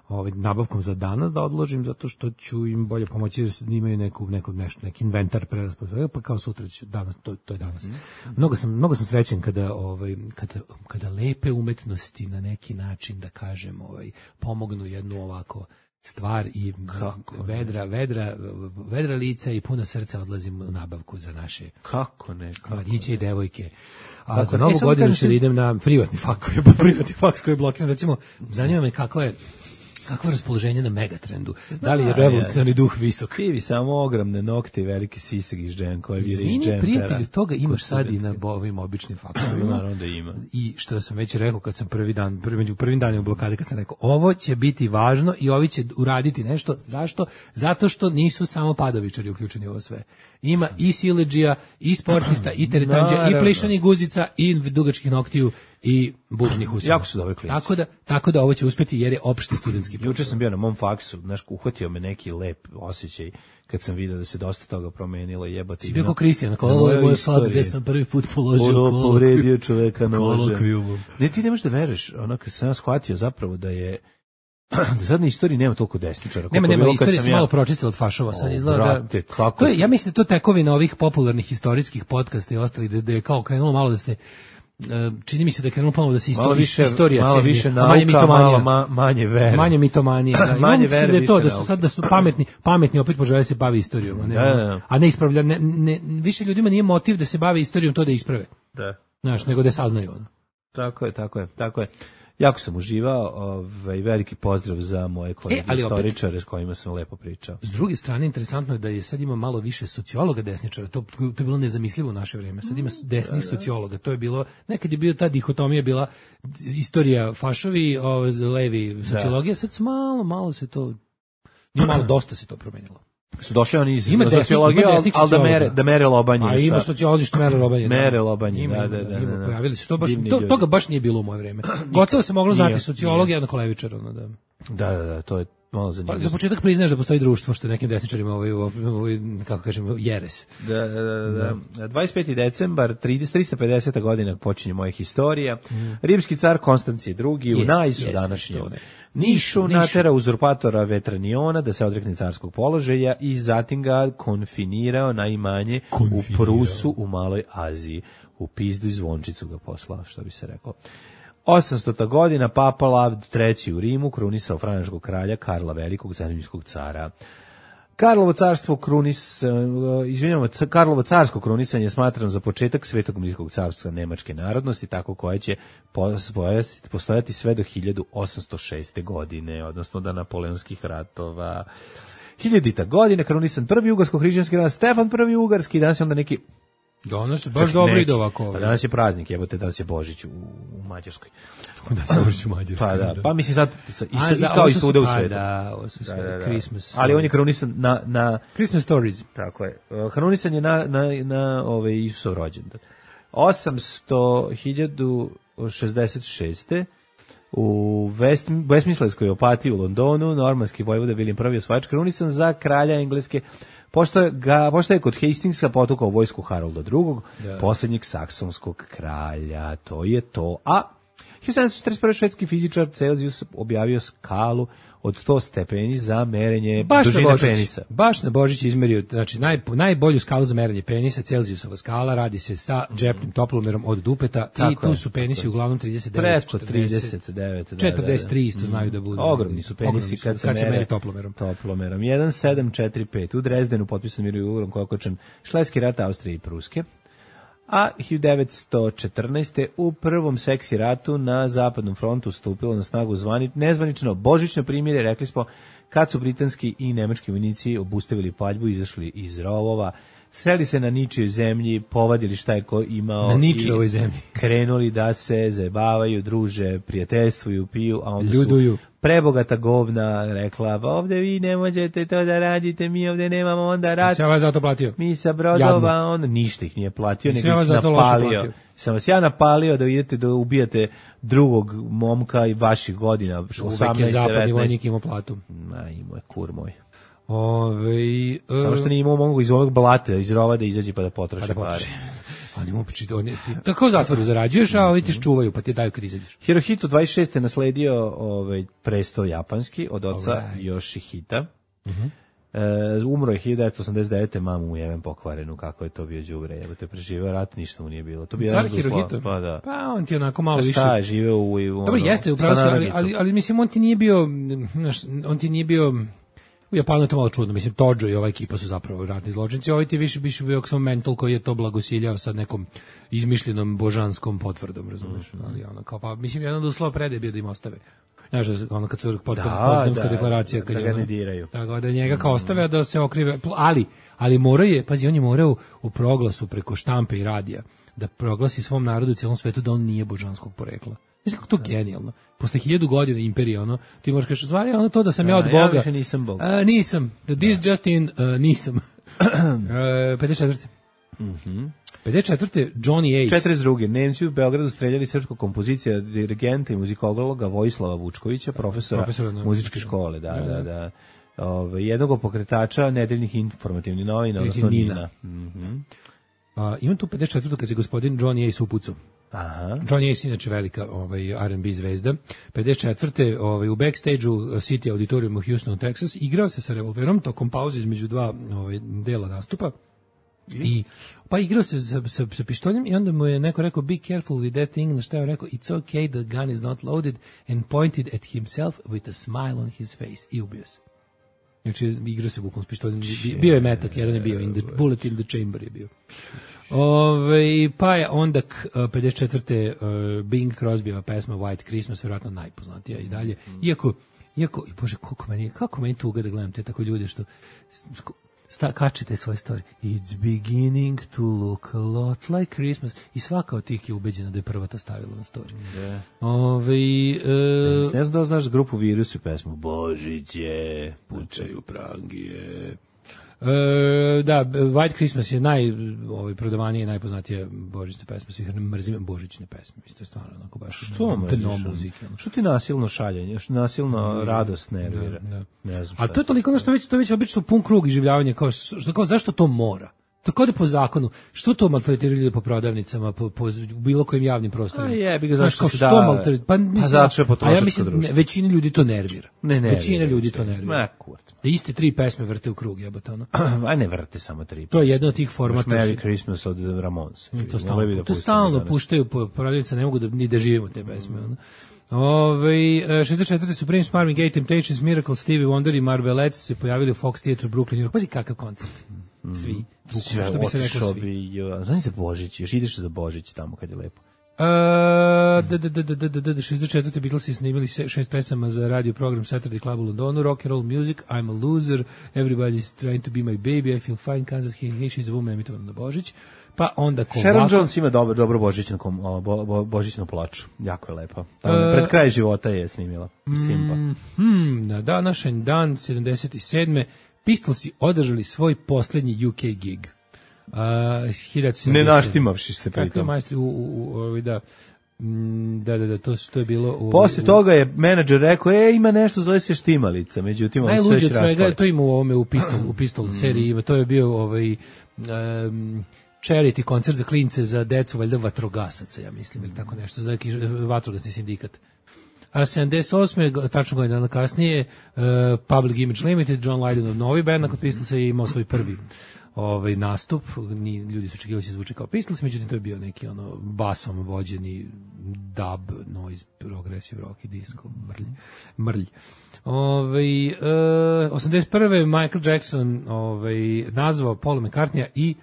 ovaj nabavkom za danas da odložim zato što ću im bolje pomoći jer imaju neku neku nešto neki inventar preraspodelje pa kao sutra ću danas to to je danas. Mm. Mnogo sam mnogo sam srećan kada ovaj kada kada lepe umetnosti na neki način da kažem ovaj pomognu jednu ovako stvar i kako vedra vedra vedra lica i puno srca odlazim u nabavku za naše kako ne mladiće i devojke. A kako za novu e, godinu ću da idem na privatni faks, pa privatni faks koji je blokiran, recimo zanima me kako je kakvo raspoloženje na Megatrendu? Da li je revolucionarni duh visok? Krivi samo ogromne nokte i veliki sisek iz džem koje vire iz džempera. Prijatelji, toga imaš sad i na ovim običnim faktorima. Naravno da ima. I što sam već rekao kad sam prvi dan, prvi, među prvim danima blokade, kad sam rekao, ovo će biti važno i ovi će uraditi nešto. Zašto? Zato što nisu samo padovičari uključeni u ovo sve. Ima i siledžija, i sportista, i teretanđa, i plišanih guzica, i dugačkih noktiju, i bužnih usana. Jako su dobri klinci. Tako da, tako da ovo će uspeti jer je opšti studentski posao. Juče sam bio na mom faksu, znaš, uhvatio me neki lep osjećaj kad sam vidio da se dosta toga promenilo, jebati. Si bio kao Kristijan, ako ovo je moj faks gde sam prvi put položio kolokvijum. Povredio čoveka nožem. Ne, ti ne možeš da veruješ, ono kad sam ja shvatio zapravo da je da sad na istoriji nema toliko desničara. Nema, nema, istorija se malo pročistila od fašova. Sad izgleda da... To je, ja mislim da to tekovina ovih popularnih historijskih podcasta i ostali, da, da je kao krenulo malo da se čini mi se da je krenulo ponovo da se malo više, istorija malo ceni, više nauka, manje malo ma, manje vere. Manje mitomanije. Da, manje vere, da je to, da su nauka. sad da su pametni, pametni opet požele se bavi istorijom, a ne, da, da, da. a ne ispravlja, ne, ne, više ljudima nije motiv da se bave istorijom to da isprave. Da. Znaš, nego da saznaju ono. Tako je, tako je, tako je. Jako sam uživao, ovaj, veliki pozdrav za moje kolege e, istoričare s kojima sam lepo pričao. S druge strane, interesantno je da je sad ima malo više sociologa desničara, to, to je bilo nezamislivo u naše vrijeme, sad ima desnih sociologa, to je bilo, nekad je bio ta dihotomija bila istorija fašovi, o, levi sociologija, sad malo, malo se to, nije malo, dosta se to promenilo. Su došli oni iz ima sociologije, ali al da mere, da mere lobanje. A ima sociolozi što mere lobanje. Mere da. lobanje, ima, da, da, da. Ima, da, da. pojavili se, to baš, to, toga baš nije bilo u moje vreme. Gotovo se moglo znati sociologija jednako levičar. Ono, da. da, da, da, to je malo zanimljivo. Pa, za početak priznaš da postoji društvo što je nekim desničarima ovaj, ovaj, kako kažem, jeres. Da, da, da, da. dvadeset peti decembar, tristo pedeseta godina počinje moja historija. Mm. Rimski car Konstancije drugi u Najsu današnjem Nišu natera uzurpatora Vetraniona da se odrekne carskog položaja i zatim ga konfinirao na imanje u Prusu u Maloj Aziji. U pizdu i zvončicu ga poslao, što bi se reklo. osamstota godina Papa Lav treći u Rimu krunisao francuskog kralja Karla Velikog, zanimljivskog cara. Karlovo carstvo krunis, izvinjamo, Karlovo carsko krunisanje je smatrano za početak Svetog rimskog carstva nemačke narodnosti, tako koje će postojati sve do hiljadu osamsto šeste. godine, odnosno do napoleonskih ratova. Hiljadita godina krunisan prvi jugarsko-hrišćanski ran Stefan prvi ugarski, danas je onda neki danas je baš dobro ide ovako. Pa danas je praznik, jebote, danas je Božić u, u Mađarskoj. Da se Božić u Mađarskoj. Pa da, pa mislim sad i, A, i kao i svuda u svetu. Da, ovo su sve da, da, da. Christmas. Ali on je krunisan na na Christmas stories. Tako je. Krunisan je na na na ovaj Isusov rođendan. osamsto hiljadu šezdeset šeste. U West, Westminsterskoj opatiji u Londonu normanski vojvoda William prvi osvajač krunisan za kralja Engleske. Pošto je, ga, pošto je kod Hastingsa potukao vojsku Harolda drugog, ja. Poslednjeg saksonskog kralja, to je to. A hiljadu sedamsto četrdeset prve. švedski fizičar Celzijus objavio skalu od sto stepeni za merenje baš dužine penisa. Baš na Božić izmerio, znači naj, najbolju skalu za merenje penisa, Celzijusova skala, radi se sa džepnim toplomerom od dupeta. Tako i tu su penisi uglavnom trideset devet, preko trideset devet, četrdeset tri isto znaju da budu. Ogromni su penisi kad, kad se meri toplomerom. Toplomerom. jedan sedam četiri pet u Drezdenu potpisan mir i ugovorom koji je okončan Šlejski rat Austrije i Pruske. A hiljadu devetsto četrnaeste. u prvom seksi ratu na zapadnom frontu stupilo na snagu zvani, nezvanično božićno primirje, rekli smo, kad su britanski i nemački vojnici obustavili paljbu, izašli iz rovova, sreli se na ničijoj zemlji, povadili šta je ko imao na ničijoj zemlji, krenuli da se zajebavaju, druže, prijateljstvuju, piju, a onda ljuduju. Su prebogata govna rekla, pa ovde vi ne možete to da radite, mi ovde nemamo onda rat. Sve vas zato platio. Mi sa brodova, on ništa ih nije platio, nego ih napalio. Sam vas ja napalio da idete da ubijate drugog momka i vaših godina, osamnaest, je zapadni vojnik imao platu. Ma, imao je kur moj. Ove, uh, Samo što nije imao mogu iz ovog blata, iz rova da izađe pa da potroši pa da pare. Oni mu počiti, oni ti tako u zatvoru zarađuješ, a ovi ti čuvaju, pa ti daju kad izađeš. Hirohito dvadeset šeste. nasledio ovaj presto japanski od oca right. Yoshihita. Uh -huh. E, umro je hiljadu devetsto osamdeset devete. mamu mu jevem pokvarenu, kako je to bio đubre, evo te preživeo rat, ništa mu nije bilo. To bio Car Hirohito. Pa da. Pa on ti onako malo pa više. Šta je živeo u, u dobro, jeste, upravo se, ali, ali, ali mislim on ti nije bio, on ti nije bio u Japanu je to malo čudno, mislim, Tojo i ova ekipa su zapravo ratni zločinci, ovaj ti više više bio samo mental koji je to blagosiljao sa nekom izmišljenom božanskom potvrdom, razumiješ, mm. ali ono, kao pa, mislim, jedan od uslova predaje bio da im ostave. Znaš, ono kad su Potsdamska deklaracija, kad da je ga ne diraju. Tako da njega kao ostave, da se okrive, ali, ali morao je, pazi, on je morao u proglasu preko štampe i radija da proglasi svom narodu u cijelom svetu da on nije božanskog porekla. Mislim kako to genijalno. Posle hiljadu godina imperije, ono, ti možeš kaži, stvari, ono to da sam da, ja od Boga. Ja više nisam Bog. Uh, nisam. The this da. Just in, uh, nisam. uh, pedeset četvrte. Mhm. pedeset četvrte. Johnny Ace. četrdeset druge. Nemci u Beogradu streljali srpskog kompozicija, dirigenta i muzikologa Vojislava Vučkovića, profesora, profesora no, muzičke škole, da, da, da. da. Ove, jednog pokretača nedeljnih informativnih novina, odnosno Nina. Mhm. Uh, imam tu pedeset četvrte. kad se gospodin Johnny Ace upucao. Aha. Johnny Ace inače velika ovaj R and B zvezda. pedeset četvrte. ovaj u backstage-u City Auditorium u Houstonu, Texas, igrao se sa revolverom tokom pauze između dva ovaj dela nastupa. I pa igrao se sa, sa, sa pištoljem i onda mu je neko rekao be careful with that thing, na što je rekao it's okay, the gun is not loaded and pointed at himself with a smile on his face i ubio se. Znači igrao se bukom s pištoljem, bio je metak, jedan je bio in the, bullet in the chamber je bio. Ove, pa je onda pedeset četvrte Uh, Bing Crosbyjeva pesma White Christmas, vjerojatno najpoznatija i dalje, iako Iako, bože, koliko meni, kako meni tuga da gledam te tako ljude što sta, kačete svoje story. It's beginning to look a lot like Christmas. I svaka od tih je ubeđena da je prva to stavila na story. Yeah. Ove, uh, ne znam da znaš grupu Virus i pesmu Božiće, pucaju prangije. Uh, da, White Christmas je naj, ovaj, prodavanije i najpoznatije božićne pesme, svih mrzim božićne pesme, isto je stvarno onako baš što dno muzike. Što ti nasilno šaljenje, što nasilno radost nervira. Da, da. Ne znam. Ali to je toliko ono što već, to već obično pun krug iživljavanja, kao, što, kao zašto to mora? Tako da po zakonu, što to maltretiraju ljudi po prodavnicama, po, po bilo kojim javnim prostorima? A je, bi ga zašto se da... Maltret... Pa, mislim, pa zato je potrošačko ja mislim, ne, većina ljudi to nervira. Ne, nervira. Većina ljudi to nervira. Ma, kurt. Da iste tri pesme vrte u krug, jebote ono. Aj ne vrte samo tri. To je jedno od tih formata. Merry Christmas od Ramones. To stalno, da to stalno puštaju po prodavnicama, ne mogu da, ni da živimo te pesme. Ono. Ove, šezdeset četvrte Supreme, Marvin Gaye, Temptations, Miracle, Stevie Wonder i Marvelettes se pojavili u Fox Theatre u Brooklyn, New York. Pazi kakav koncert. Svi. Sve, što bi se rekao svi. Znaš za Božić, još ideš za Božić tamo kad je lepo. Uh, da, da, da, da, da, da, šezdeset četvrte Beatlesi snimili šest pesama za radio program Saturday Club u Londonu, Rock and Roll Music, I'm a Loser, Everybody's Trying to Be My Baby, I Feel Fine, Kansas City, Hey She's a Woman, emitovano na Božić. Pa onda ko Sharon ovako... Jones ima dobro, dobro božićnu, bo, bo, božićnu plaču, jako je lepa. Uh, pred kraj života je snimila, Simpa. Mm, hmm, na današnji dan, sedamdeset sedme Pistolsi održali svoj posljednji U K gig. Uh, ne naštimavši se pritom. Kako je majstor u, u, u, da, da, da, da, to, to je bilo... U, Posle u, toga je menadžer rekao, e, ima nešto, zove se štimalica, međutim, on sve već raspali. To ima u ovome, u Pistol, u Pistol mm. seriji, to je bio ovaj... Um, charity koncert za klince, za decu, valjda vatrogasaca, ja mislim, ili tako nešto, za vatrogasni sindikat. A sedamdeset osme tačno godina kasnije, uh, Public Image Limited, John Lydonov novi band, nakon Pistolsa je imao svoj prvi ovaj nastup, ni ljudi su očekivali da će zvuči kao Pistols, međutim to je bio neki ono basom vođeni dub, noise, progressive rock i disco, mrlj. mrlj. Ovaj uh, osamdeset prve Michael Jackson ovaj nazvao Paula McCartneya i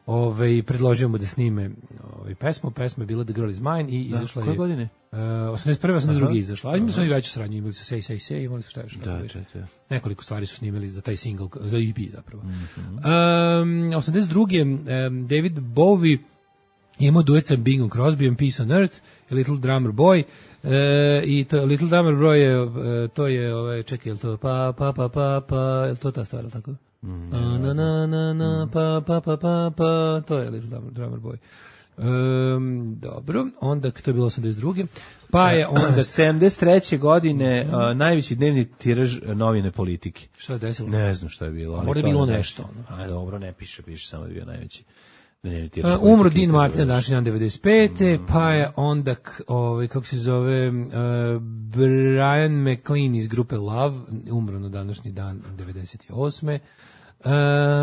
ovaj predložio mu da snime ovaj pesmu, pesma je bila The Girl Is Mine i izašla je. Koje godine? Uh, osamdeset prve, osamdeset druge izašla. Ali imali su i veću saradnju, imali su Say Say Say, imali su šta još. Da, da, da. Nekoliko stvari su snimali za taj single, za E P zapravo. Mm-hmm. um, osamdeset druge Um, David Bowie imao duet sa Bingom Crosbyjem, Peace on Earth, A Little Drummer Boy. E, i to Little Drummer Boy je, to je, ovaj, čekaj, je li to pa, pa, pa, pa, pa, je li to ta stvar, tako? Mm, na, na, na, na, na, pa, pa, pa, pa, pa, to je Little Drummer Boy. Um, dobro, onda to je bilo osamdeset druge Pa je onda sedamdeset treće godine mm. uh, najveći dnevni tiraž novine Politike. Šta se desilo? Ne znam šta je bilo. A možda je bilo nešto. Ono. Aj, dobro, ne piše, piše samo da je bio najveći. Uh, umro Dean Martin na današnji dan devedeset pete Mm. Pa je onda, ovaj, kako se zove, uh, Brian McLean iz grupe Love, umro na današnji dan devedeset osme Uh,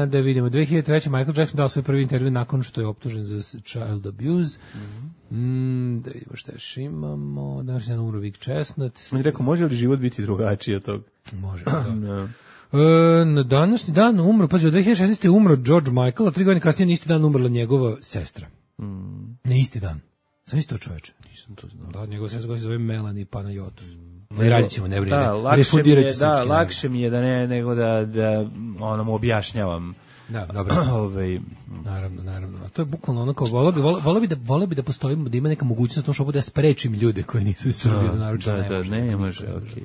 da vidimo, dve hiljade treće Michael Jackson dao svoj prvi intervju nakon što je optužen za child abuse. Mm-hmm. Mm, da vidimo šta još imamo. Danas je umro Vic Chestnut. On je rekao, može li život biti drugačiji od tog? Može, da. no. Uh, na današnji dan umro, pazi, od dve hiljade šesnaeste umro George Michael, a tri godine kasnije na isti dan umrla njegova sestra. Mm. Na isti dan. Sam isto čoveče. Nisam to znao. Da, njegova sestra koja se zove Melanie Panayotos. Ne radit ćemo, ne brinite. Da, lakše mi je, da, lakše mi je da ne, nego da, da ono mu objašnjavam. Da, dobro. Ovaj, naravno, naravno. A to je bukvalno ono kao, volio bi, volio bi da, volio bi da postoji, da ima neka mogućnost na što da ja sprečim ljude koji nisu iz Srbije, naručeno da, ne da, može. Ne, može, okej.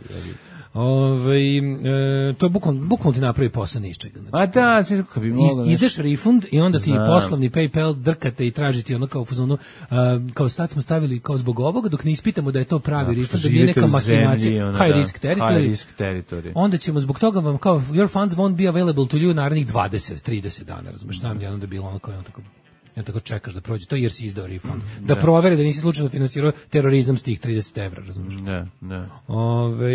Ove, e, to je bukvalno, bukvalno ti napravi posao ni iz čega. Znači, a da, sve kako bi moglo. Iz, izdeš refund i onda ti Znam. poslovni PayPal drkate i tražiti ono kao u fazonu, uh, kao sad smo stavili kao zbog ovoga, dok ne ispitamo da je to pravi da, refund, da nije neka mahinacija, high, da, risk territory, high risk territory. Onda ćemo zbog toga vam kao, your funds won't be available to you narednih dvadeset trideset dana, razumiješ, znam je onda bilo ono kao, ono tako, ja tako čekaš da prođe to jer si izdao refund. Da, da provere da nisi slučajno finansirao terorizam s tih trideset evra, razumiješ? Ne, ne. Ove,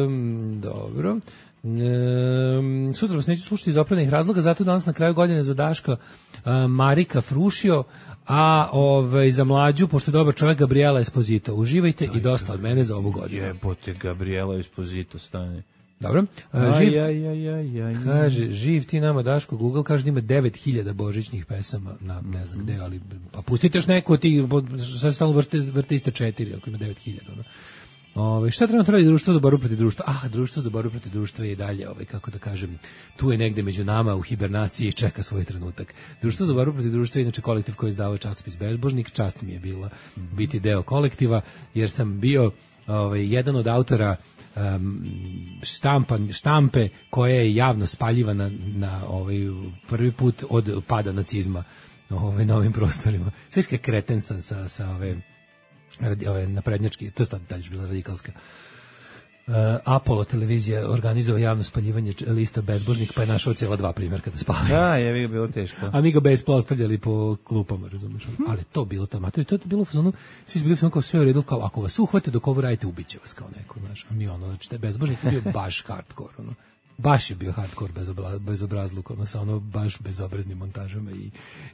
um, dobro. Um, um, sutra vas neću slušati iz opravdanih razloga, zato danas na kraju godine za Daška uh, Marika Frušio, a ovaj, za mlađu, pošto je dobar čovjek, Gabriela Esposito. Uživajte i dosta od mene za ovu godinu. Jebote, Gabriela Esposito stane. Dobro. Uh, živ, aj, aj, aj, aj, kaže, živ ti nama Daško, Google kaže da ima devet hiljada božićnih pesama, na, ne znam gde, ali pa pustite još neko, ti, sad stalno vrte, vrte iste četiri, ako ima devet hiljada. No. Ove, šta treba napraviti društvo za borbu protiv društva? Ah, društvo za borbu protiv društva je i dalje, ovaj, kako da kažem, tu je negde među nama u hibernaciji i čeka svoj trenutak. Društvo za borbu protiv društva je inače kolektiv koji je izdavao časopis Bezbožnik, čast mi je bila biti deo kolektiva, jer sam bio ovaj, jedan od autora um, štampa, štampe koja je javno spaljivana na ovaj, prvi put od pada nacizma ovaj, na ovim prostorima. Sve kreten sam sa, sa ove... ove naprednjački, to je dalje bila radikalska. Uh, Apollo televizija organizovao javno spaljivanje lista Bezbožnik, pa je našao cijela dva primjerka da spali. Da, je bilo teško. A mi ga bez postavljali po klupama, razumiješ? Ali to bilo tamo, to je bilo u fazonu, svi su bili u fazonu kao sve u redu, kao ako vas uhvate dok ovo radite, ubiće vas kao neko, znaš. A mi ono, znači, taj Bezbožnik je bio baš hardcore, ono. Baš je bio hardcore bezobla, bezobrazluk, ono, sa ono baš bezobraznim montažama i,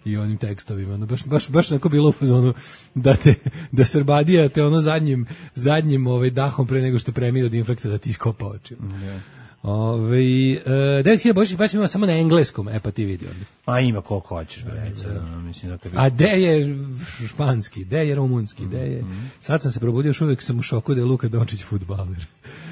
i onim tekstovima, ono, baš, baš, baš onako bilo u fazonu da te, da Srbadija te ono zadnjim, zadnjim ovaj, dahom pre nego što premije od infarkta da ti iskopa oči. Yeah. Ove, uh, devet hiljada božićnih baš ima samo na engleskom, e pa ti vidi ovdje. A ima koliko hoćeš, bre, no, mislim da te a de je španski, de je rumunski, de je, mm-hmm. Sad sam se probudio, još uvijek sam u šoku da je Luka Dončić fudbaler.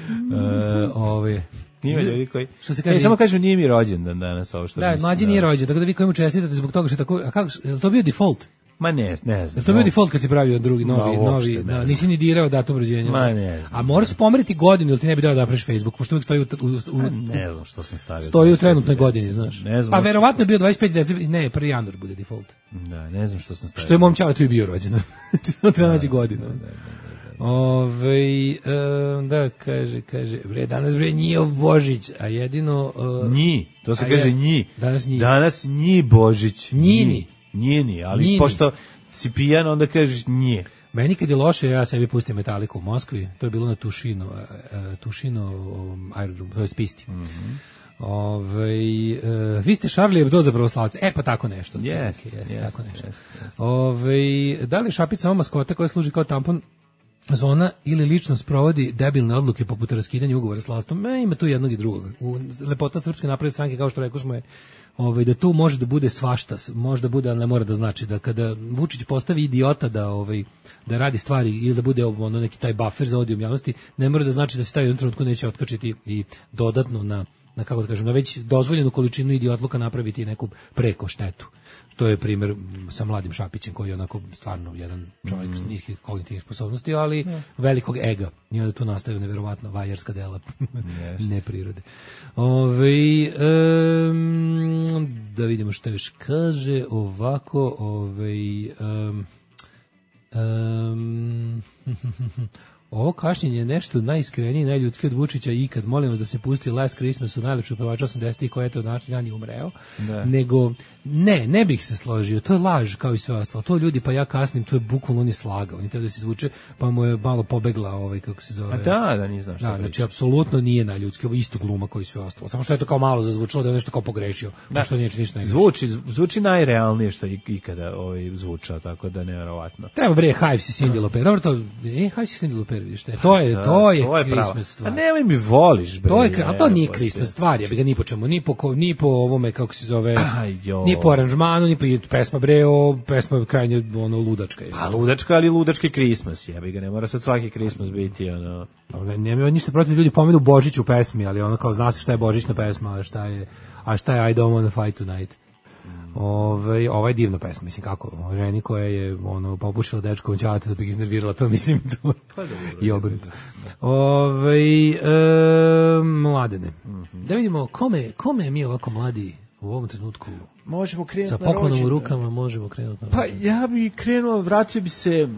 Mm-hmm. uh, ove, Nije ljudi koji. Što se kaže? E, samo kažem nije mi rođendan danas ovo što. Da, mlađi nije rođen, tako da vi koji mu čestitate zbog toga što tako, a kako, je to bio default? Ma ne, ne znam. Je to bio default kad si pravio drugi novi, no, novi, no, nisi ni dirao datum rođenja. Ma ne. A moraš pomeriti godinu, ili ti ne bi dao da napraviš Facebook, pošto uvijek stoji u, u, u ne znam što sam stavio. Stoji u trenutnoj godini, znaš. Ne znam. Pa verovatno je bio dvadeset peti decembar, ne, prvi januar bude default. Da, ne znam što sam stavio. Što je mom ćaletu i bio rođendan. To treba naći godinu. Ove, um, da, kaže, kaže, bre, danas bre nije Božić, a jedino... Uh, nji, to se kaže je, nji. Danas nji. Danas nji Božić. Njini. Njini, ali Njini. Pošto si pijan, onda kažeš nje. Meni kad je loše, ja sebi pustim Metaliku u Moskvi, to je bilo na Tušino, uh, Tušino um, aerodrom, to je pisti. Mm-hmm. Ove, uh, vi ste Charlie Hebdo za pravoslavce. E, pa tako nešto. Yes, yes, yes, tako nešto. Yes, yes. Ove, da li šapica samo maskota koja služi kao tampon zona ili lično sprovodi debilne odluke poput raskidanja ugovora s vlastom? E, ima tu jednog i drugog. U, lepota Srpske napredne stranke, kao što rekao smo je, ovaj, da tu može da bude svašta, može da bude, ali ne mora da znači da kada Vučić postavi idiota da ovaj da radi stvari ili da bude ono neki taj buffer za odijum javnosti, ne mora da znači da se taj jednom trenutku neće otkačiti i dodatno na na kako da kažem, na već dozvoljenu količinu idiotluka napraviti neku preko štetu. To je primjer sa mladim Šapićem koji je onako stvarno jedan čovjek mm. s niskih kognitivnih sposobnosti, ali yeah. velikog ega. I onda tu nastaju neverovatno vajerska dela yes. neprirode. Ove, um, da vidimo što još kaže ovako. Ove, um, um, ovo kašnjenje je nešto najiskrenije i najljudski od Vučića ikad. Molim vas da se pusti Last Christmas u najlepšu pevača osamdesetih koja je to način ja ni umreo. Da. Nego, ne, ne bih se složio. To je laž kao i sve ostalo. To ljudi pa ja kasnim, to je bukvalno on je slagao. On je teo da se izvuče, pa mu je malo pobegla ovaj, kako se zove. A da, da nije znaš šta. Da, znači, apsolutno nije najljudski. Ovo isto gluma kao i sve ostalo. Samo što je to kao malo zazvučalo da je nešto kao pogrešio. Da. Što nije ništa ne zvuči, zvuči najrealnije što je ikada ovaj, zvučao, tako da nevjerovatno. Treba bre, Hives i Cindy Lauper. Dobro to, e, Hives i Cindy Lauper. To je, da, to je, to je Christmas stvar. A nemoj mi voliš, bre. To je, a to nije Christmas stvar, ja bi ga ni po čemu, ni po, ni po ovome, kako se zove, ni po aranžmanu, ni po pesma, bre, o, pesma krajnje, ono, ludačka. Je. A ludačka, ali ludački Christmas, ja bi ga, ne mora sad svaki Christmas biti, ono. Ne, nema ništa protiv, ljudi pomenu Božić u pesmi, ali ono, kao zna se šta je božićna pesma, a šta je, a šta je I don't wanna fight tonight. Ove, ova je divna pesma, mislim kako, o ženi koja je ono, popušila dečkovom ćalatu da bi ga iznervirala, to mislim to i obrnuto. Ove, e, mladene, mm-hmm. da vidimo kome, kome mi ovako mladi u ovom trenutku možemo krenuti sa poklonom u rukama, možemo krenuti na pa ja bi krenuo, vratio bi se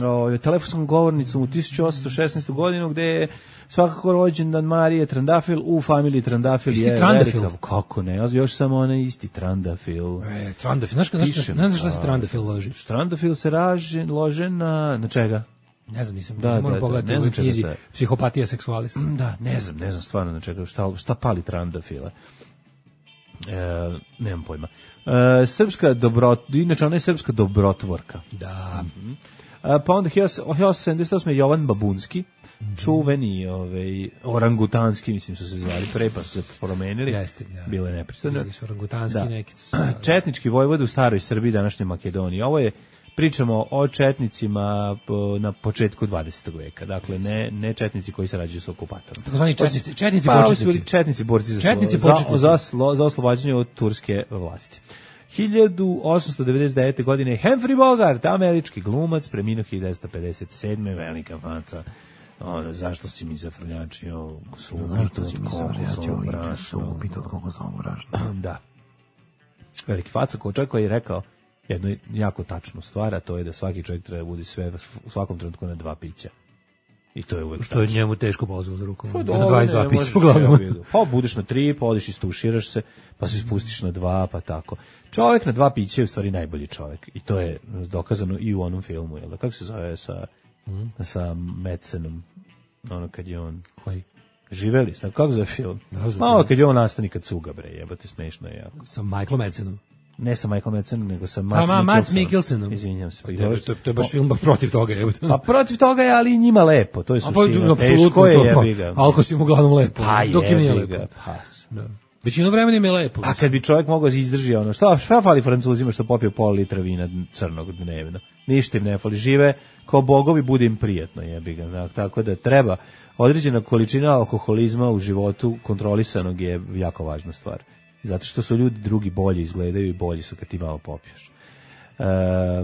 o, telefonskom govornicom u tisuću osamsto šesnaestu godinu gde je svakako rođendan Marije Trandafil u familiji Trandafil isti je Trandafil. Velika, kako ne, još samo onaj isti Trandafil. E, Trandafil, znaš, znaš, znaš, znaš šta se Trandafil loži? Trandafil se raže, lože na, na čega? Ne znam, nisam, da, nisam moram da, pogledati da, u knjizi Psihopatija seksualis. Da, ne znam, ne znam stvarno na čega, šta, šta pali Trandafila. E, nemam pojma. E, srpska dobro, inače ona je srpska dobrotvorka. Da. Mm-hmm. E, pa onda hiljadu osamsto sedamdeset osme Jovan Babunski, mm-hmm. čuveni ovaj, orangutanski, mislim su se zvali pre, pa su se promenili. Jeste, da. Bilo je nepristano. Bili su orangutanski, da. neki su se zvali. Četnički vojvod u staroj Srbiji, današnjoj Makedoniji. Ovo je pričamo o četnicima na početku dvadesetog veka. Dakle, ne, ne četnici koji se rađaju sa okupatorom. Tako zvani četnici, četnici pa, početnici. Četnici borci za, četnici za, za, za oslobađanje od turske vlasti. hiljadu osamsto devedeset devete. godine Humphrey Bogart, američki glumac, preminuo hiljadu devetsto pedeset sedme. velika faca. Ono, zašto si mi zafrljačio supu? Zašto si mi zafrljačio supu od kokosovom brašna? Da. Veliki faca, ko čovjek koji je rekao jednu jako tačnu stvar, a to je da svaki čovjek treba bude sve u svakom trenutku na dva pića. I to je uvek što je njemu teško pozvao za rukom. Pa, na dvadeset dva pića uglavnom. Pa budeš na tri, pa odiš i stuširaš se, pa se spustiš na dva, pa tako. Čovjek na dva pića je u stvari najbolji čovjek. I to je dokazano i u onom filmu. Jel? Kako se zove sa, mm. sa Madsenom? Ono kad je on... Koji? Živeli, znam, kako zove film? Da, malo kad je on nastani kad cuga, bre, jebate, smešno je jako. Sa Michaelom Madsenom. Ne sa Michael Madsenom, nego sa Mads Mikkelsenom. Mikkelsenom. Mikkelsenom. Izvinjam se. Pa to, to, to je baš film protiv toga. Je. Pa protiv toga je, ali i njima lepo. To je suština. Pa, teško je, jebi ga. Alko si mu uglavnom lepo. Pa dok im nije lepo. Ga, pa. Da. Većinu vremena im je lepo. A kad bi čovjek mogao izdrži ono, šta, šta fali Francuzima što popio pol litra vina crnog dnevno? Ništa im ne fali. Žive kao bogovi, bude im prijetno, jebi ga. Tako da treba određena količina alkoholizma u životu kontrolisanog je jako važna stvar. Zato što su ljudi drugi bolji izgledaju i bolji su kad ti malo popiješ. E,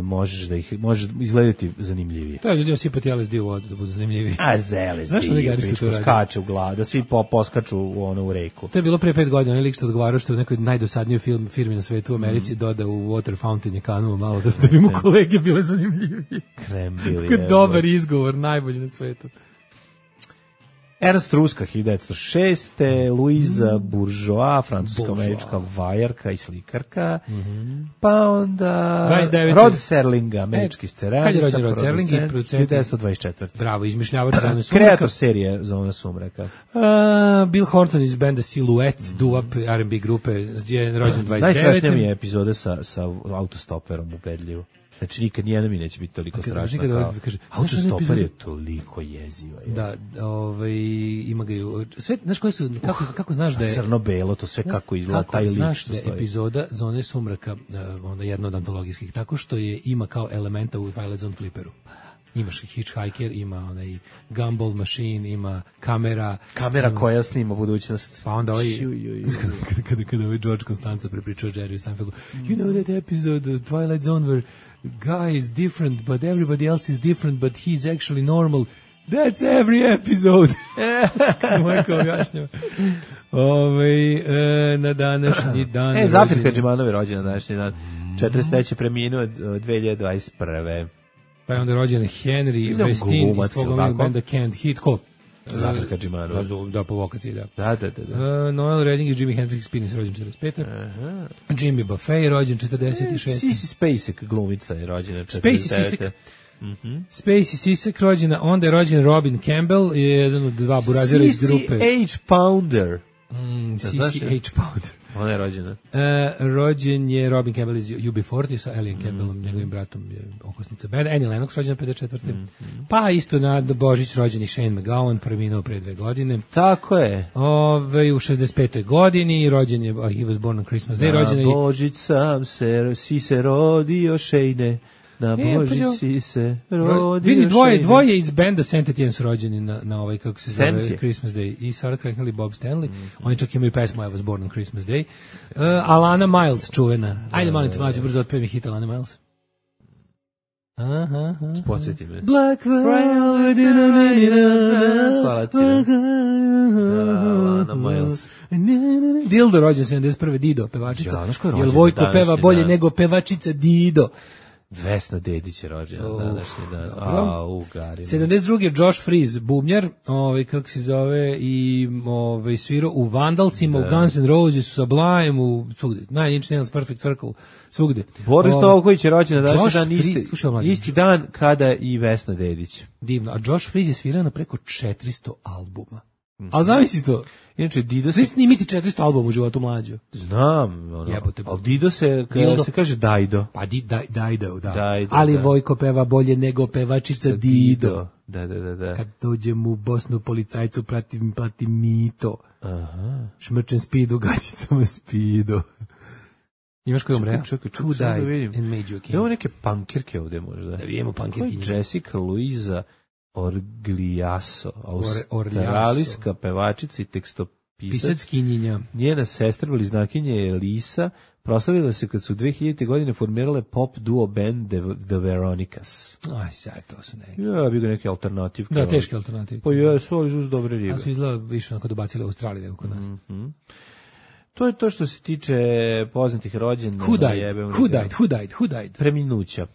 možeš da ih možeš izgledati zanimljivije. To je ljudi osipati L S D u vodu da budu zanimljiviji. A z L S D skače u glavu, da svi po, poskaču u, ono, u reku. To je bilo pre pet godina, onaj lik što odgovarao što u nekoj najdosadnijoj film, firmi na svetu u Americi mm. doda u water fountain je kanuo malo da, da bi mu kolege bile zanimljivije. Krem bili. Kako dobar izgovor, najbolji na svetu. Ernst Ruska, hiljadu devetsto šeste. Louisa Bourgeois, francusko-američka vajarka i slikarka. Mm-hmm. Pa onda Rod Serling, američki scenarijista. Kad je rođen Rod Serling i producent? hiljadu devetsto dvadeset četvrte. Bravo, izmišljavač Zone sumraka. Kreator serije Zona sumraka. Uh, Bill Horton iz benda Silhouettes, mm. doo-wop R and B grupe, je rođen dvadeset devete. Najstrašnija mi je epizoda sa, sa autostoperom ubedljivo. Znači nikad nijedna mi neće biti toliko strašna kao. Kaže, autostoper je toliko jeziva. Je. Da, ovaj ima ga ju. Sve, znaš koji su kako kako znaš da je crno-belo to sve kako izgleda taj lik. Znaš da je epizoda Zone sumraka, onda jedna od antologijskih, tako što je ima kao elementa u Twilight Zone fliperu. Imaš Hitchhiker, ima onaj Gumball Machine, ima kamera. Kamera ima, koja snima budućnost. Pa onda ovaj, kada, kada, kada ovaj George Costanza prepričao Jerry Seinfeldu, you know that episode of Twilight Zone where guy is different, but everybody else is different, but he's actually normal. That's every episode. Kako moj kao objašnjava. Ove, e, na današnji dan... E, Zafir Kadžimanovi rođen na današnji dan. četrdeset treće preminuo dve hiljade dvadeset prve. Pa je onda rođen Henry Westin iz tvojeg benda Can't Hit. Ko? Zafir Kadžimanovi. Da, po vokaciji, da. Da, da, da. da. Uh, Noel Redding i Jimi Hendrix Spinnis rođen četrdeset pete. Aha. Jimmy Buffet rođen četrdeset šeste. Sissy Spacek glumica je rođena četrdeset devete. Mm-hmm. Spacey Sisek rođena, onda je rođen Robin Campbell, je jedan od dva burazira iz grupe. C C H Pounder. Mm, C C H Pounder. Ona je rođena. Uh, rođen je Robin Campbell iz U B četrdeset sa Elian Campbellom, mm-hmm. njegovim bratom je okosnica benda. Annie Lennox rođena pedeset četvrte. Mm-hmm. Pa isto na Božić rođen i Shane McGowan, preminuo pre dve godine. Tako je. Ove, u šezdeset petoj godini rođen je, oh, he was born on Christmas Day. Na rođen je, Božić sam se, si se rodio Shane. Na Božić e, si se rodio. Vidi, dvoje, dvoje iz benda Saint Etienne su rođeni na, na ovaj, kako se zove, Sentje. Christmas Day. I Sarah Cracknell i Bob Stanley. Mm-hmm. Oni čak imaju pesmu I was born on Christmas Day. Uh, Alana Miles, čuvena. Ajde, molim te, mlađe, brzo otpevi hit Alana Miles. Aha, aha. Podsjeti me. Black Velvet in a minute. Hvala ti. Alana Miles. Dildo rođen sedamdeset prve. Dido, pevačica. Ja, Jel Vojko peva bolje dan. Nego pevačica Dido? Vesna Dedić je rođena oh, današnji dan. A, u gari. sedamdeset druge. Josh Freese, bubnjar, ovaj kako se zove, i ovaj svirao u Vandalsima, da. U Guns N' Roses, u Sublime, u svugde. Nine Inch Nails, Perfect Circle, svugde. Boris Tovković je rođen na današnji dan, isti, slušaj, isti dan kada i Vesna Dedić. Divno. A Josh Freese je svirao na preko četiristo albuma. Ali zamisli to. Inače, Dido Svi se... snimiti četiristo albuma u životu mlađu. Znam, ono, Jebote, ali Dido se, Dildo. se kaže Dajdo. Pa di, daj, Dajdo, da. Dajdo, Ali da. Vojko peva bolje nego pevačica Dido. Da, da, da, da. Kad dođem u Bosnu, policajcu pratim, platim mito. Aha. Šmrčem spidu, gaćicama spidu. Imaš koji umre? Čekaj, čekaj, Who sad da died vidim. and made you a king? Evo neke pankirke ovde možda. Da vidimo pankirkinje. Ko je Jessica Luisa Orgliaso, Orliaso. australijska pevačica i tekstopisac. Pisackinjenja. Njena sestra bliznakinja je Lisa, proslavila se kad su dve hiljadite godine formirale pop duo band The, The Veronicas. Aj, sad to su neki. Ja, bi ga neke alternativke. Da, teške alternative. Pa jesu, ali su uz dobre ribe. A su izgleda više onako dobacili u Australiji nego kod nas. Mm-hmm. To je to što se tiče poznatih rođena. Who died? Who died? Who died? Who died? Preminuća.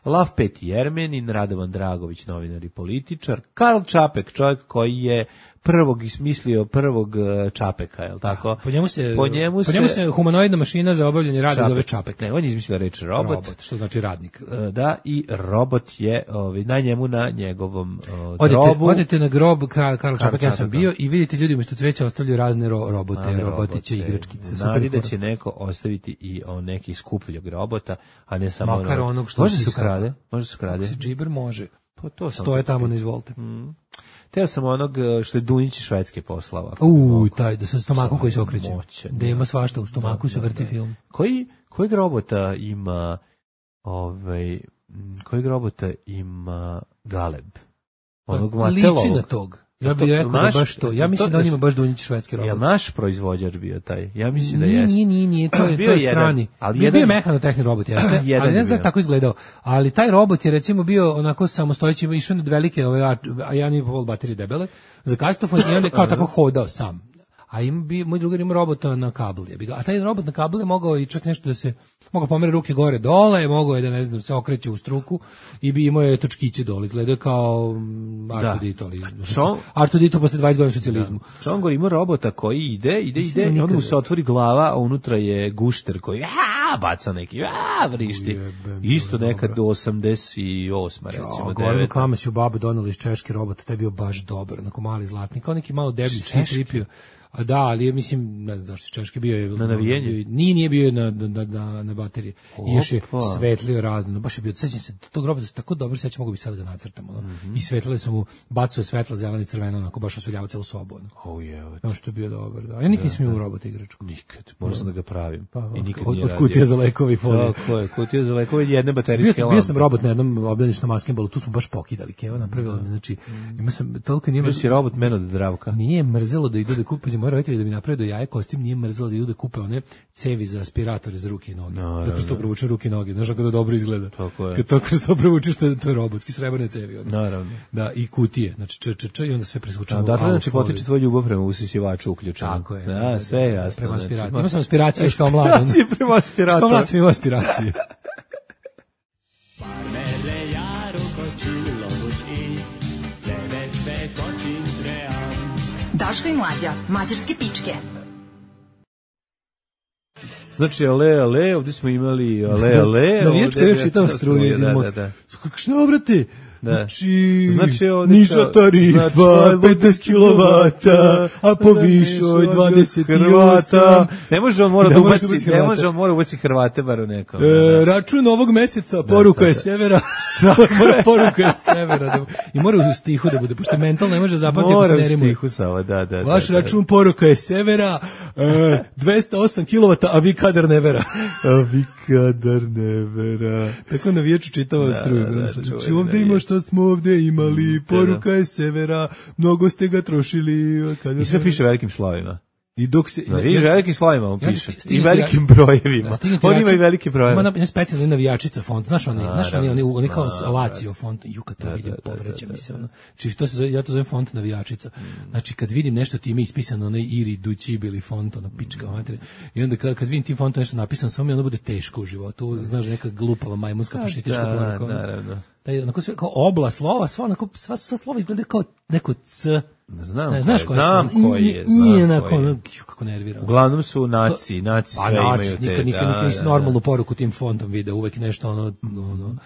Lav Peti Jermenin, Radovan Dragović, novinar i političar, Karl Čapek, čovjek koji je prvog ismislio prvog Čapeka, je li tako? Po njemu se, po njemu po njemu se, se humanoidna mašina za obavljanje rada Čapek. zove Čapek. Ne, on je izmislio reč robot. Robot, što znači radnik. Da, i robot je ovaj, na njemu, na njegovom uh, odete, grobu. Odete na grob Karl Čapek, Čapek, ja sam Čapeka. bio i vidite ljudi umjesto cveća ostavljaju razne ro, robote, Razne robotiće, robote. igračkice. Nadi da će neko ostaviti i on neki skupljog robota, a ne samo makar onog. onog što Može se pisao. ukrade, može se ukrade. Se džiber može. Pa to sam Stoje tamo na izvolite. Mm. Teo sam onog što je Dunjić Švedske poslava. Uj, taj, da sa stomakom koji se okreće. Moćan, Da ima svašta u stomaku, da, se da, vrti da. film. Koji, kojeg robota ima ovaj, kojeg robota ima Galeb? Onog Pa, liči Matelovog. na tog. Ja To- bih rekao naš- da baš to. Ja mislim to- da on ima baš Dunjić švedski Je robot. naš proizvođač bio taj? Ja mislim da Nije, jeste. nije, nije, nije, to je, Bio to je jedan, strani. ali bio, jedan- bio je mehanotehni robot, jeste, Jedan ali ne je znam da je bio. tako izgledao. Ali taj robot je recimo bio onako samostojeći, išao na velike, ove, a a jedan i pol baterije debele, za kastofon i onda je kao tako hodao sam. A ima bi moj drugar ima robota na kabel, jebi ga. A taj robot na kabel je mogao i čak nešto da se mogao pomere ruke gore dole, mogao je da ne znam se okreće u struku i bi imao je točkiće dole, izgleda kao mm, Artudito, ali Što- Artudito posle dvadeset godina socijalizmu. Čongor ima robota koji ide, ide, Mislim ide, da i onda mu nikad- se otvori glava, a unutra je gušter koji a, baca neki, a, vrišti. Ujebem, Isto dobro. nekad do osamdeset osme recimo, Ja, govorim devete. kama si u babu doneli iz češki robot, taj je bio baš dobar, onako mali zlatnik, kao neki malo deblji Češki? C-tripio. A da, ali je, mislim, ne znam zašto češki bio je... Na navijenje? Bio, nije, nije bio na, na, na, na baterije. I još je Opa. svetlio razno. No, baš je bio, sećam se, tog robota se tako dobro sećam, mogu bi sad ga nacrtam. Ono. Mhm. I svetlile su mu, bacuje svetla, zelena i crvena, onako baš osvetljava celu sobu. Ono. Oh, je, No, što je bio dobar. Da. Ja nikad nisam imao robota igračku. nikad, morao sam da ga pravim. Pa, I nikad od, nije od radio. kutija za lekovi i folije. Tako je, kutija za lekove jedne Bio baterijske sam, lampe. bio sam robot na jednom obdaničnom maskembolu, tu smo baš pokidali, Keva napravila mi, znači, ima sam, toliko nije Bio si robot men od Dravka. Nije mrzelo da idu da kupe, znači moji roditelji da mi naprave do jaje kostim, nije mrzelo da idu da kupe one cevi za aspiratore za ruke i noge. No, da kroz to provuče ruke i noge, znaš kako da dobro izgleda. Tako je. Kad to kroz to provučeš, to je, to je robotski srebrne cevi. Ono. Naravno. Da, i kutije, znači č, č, č, i onda sve presvučeno. A u dakle, znači, alufoliju. potiče tvoj ljubav prema usisivaču uključeno. Tako je. Da, sve je jasno. Prema znači, aspiraciji. Imao sam aspiracije još kao mlad. Aspiracije prema aspiratoru. Kao mlad sam imao aspiracije. Daško i Mlađa, mađarske pičke. Znači, ale, ale, ovdje smo imali ale, ale. Navijačka ovdje je čitava struja. Da, da, da. Što, brate? Da. Znači, Znači, ovdje niža kao- tarifa, znači, petnaest kilovata, a po višoj dvadeset osam. Ne može on mora Ne da može ubaci, ubaci ne Hrvate. može on mora ubaci Hrvate bar u nekom. E, račun ovog meseca, poruka je severa. Mora poruka je severa. Da, I mora u stihu da bude, pošto mental ne može zapamtiti ako se Mora ne u rimuje. stihu samo, da, da. Vaš da, da. račun poruka je severa, e, dvesta osam kilovata, a vi kadar ne vera. A vi kadar ne vera. Tako navijaču čitava Da, struja. da, da, Znači, čuveni ovde ima navijač. šta smo ovde imali, poruka je severa, mnogo ste ga trošili. Kadar I sve ne piše velikim slovima. I dok se... Da, vidiš, velikim slovima on Ja piše. sti- I stigne velikim ti- brojevima. Da, stigne ti On ima račun- i velike brojeve. Ima na- specijalni navijačica font, znaš oni, znaš oni, oni, oni kao Da, Lazio font, ju kad to Da, vidim, da, da, povreća da, mi se ono. Znači, to se zove, ja to zovem font navijačica. Znači, kad vidim nešto time ispisano, onaj Iri Dući bili font, ono, pička mater. I onda kad, kad vidim tim fontom nešto napisano, samo mi ono bude teško u životu. Znaš, neka glupava majmunska fašistička Da, poruka. ono. naravno. Taj, onako sve, kao obla slova, sva, onako, sva, sva slova izgleda kao neko C. Znam Ne, ko znaš je, koje znam su? koji je, Nije znam onako, koji je. ono, ju, kako nervira. Uglavnom su naci, naci Pa sve naci, imaju te. nikad, nikad, da, nikad nisi da, da. normalnu poruku tim fontom video, uvek nešto ono, ono,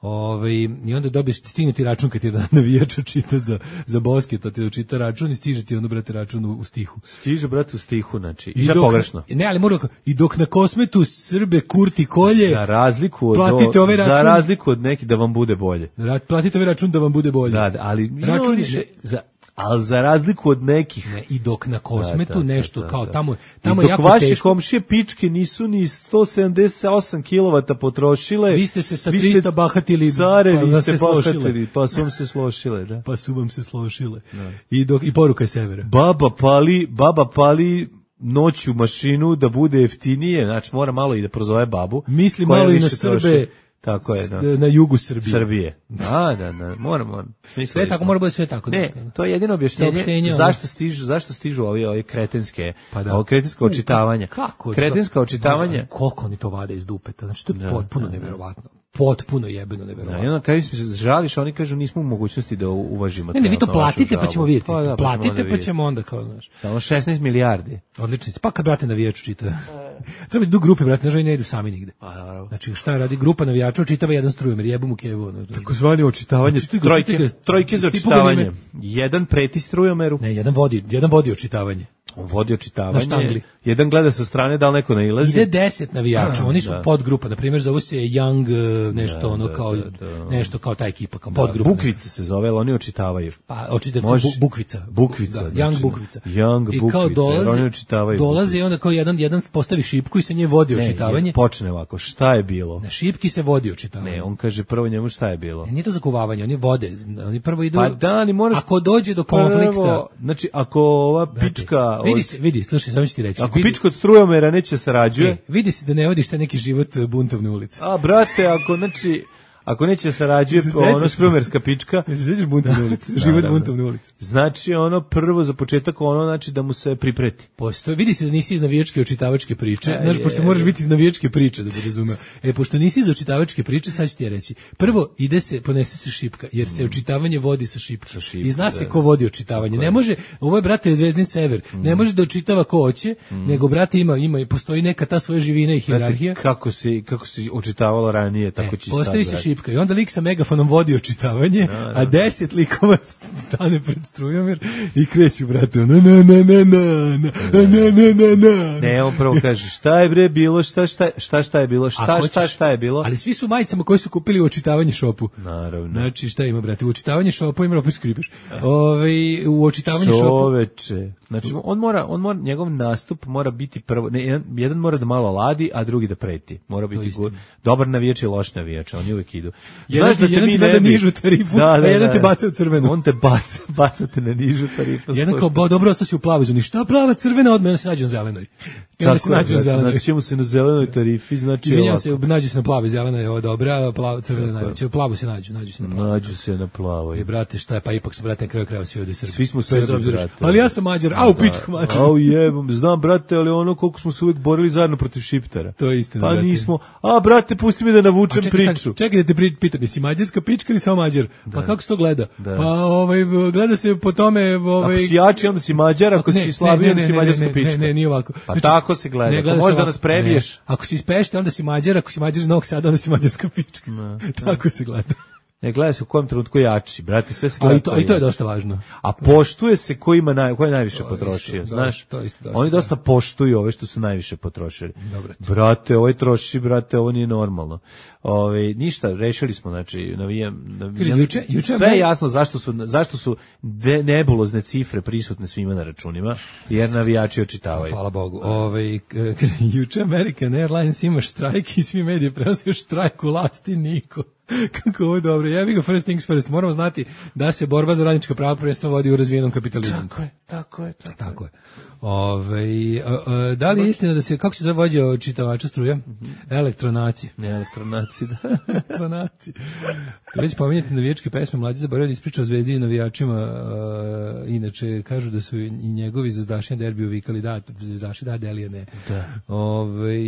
Ovaj i onda dobiješ stigne ti račun kad ti da navijača čita za za Boske, to ti čita račun i stiže ti onda brate račun u, u stihu. Stiže brate u stihu, znači i sve pogrešno. Ne, ali mora i dok na Kosmetu Srbe kurti kolje. Za razliku od platite ovaj račun, za razliku od neki da vam bude bolje. Platite ovaj račun da vam bude bolje. Da, ali račun više za ali za razliku od nekih ne, i dok na Kosmetu da, da, nešto da, da, kao tamo tamo I dok jako vaše teško. Komšije pičke nisu ni sto sedamdeset osam kilovata potrošile. Vi ste se sa trista bahatili, care, pa vi ste bahatili, pa su vam se slošile, da. Pa su vam se slošile. Da. I dok i poruka je severa. Baba pali, baba pali noću mašinu da bude jeftinije, znači mora malo i da prozove babu. Misli malo i na Srbe. Troši. Tako je, da. Na jugu Srbije. Srbije. Da, da, da, moramo. Sve tako, mora biti sve tako. Ne, to je jedino objašnjenje zašto stižu, zašto stižu ovi, ovi kretenske, pa da. Ovo kretensko očitavanja. Kako? Kretenska očitavanja. Koliko oni to vade iz dupeta, znači to je da, potpuno da, neverovatno. Potpuno jebeno neverovatno. Da, i onda kad se žališ, oni kažu nismo u mogućnosti da uvažimo. Ne, ne, vi to platite pa ćemo vidjeti. Pa da, platite pa ćemo onda kao, znaš. Samo šesnaest milijardi. Odlično. Pa kad brate navijaču čita. Treba idu grupe, brate, nažaj ne idu sami nigde. Znači šta radi grupa navijača, čitava jedan strujomer, jebom u kevu. Takozvani očitavanje, trojke, trojke za očitavanje. Jedan preti strujomeru. Ne, jedan vodi, jedan vodi očitavanje. On vodi očitavanje, jedan gleda sa strane da li neko nailazi. Ide deset navijača, oni su da. podgrupa, na primjer zove se Young nešto da, ono da, kao da, da. nešto kao ta ekipa, kao da, podgrupa. Bukvica se zove, ali oni očitavaju. Pa očitavaju bu, Bukvica. Bukvica. Da, Young znači, Bukvica. Young Bukvica, kao dolaze, oni očitavaju. Dolaze i onda kao jedan, jedan postavi šipku i sa nje vodi ne, očitavanje. Ne, počne ovako, šta je bilo? Na šipki se vodi očitavanje. Ne, on kaže prvo njemu šta je bilo. Ne, nije to zakuvavanje, oni vode, oni prvo idu. Pa da, ali moraš... Ako dođe do konflikta... Prvo, znači, ako ova pička... Vidi se, vidi, slušaj, samo ću ti reći. Ako vidi, pička od strujomera neće sarađuje... E, vidi se da ne vodiš taj neki život buntovne ulice. A, brate, ako, znači... Ako neće sarađuje ono strumerska pička, ne se sećaš buntovne ulice, život buntovne ulice. Znači ono prvo za početak ono znači da mu se pripreti. Postoji, vidi se da nisi iz navijačke očitavačke priče, znaš, pošto moraš biti iz navijačke priče da bi razumeo. E, pošto nisi iz očitavačke priče, sad ću ti ja reći. Prvo ide se, ponese se šipka, jer se očitavanje vodi sa šipkom. I zna se ko vodi očitavanje. Ne može, ovo je brate Zvezdin Sever, ne može da očitava ko hoće, nego brate ima ima i postoji neka ta svoja živina i hijerarhija. Kako se kako se očitavalo ranije, tako će sad. I onda lik sa megafonom vodi očitavanje, no, no, a deset likova stane pred strujomer i kreću, brate, na na na na na na na na na. Ne, on prvo kaže, šta je bre bilo, šta šta šta šta je bilo, šta hoćeš, šta šta je bilo. Ali svi su majicama koji su kupili u očitavanje šopu. Naravno. Znači, šta ima, brate, u očitavanje šopu ima opet skripeš. Ovaj u očitavanje šopu. Čoveče. Znači, on mora, on mora, njegov nastup mora biti prvo, ne, jedan, jedan mora da malo ladi, a drugi da preti. Mora biti good, dobar navijač i loš navijač, oni uvijek idu. Znaš da te mi ne bi nižu tarifu, da, da, a jedan da, te baca u crvenu. On te baca, bacate na nižu tarifu. Jedan kao, bo, dobro, ostao si u plavu zoni. Šta plava, crvena, odmah se nađu na zelenoj. Tako se nađu na zelenoj. Znači, ćemo se na zelenoj tarifi, znači izvinjam se, nađu se na plavi, zelena je ovo dobra, plava, crvena najveća. U plavu se nađu, nađu se na plavu. Nađu se na plavoj. I brate, šta je, pa ipak su, brate, na kraju krajeva svi ovdje Srbi. Svi smo Srbi, brate. Ali ja sam Mađar, au, pičku mađar. Au jebom, znam, brate, ali ono koliko smo se uvijek borili zajedno protiv Šiptara. To je istina, pa brate. nismo, a brate, pusti mi da navučem čekaj, priču. Čekaj da te pitam, jesi mađarska pička ili samo Mađar? Da. Pa kako se to gleda? Da. Pa ovaj, gleda se po tome... Ovaj... Ako si jači, onda si Mađar, ako ne, si slabiji, onda si mađarska ne, pička. Ne, ne, nije ovako. Pa znači, tako se gleda, ne, gleda ako možda nas prebiješ. Ne. Ako si iz Pešte, onda si Mađar, ako si Mađar iz Novog Sada, onda si mađarska pička. Ne, tako se gleda. Ne gleda se u kojem trenutku jači, brate, sve se gleda. A i to, i to je dosta važno. A poštuje se ko ima naj, ko je najviše potrošio, isto, znaš? To isto dosta. Oni dosta poštuju ove što su najviše potrošili. Dobre. Brate, ovaj troši, brate, ovo nije normalno. Ove, ništa, rešili smo, znači, navijam, navijam juče, juče sve je jasno zašto su zašto su de, nebulozne cifre prisutne svima na računima, jer navijači očitavaju. Hvala Bogu. Ove, juče American Airlines ima štrajk i svi mediji prenose štrajk u lasti niko. Kako ovo je dobro. Ja bih ga first things first. Moramo znati da se borba za radnička prava prvenstveno vodi u razvijenom kapitalizmu. Tako je, tako je. Tako, tako je. Ove, a, a, da li je istina da se, kako se zove vođa čitavača struje? Mm-hmm. Elektronaci. Ne, elektronaci, da. Elektronaci. Već pominjati navijačke pesme, mlađi zaboravio da ispriča o Zvezdi i navijačima, a, inače kažu da su i njegovi zvezdaši na derbiju vikali da, zvezdaši da, Delija ne. Da. Ove,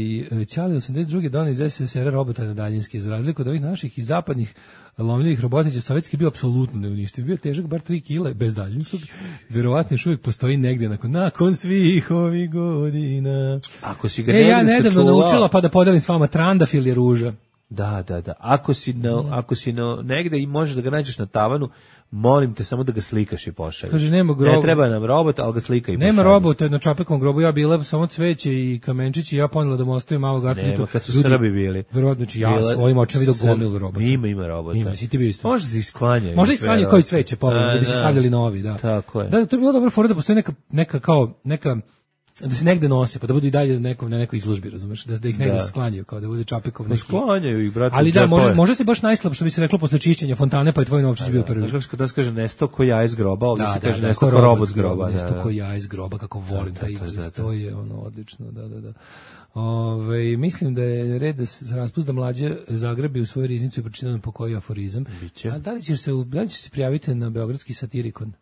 Ćali osamdeset druge dona iz S S R robota na daljinski, iz razliku od ovih naših i zapadnih lomljivih robotića, sovjetski bio apsolutno neuništiv. Bio težak bar tri kile bez daljinskog. Verovatno još uvijek postoji negdje nakon, nakon svih ovih godina. Ako si ga e, ja nedavno naučila pa da podelim s vama, trandafil je ruža. Da, da, da. Ako si, na, mm. ako si na, negde i možeš da ga nađeš na tavanu, molim te samo da ga slikaš i pošalješ. Kaže, nema groba. Ne treba nam robot, ali ga slika i pošalje. Nema robota na Čapekovom grobu, ja bila samo cveće i kamenčići, ja ponela da mu ostavim malo gartunitu. Nema, kad su ljudi, Srbi bili. Verovatno, znači ja s ovim očima vidio gomilu robota. Ima, ima robota. Ima, si ti bio isto. Možda se isklanjaju. Možda isklanjaju koji cveće, pa da bi se stavljali novi, da. Tako je. Da, to je bilo dobro fora da postoji neka, neka kao, neka, da se negde nose, pa da budu i dalje nekom, na nekoj izložbi, razumeš, da, da ih negde da. sklanjaju, kao da bude Čapekov neki. Sklanjaju ih, brate. Ali da, može, može se baš najslab, što bi se reklo posle čišćenja fontane, pa je tvoj novčić bio prvi. Znaš kako se da se kaže nesto ko jaje iz groba, ovdje da, se kaže da, nesto ko robot iz groba. Nesto ko jaje iz groba, kako volim taj izraz, to je ono odlično, da, da, da. Ove, mislim da je red da se raspust da mlađe zagrebi u svoju riznicu i pročita po koji aforizam. Biće. A da li ćeš se, da li ćeš se prijaviti na beogradski satirikon?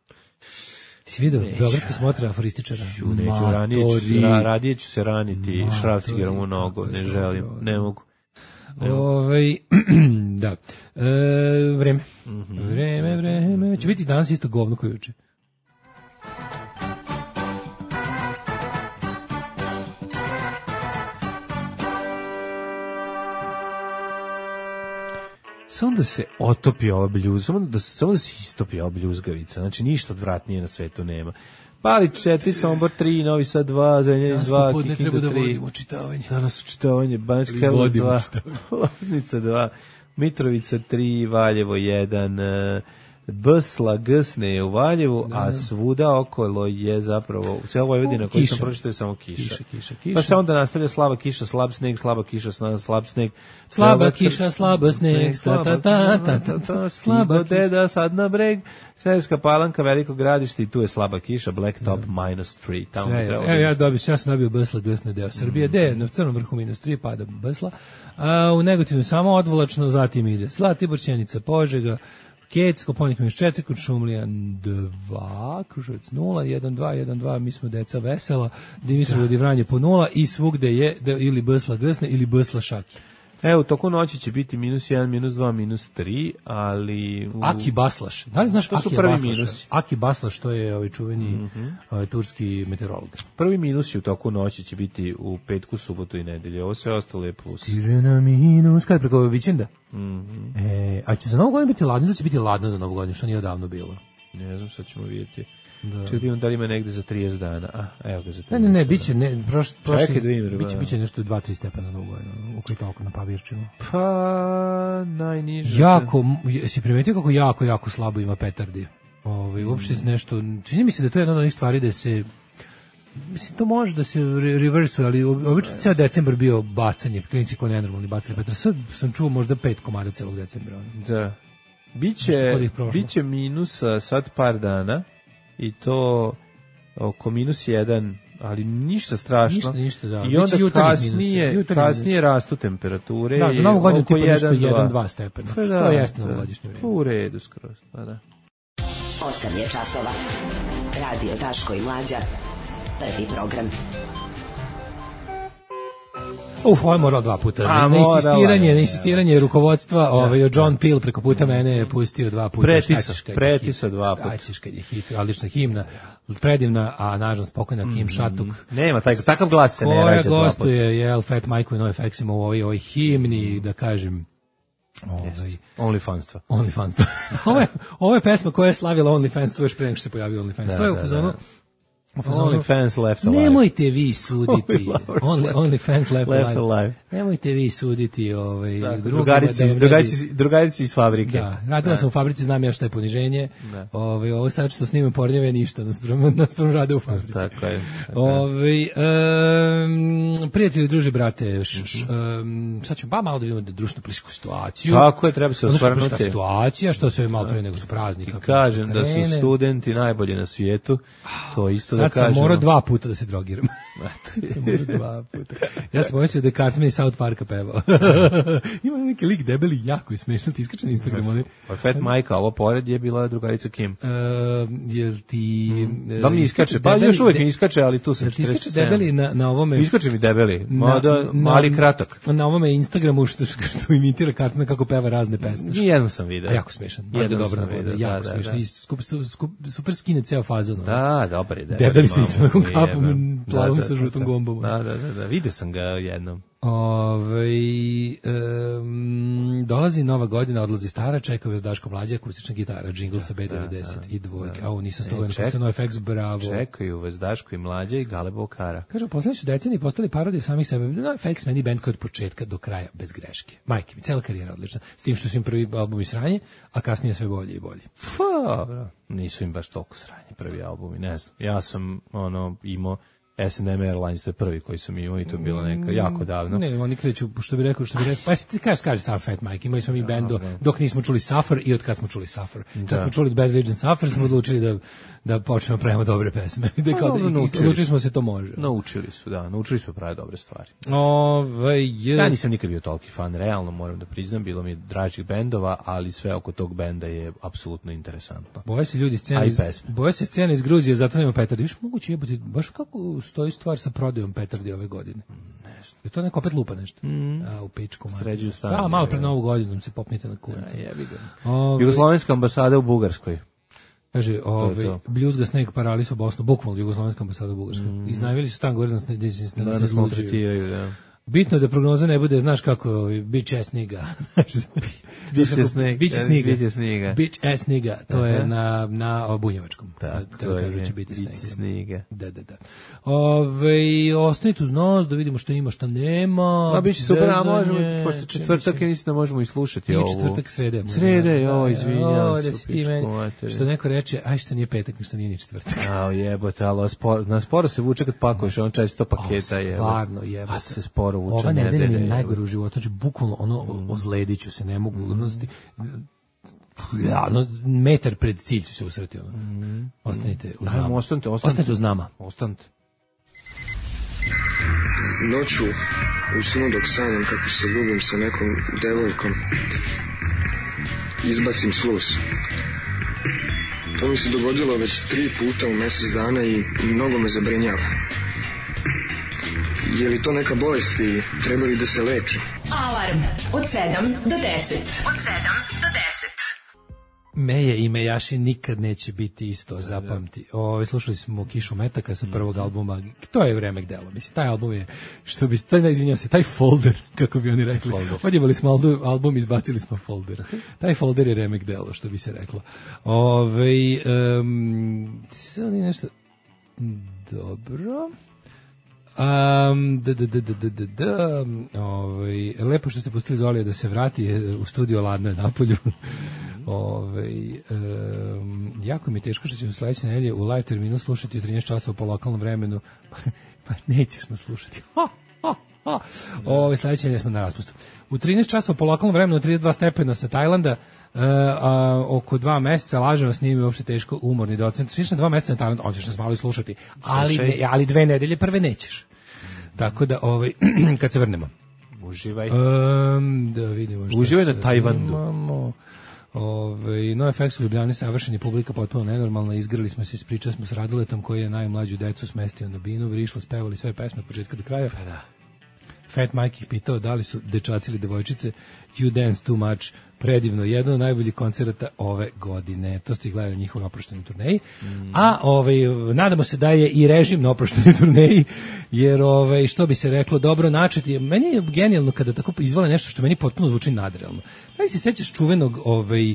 Si vidio, beogradski smotra aforističara. Neću, ranije ću, ra, radije ću se raniti šrafcigerom u nogu, ne želim, ne mogu. Ne mogu. Ove, da. E, vreme. Mm-hmm. Vreme, vreme. Će biti danas isto govno koje uče. Samo da se otopi ova bljuz, samo da, samo da se istopi ova bljuzgavica, znači ništa odvratnije na svetu nema. Pali četiri, Sombor tri, Novi Sad dva, Zrenjanin dva, Kikinda tri. Ne treba da vodimo čitavanje. Danas učitavanje, Banjska Karlovac dva, Loznica dva, Mitrovica tri, Valjevo jedan, Bsla, Gsne je u Valjevu, da, a svuda okolo je zapravo, u cijeloj Vojvodini koji sam pročitao je samo kiša. Kiša, kiša, kiša. Pa se onda nastavlja slaba kiša, slab sneg, slaba kiša, slab sneg. Slaba kiša, slaba sneg, ta ta ta ta ta ta, slaba deda sad na breg, Sverska Palanka, Veliko Gradište i tu je slaba kiša, Blacktop minus tri. Tamo je, evo ja dobio, ja sam dobio Bsla, Gsne deo Srbije, mm. de, na crnom vrhu minus tri pada Bsla, a u Negotinu samo odvolačno, zatim ide Zlatibor, Sjenica, Požega, Kec, Koponik minus četiri, Kuršumlija dva, Kruševac nula, jedan dva, jedan dva, mi smo deca vesela, Dimitrovgrad i Vranje po nula i svugde je da, ili Bsla Gsne ili Bsla Šaki. Evo, u toku noći će biti minus jedan, minus dva, minus tri, ali... U... Aki Baslaš. Da li znaš to Aki su prvi Baslaš? Minusi. Aki Baslaš, to je ovaj čuveni mm-hmm. ovaj, turski meteorolog. Prvi minusi u toku noći će biti u petku, subotu i nedelju. Ovo sve ostalo je plus. Stiže na minus, kada preko vikenda? Mm-hmm. E, a će za Novu godinu biti ladno, da će biti ladno za Novu godinu, što nije odavno bilo. Ne znam, sad ćemo vidjeti. Da. Čekaj, da li ima negde za trideset dana. A, evo ga za trideset. Ne, ne, ne, biće, ne, prošli, prošli, Čekaj, da vidim, biće, biće nešto dva tri stepena za Novu godinu, u koji toliko na Pavirčinu. Pa, najniže. Jako, jesi primetio kako jako, jako slabo ima petardi? Ovaj, uopšte mm. nešto, čini mi se da to je jedna od onih stvari da se, mislim, to može da se reversuje, ali obično ceo decembar bio bacanje, klinici ko nenormalni bacali petar. Sad sam čuo možda pet komada celog decembra. Da. Biće, biće minusa sad par dana, i to oko minus jedan, ali ništa strašno. Ništa, ništa, da. I onda kasnije, kasnije rastu temperature. Da, za Novu godinu tipa nešto jedan dva stepena. Pa što jeste novogodišnje vreme. U redu skroz, pa da. osam je časova. Radio Daško i Mlađa. Prvi program. Uf, ovo je morao dva puta. A, na insistiranje, na insistiranje rukovodstva, ovaj John Peel preko puta mene je pustio dva puta. Pretisa, pretisa dva puta. Ajčiš kad je hit, odlična himna, predivna, a nažalost spokojna Kim Šatuk. Nema, taj, takav glas se ne rađa dva puta. Koja gostuje, jel, Fat Mike i NoFX-ima u ovoj, ovoj himni, da kažem, ovaj, OnlyFanstva. OnlyFanstva. ovo, je, ovo je pesma koja je slavila OnlyFanstvo još pre nego što se pojavio OnlyFans. Da, to je u fazonu. Only fans left alive. Nemojte vi suditi. only, only fans left, left alive. alive. Nemojte vi suditi ovaj drugarici, da drugarici, drugarici iz fabrike. Da, radila sam u fabrici, znam ja šta je poniženje. Ovaj ovo sad što snimam pornjeve ništa, naspram naspram rade u fabrici. Tako je. Ovaj um, prijatelji, druže, brate, š, š, um, sad ćemo pa malo da vidimo da društvenu političku situaciju. Tako je, treba se osvrnuti. Situacija što sve malo pre nego što praznik. Kažem da su studenti najbolji na svijetu. To isto sad da kažem. Sad sam morao dva puta da se drogiram. dva puta. Ja sam pomislio da je Cartman iz South Parka pevao. Ima neki lik debeli, jako je smešno, ti iskače na Instagramu. Ali... Fat Majka, ovo pored je bila drugarica Kim. Uh, jel ti... Mm. Da mi iskače, pa još uvijek mi iskače, ali tu sam četrdeset sedam. Iskače debeli na, na ovome... Iskače mi debeli, mada, mali na, kratak. Na ovome Instagramu što, što imitira Cartman kako peva razne pesme. Nijednom sam vidio. A jako smešan, jedno dobro navoda, jako da, smešno. Da, da. Skup, skup, super skine ceo fazon. Da, dobar je. Debeli se isto nakon kapom, plavom sa žutom gombom. Da, da, da, da, vidio sam ga jednom. Ove, um, dolazi nova godina, odlazi stara, čekaju vas Daško Mlađa, akustična gitara, džingl sa B devedeset i dvojke. A ovo nisam sto godina, postoje NoFX, bravo. Čekaju vas Daško i Mlađa i Gale Bokara. Kažu, poslednji su deceniji postali parodije samih sebe. NoFX meni band koji od početka do kraja bez greške. Majke mi, cela karijera odlična. S tim što su im prvi albumi sranje, a kasnije sve bolje i bolje. Pa, nisu im baš toliko sranje prvi albumi, ne znam. Ja sam ono imao S and M Airlines, to je prvi koji sam imao i to je bilo neka jako davno. Ne, oni kreću, što bi rekao, što bi rekao, pa ti kaže, kaže Suffer Fat Mike, imali smo mi band do, dok nismo čuli Suffer i od kad smo čuli Suffer. Kad da. smo čuli Bad Religion Suffer, smo odlučili da da počnemo pravimo dobre pesme. Da kao da odlučili smo se to može. Naučili su, da, naučili su pravi dobre stvari. Ove, je... Ja nisam nikad bio toliki fan, realno moram da priznam, bilo mi je dražih bendova, ali sve oko tog benda je apsolutno interesantno. Boje se ljudi scene iz, boje se scene iz Gruzije, zato nema petardi. Viš moguće jebati, baš kako stoji stvar sa prodajom petardi ove godine. Ne znam. Je to neko opet lupa nešto? Mm. A, u pičku. Sređuju stanje. Da, malo pred Novu godinu se popnite na kurac. Ja, jebi ga. Jugoslovenska ambasada u Bugarskoj. Kaže, ovaj Bljuzga Snake Paralis u Bosnu, bukvalno Jugoslovenska ambasada u Bugarskoj. Mm. Iznajmili su stan gore na da se da se maltretiraju, da. Bitno je da prognoza ne bude, znaš kako, bitch ass nigga. Bitch ass nigga. Bitch ass nigga. Bitch ass nigga. Bitch ass nigga. To je na, na bunjevačkom. Tako je, će biti bitch ass nigga. Da, da, da. Ove, ostanite uz nos, da vidimo šta ima, šta nema. Ma, bit će super, a možemo, pošto četvrtak je mislim da možemo i slušati ovo. Nije četvrtak, srede. Srede, jo, izvinjam se. Što neko reče, aj što nije petak, što nije ni četvrtak. A, jebote, ali na sporo se vuče kad pakuješ, on često paketa je. Stvarno, jebote. A se sporo vuče. Ova nedelja mi je najgore u životu, znači bukvalno ono mm. ozlediću se, ne mogu mm. ja, ono, metar pred cilj ću se usreti ono. Mm. Ostanite uz nama. Ostanite, ostanite. Ostanite uz nama. Ostanite. Noću u snu dok sanjam kako se ljubim sa nekom devojkom, izbacim sluz. To mi se dogodilo već tri puta u mjesec dana i mnogo me zabrinjava. Je li to neka bolest i treba li da se leči? Alarm od sedam do deset. Od sedam do deset. Meje i Mejaši nikad neće biti isto, zapamti. Ove, slušali smo Kišu metaka sa prvog albuma. To je remek delo, mislim. Taj album je, što bi, taj, izvinjam se, taj folder, kako bi oni rekli. Odjevali smo album, izbacili smo folder. Taj folder je remek delo, što bi se reklo. Ove, um, sad je nešto... Dobro... Um, da, da, da, da, da, da, ovaj, lepo što ste pustili Zolija da se vrati u studio, ladno je napolju. Ovaj, um, jako mi je teško što ćemo sledeće nedelje u live terminu slušati u trinaest časova po lokalnom vremenu. Pa nećeš nas slušati. Ha, ha, ha. Ovaj, sledeće nedelje smo na raspustu. U trinaest časova po lokalnom vremenu, trideset dva stepena sa Tajlanda, Uh, a, oko dva meseca, lažem vas, nije mi uopšte teško, umorni docent. Sviš na dva meseca na Tajland, on ćeš nas malo i slušati, ali, ne, ali dve nedelje prve nećeš. Tako da, ovaj, kad se vrnemo. Uživaj. Um, da vidimo što Uživaj na Tajvandu. Ove, NoFX u Ljubljani savršeni, publika potpuno nenormalna, izgrali smo se, ispričali smo s Radoletom koji je najmlađu decu smestio na binu, vrišlo, spevali sve pesme od početka do kraja. Pa da. Fat Mike ih pitao da li su dečaci ili devojčice. You dance too much. Predivno, jedan od najboljih koncerata ove godine. To ste gledali u njihovoj oproštenoj turneji. Mm. A ovaj, nadamo se da je i režim na oproštenoj turneji, jer ovaj, što bi se reklo, dobro načeti. Meni je genijalno kada tako izvole nešto što meni potpuno zvuči nadrealno. Da li se sećaš čuvenog, ovaj,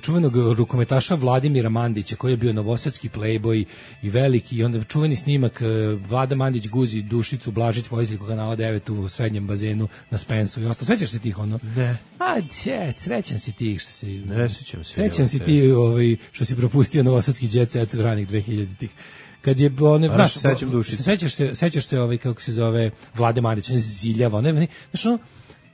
čuvenog rukometaša Vladimira Mandića, koji je bio novosadski playboy i veliki, i onda čuveni snimak Vlada Mandić guzi Dušicu Blažić, voditeljku kanala devet u srednjem bazenu na Spensu i ostalo. Sećaš se tih ono? Ne. A, dje, srećan si ti što si... Ne sećam se. Srećan si ti ovaj, što si propustio novosadski jet set ranih dvehiljaditih. Kad je one, znaš, sećaš se, sećaš se ovaj, kako se zove, Vlade Mandić, on je ziljava, one, znaš ono,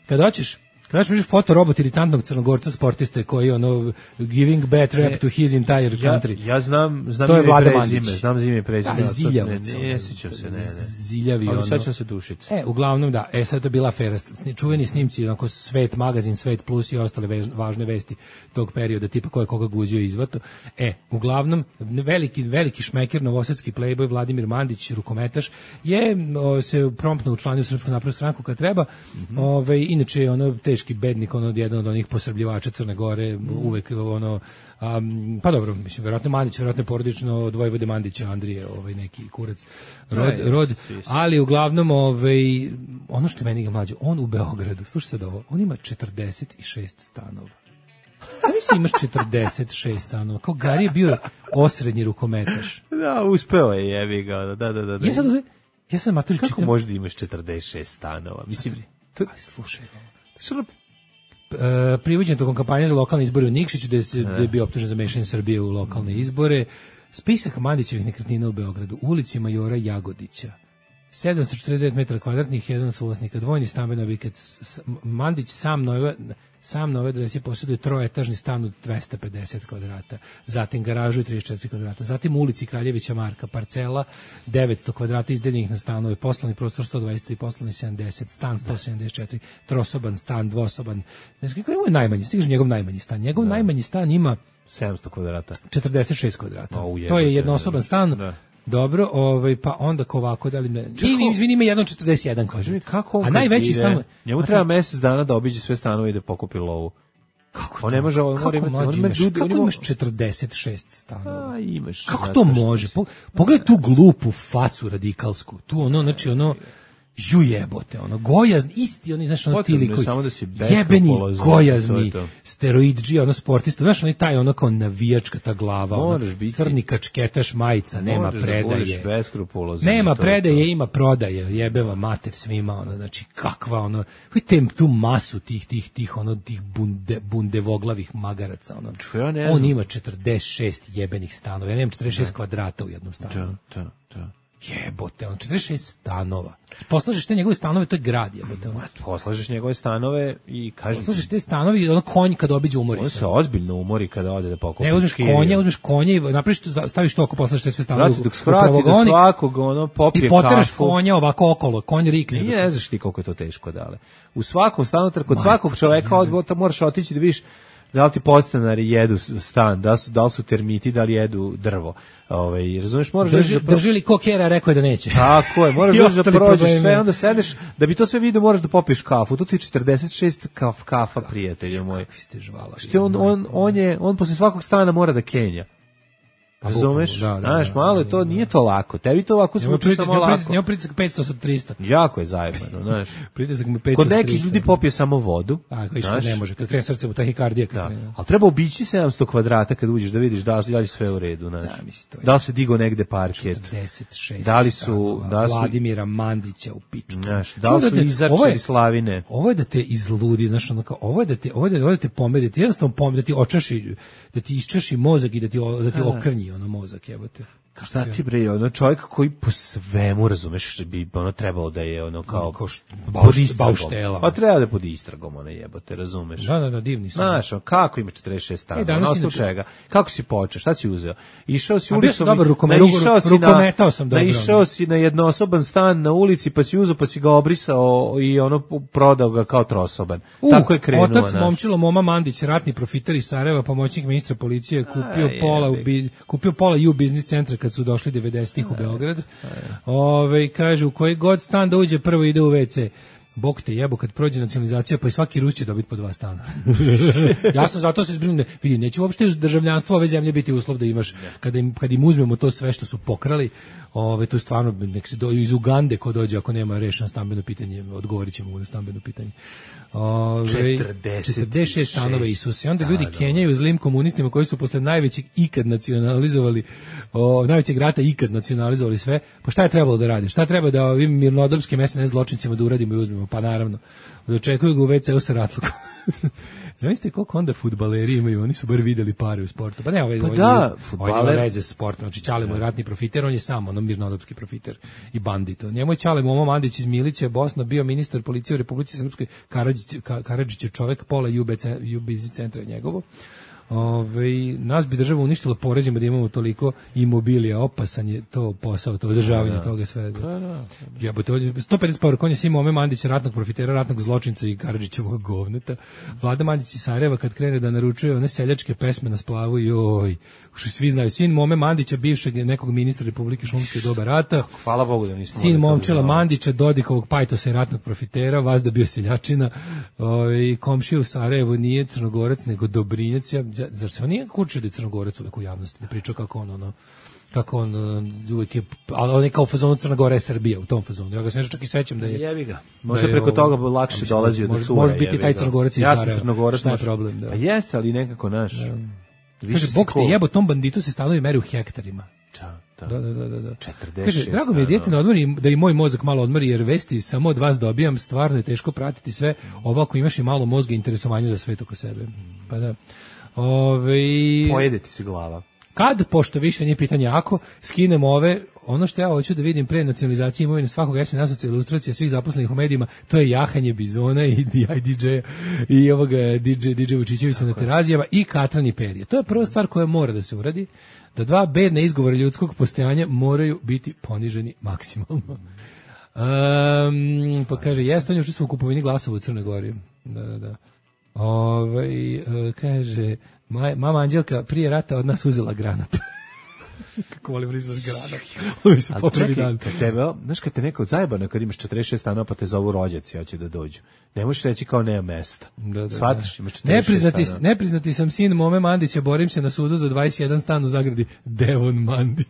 kad hoćeš, kada ćeš vidiš fotorobot iritantnog crnogorca sportiste koji ono giving bad rap to his entire country. Ja, ja znam, znam to je Vlada Mandić. Znam zime i prezime. Da, ziljavac. Ne, ne sjećam se, ne, ne. Ziljavi ono. Ali sećam se Dušice. E, uglavnom da, e sad to je bila afera. Čuveni snimci, onako Svet magazin, Svet plus i ostale vež, važne vesti tog perioda, tipa ko je koga guzio i izvato. E, uglavnom, veliki, veliki šmeker, novosadski playboy Vladimir Mandić, rukometaš, je o, se promptno učlanio u Srpsku naprednu stranku kad treba. Mm-hmm. Ove, inače, ono, teški bednik, ono, jedan od onih posrbljivača Crne Gore, mm. uvek, ono, um, pa dobro, mislim, verovatno Mandić, verovatno porodično od Vojvode Mandića, Andrije, ovaj neki kurac, rod, rod, ali uglavnom, ovaj, ono što je meni ga mlađe, on u Beogradu, slušaj sad ovo, on ima četrdeset šest stanova. Da mi se imaš četrdeset šest stanova, kao Gari je bio osrednji rukometaš. Da, uspeo je, jebi ga, da, da, da. da. Ja sad, ja sam maturi čitam... Kako možda imaš četrdeset šest stanova? Mislim, to... Aj, slušaj ovo. Što Uh, privođen tokom kampanje za lokalne izbore u Nikšiću, gde se gde je bio optužen za mešanje Srbije u lokalne izbore. Spisak Mandićevih nekretnina u Beogradu, ulici Majora Jagodića, sedamsto četrdeset devet metara kvadratnih, jedan suvlasnika, dvojni stambeni objekat. Mandić sam nove, sam nove adresi posjeduje troetažni stan od dvesta pedeset kvadrata, zatim garažu i trideset četiri kvadrata, zatim u ulici Kraljevića Marka, parcela devetsto kvadrata izdeljenih na stanove, poslovni prostor sto dvadeset tri, poslovni sedamdeset, stan sto sedamdeset četiri, trosoban stan, dvosoban. Znači, kako je najmanji, stiže njegov najmanji stan. Njegov da. najmanji stan ima sedamsto kvadrata. četrdeset šest kvadrata. O, jebe, to je jednosoban stan. Da. Dobro, ovaj pa onda ko ovako da li me. Ni izvini, ima jedno četrdeset jedan kaže. Kako on? A najveći stan, njemu treba mjesec dana da obiđe sve stanove i da pokupi lovu. Kako on ne može, on mora imati, on ima ljudi, kako imaš četrdeset šest stanova? A, imaš. Kako to može? Pogledaj tu glupu facu radikalsku. Tu ono, znači ono ju jebote, ono, gojazn, isti, oni, znaš, ono, ti likovi, da jebeni, gojazni, steroidži, ono, sportista, znaš, oni taj, ono, kao navijačka ta glava, ono, crni kačketaš majica, nema predaje, nema predaje, ima prodaje, jebeva mater svima, ono, znači, kakva, ono, vidite tu masu tih, tih, tih, ono, tih bunde, bundevoglavih magaraca, ono, ja on ima četrdeset šest jebenih stanova, ja nemam četrdeset šest da. Kvadrata u jednom stanu. Da, da, da. Jebote, on četrdeset šest stanova. Poslažeš te njegove stanove, to je grad, jebote. On. Poslažeš njegove stanove i kažeš... Poslažeš te stanove i ono konj kad obiđe umori se. On se ozbiljno umori kada ode da pokupi. Ne, uzmeš konja, uzmeš konja i napraviš to, staviš to oko, poslažeš te sve stanove. Znači, dok svrati da svakog ono popije kafu. I poteraš konja ovako okolo, konj rikne. Nije, ne znaš ti koliko je to teško dale. U svakom stanu, kod svakog čoveka odbota moraš otići da vidiš da li ti podstanari jedu stan, da su, da li su termiti, da li jedu drvo. Ovaj, razumeš, moraš Drži, da... Drži li ko kjera, rekao je da neće. Tako je, moraš da prođeš sve, onda sedeš, da bi to sve vidio moraš da popiješ kafu. Tu ti je četrdeset šest kaf, kafa, prijatelju moj. Kakvi ste žvala. Što on, on, on, je, on posle svakog stana mora da kenja. Razumeš? Da, da, znaš, malo je to, nije to lako. Tebi to ovako zvuči samo lako. Njemu pritisak petsto od tristo. Jako je zajebano, znaš. Pritisak mu petsto od tristo. Kod nekih ljudi popije samo vodu. A, koji što ne može, kad krene srce mu tahikardija. Da. Ali treba obići sedamsto kvadrata kad uđeš da vidiš da li je sve u redu, znaš. Da li se digo negde parket. četrdeset šest da li su, da su Vladimira Mandića u pičku. Znaš, da li su izarčali slavine. Ovo je da te izludi, znaš, ono kao, ovo je da te, ovo je da, ovo da te pomeri, da ti jednostavno pomeri, da ti očaši, da ti iščaši mozak i da ti, da ti okrnji ono mozak, jebote. Šta ti bre, ono čovjek koji po svemu, razumeš, bi ono trebalo da je ono kao Ko št, bauš, bauštela. Pa treba da je pod istragom, ono jebote, razumeš. Da, da, da, divni su. Znaš, kako ima četrdeset šest stanova, e, na osnovu čega? Kako si počeo, šta si uzeo? Išao si ulicom, dobar rukomet, naišao si rukometao sam dobro. Naišao si na jednosoban stan na ulici, pa si uzeo, pa si ga obrisao i ono prodao ga kao trosoban. Uh, tako je krenuo. Otac momčilo Moma Mandić, ratni profiter iz Sarajeva, pomoćnik ministra policije, kupio A, pola u bi, kupio pola u biznis centra kad su došli devedesetih u Beograd. Ove, kaže, u koji god stan da uđe, prvo ide u ve ce. Bog te jebo kad prođe nacionalizacija, pa i svaki Rus će dobiti po dva stana. Ja sam zato se zbrinuo, vidi, neće uopšte državljanstvo ove zemlje biti uslov da imaš, kada im, kad im uzmemo to sve što su pokrali, ove, to je stvarno, nek se do, iz Ugande ko dođe ako nema rešeno stambeno pitanje, odgovorit ćemo mu na stambeno pitanje. Ove, četrdeset šest stanova Isuse. Onda ljudi kenjaju zlim komunistima koji su posle najvećeg ikad nacionalizovali, o, najvećeg rata ikad nacionalizovali sve. Pa šta je trebalo da radi? Šta treba da ovim mirnodopskim es en es zločincima da uradimo i uzmemo? Pa naravno, dočekuju ga u ve ce-u sa ratlukom. Zamislite koliko onda fudbaleri imaju, oni su bar videli pare u sportu. Pa ne, ovaj, pa ovaj, da, ovaj nema veze sa sportom. Znači, Čale mu je ratni profiter, on je sam ono mirnodopski profiter i bandit. Njemu je Čale Momo Mandić iz Milića, Bosna, bio ministar policije u Republici Srpskoj, Karadžić, Karadžić je čovek, pola u biznis centra je njegovo. Ove, nas bi država uništila porezima da imamo toliko imobilija, opasan je to posao, to održavanje da, toga svega. Da, da. Jebote, sto pedeset poruka, on je Simo Ome Mandić, ratnog profitera, ratnog zločinca i Karadžićevog govneta. Vlada Mandić iz Sarajeva kad krene da naručuje one seljačke pesme na splavu, joj, što svi znaju, sin Mome Mandića, bivšeg nekog ministra Republike Šumske doba rata. Hvala Bogu da nismo. Sin Momčila Mandića, Dodikovog pajtosa i ratnog profitera, vazda bio seljačina, i komšija u Sarajevu nije Crnogorac, nego Dobrinjac. Ja, zar se on nije kučio da je Crnogorac uvek u javnosti, da priča kako on ono, kako on uvijek je, ali on je kao u fazonu Crna Gora je Srbija, u tom fazonu. Ja ga se nešto čak i sećam da je... Jebi ga. Možda preko toga bi lakše dolazio do cura. Može biti taj Crnogorac iz Sarajeva. Sarajeva. Ja sam Crnogorac. Šta je problem? Da. Pa jeste, ali nekako naš. Kaže, Bog te jebo, tom banditu se stanovi meri u hektarima. Da, da. Da, da, da, da. četrdeset Kaže, drago mi je dijete na odmori, da i moj mozak malo odmori, jer vesti samo od vas dobijam, stvarno je teško pratiti sve, ovako imaš i malo mozga i interesovanja za svet oko sebe. Pa da. Ove... Pojede ti se glava. Kad, pošto više nije pitanje ako, skinemo ove, ono što ja hoću da vidim pre nacionalizacije imovine svakog S N A ilustracija svih zaposlenih u medijima, to je jahanje bizona i D J-a i ovoga D J, D J Vučićevića na terazijama i katranje perje. To je prva stvar koja mora da se uradi, da dva bedna izgovora ljudskog postojanja moraju biti poniženi maksimalno. Um, pa kaže, jeste on je učestvovao u kupovini glasova u Crnoj Gori. Da, da, da. Ove, uh, kaže, maj, mama Anđelka prije rata od nas uzela granat. Kako volim rizlaš granat. Ovi su poprvi dan. Kad tebe, znaš kad te neko zajebano, kad imaš četrdeset šest stanova pa te zovu rođaci, hoće da dođu. Ne možeš reći kao nema mesta. Da, da, shvatiš, imaš četrdeset šest nepriznati, stanova. nepriznati sam sin Mome Mandića, borim se na sudu za dvadeset jedan stan u Zagradi. Devon Mandić.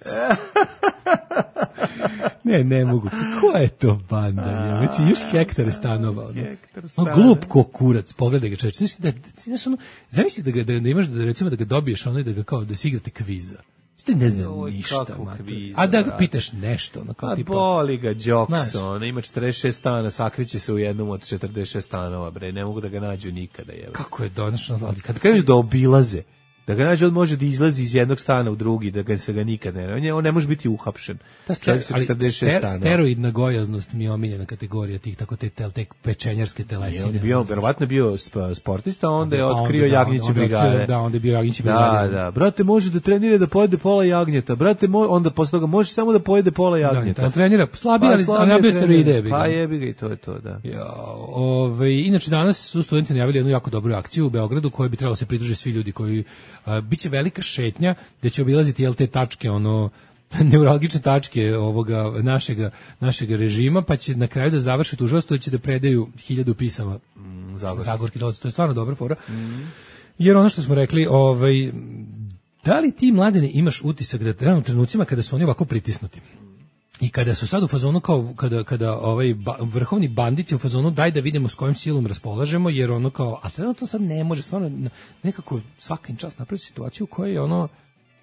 Ne, ne mogu. Ko je to banda? Već još hektare stanova. Ono. Hektar stanova. No, glup ko kurac, pogledaj ga čovječ. Znaš, da, znaš, ono, zamisli da, ga, da, da imaš, da, recimo da ga dobiješ ono i da ga kao, da si igrate kviza. Ste ne znam Oj, ništa, kviza, a da ga brate. pitaš nešto. Ono, kao A tipa, boli ga Jokson, ima četrdeset šest stana, sakriće se u jednom od četrdeset šest stanova, bre, ne mogu da ga nađu nikada. Je. kako je donošno, ali Kad krenu da obilaze, da ga nađe, on može da izlazi iz jednog stana u drugi, da ga se ga nikad ne... On, je, on ne može biti uhapšen. ta ster, Čovjek sa ali četrdeset šest ster, stanova. steroidna gojaznost mi je omiljena kategorija tih tako te, te, te pečenjarske telesine. On je bio, verovatno bio sp- sportista, onda je A otkrio onda, da, jagnjeće onda je otkrio, brigade. Da, onda je bio jagnjeće Da, brigade. da. Brate, može da trenira da pojede pola jagnjeta. Brate, mo, onda posle toga može samo da pojede pola jagnjeta. Da, trenira slabije, Pa, ali, slabije ali nabio trenira. steroide. jebi ga. Pa jebi ga i to je to, da. Ja, ove, inače danas su studenti najavili jednu jako dobru akciju u Beogradu kojoj bi trebalo se pridružiti svi ljudi koji a, biće velika šetnja gde će obilaziti jel te tačke ono neuralgične tačke ovoga našega našega režima, pa će na kraju da završe tužilaštvo i će da predaju hiljadu pisama Mm, Zagorki. Zagorki doc. To je stvarno dobra fora. Mm. Jer ono što smo rekli, ovaj da li ti mladene imaš utisak da trenutno trenucima kada su oni ovako pritisnuti i kada su sad u fazonu kao kada kada ovaj ba, vrhovni bandit je u fazonu daj da vidimo s kojim silom raspolažemo, jer ono kao a trenutno sad ne može stvarno nekako svakim čas napravi situaciju u kojoj je ono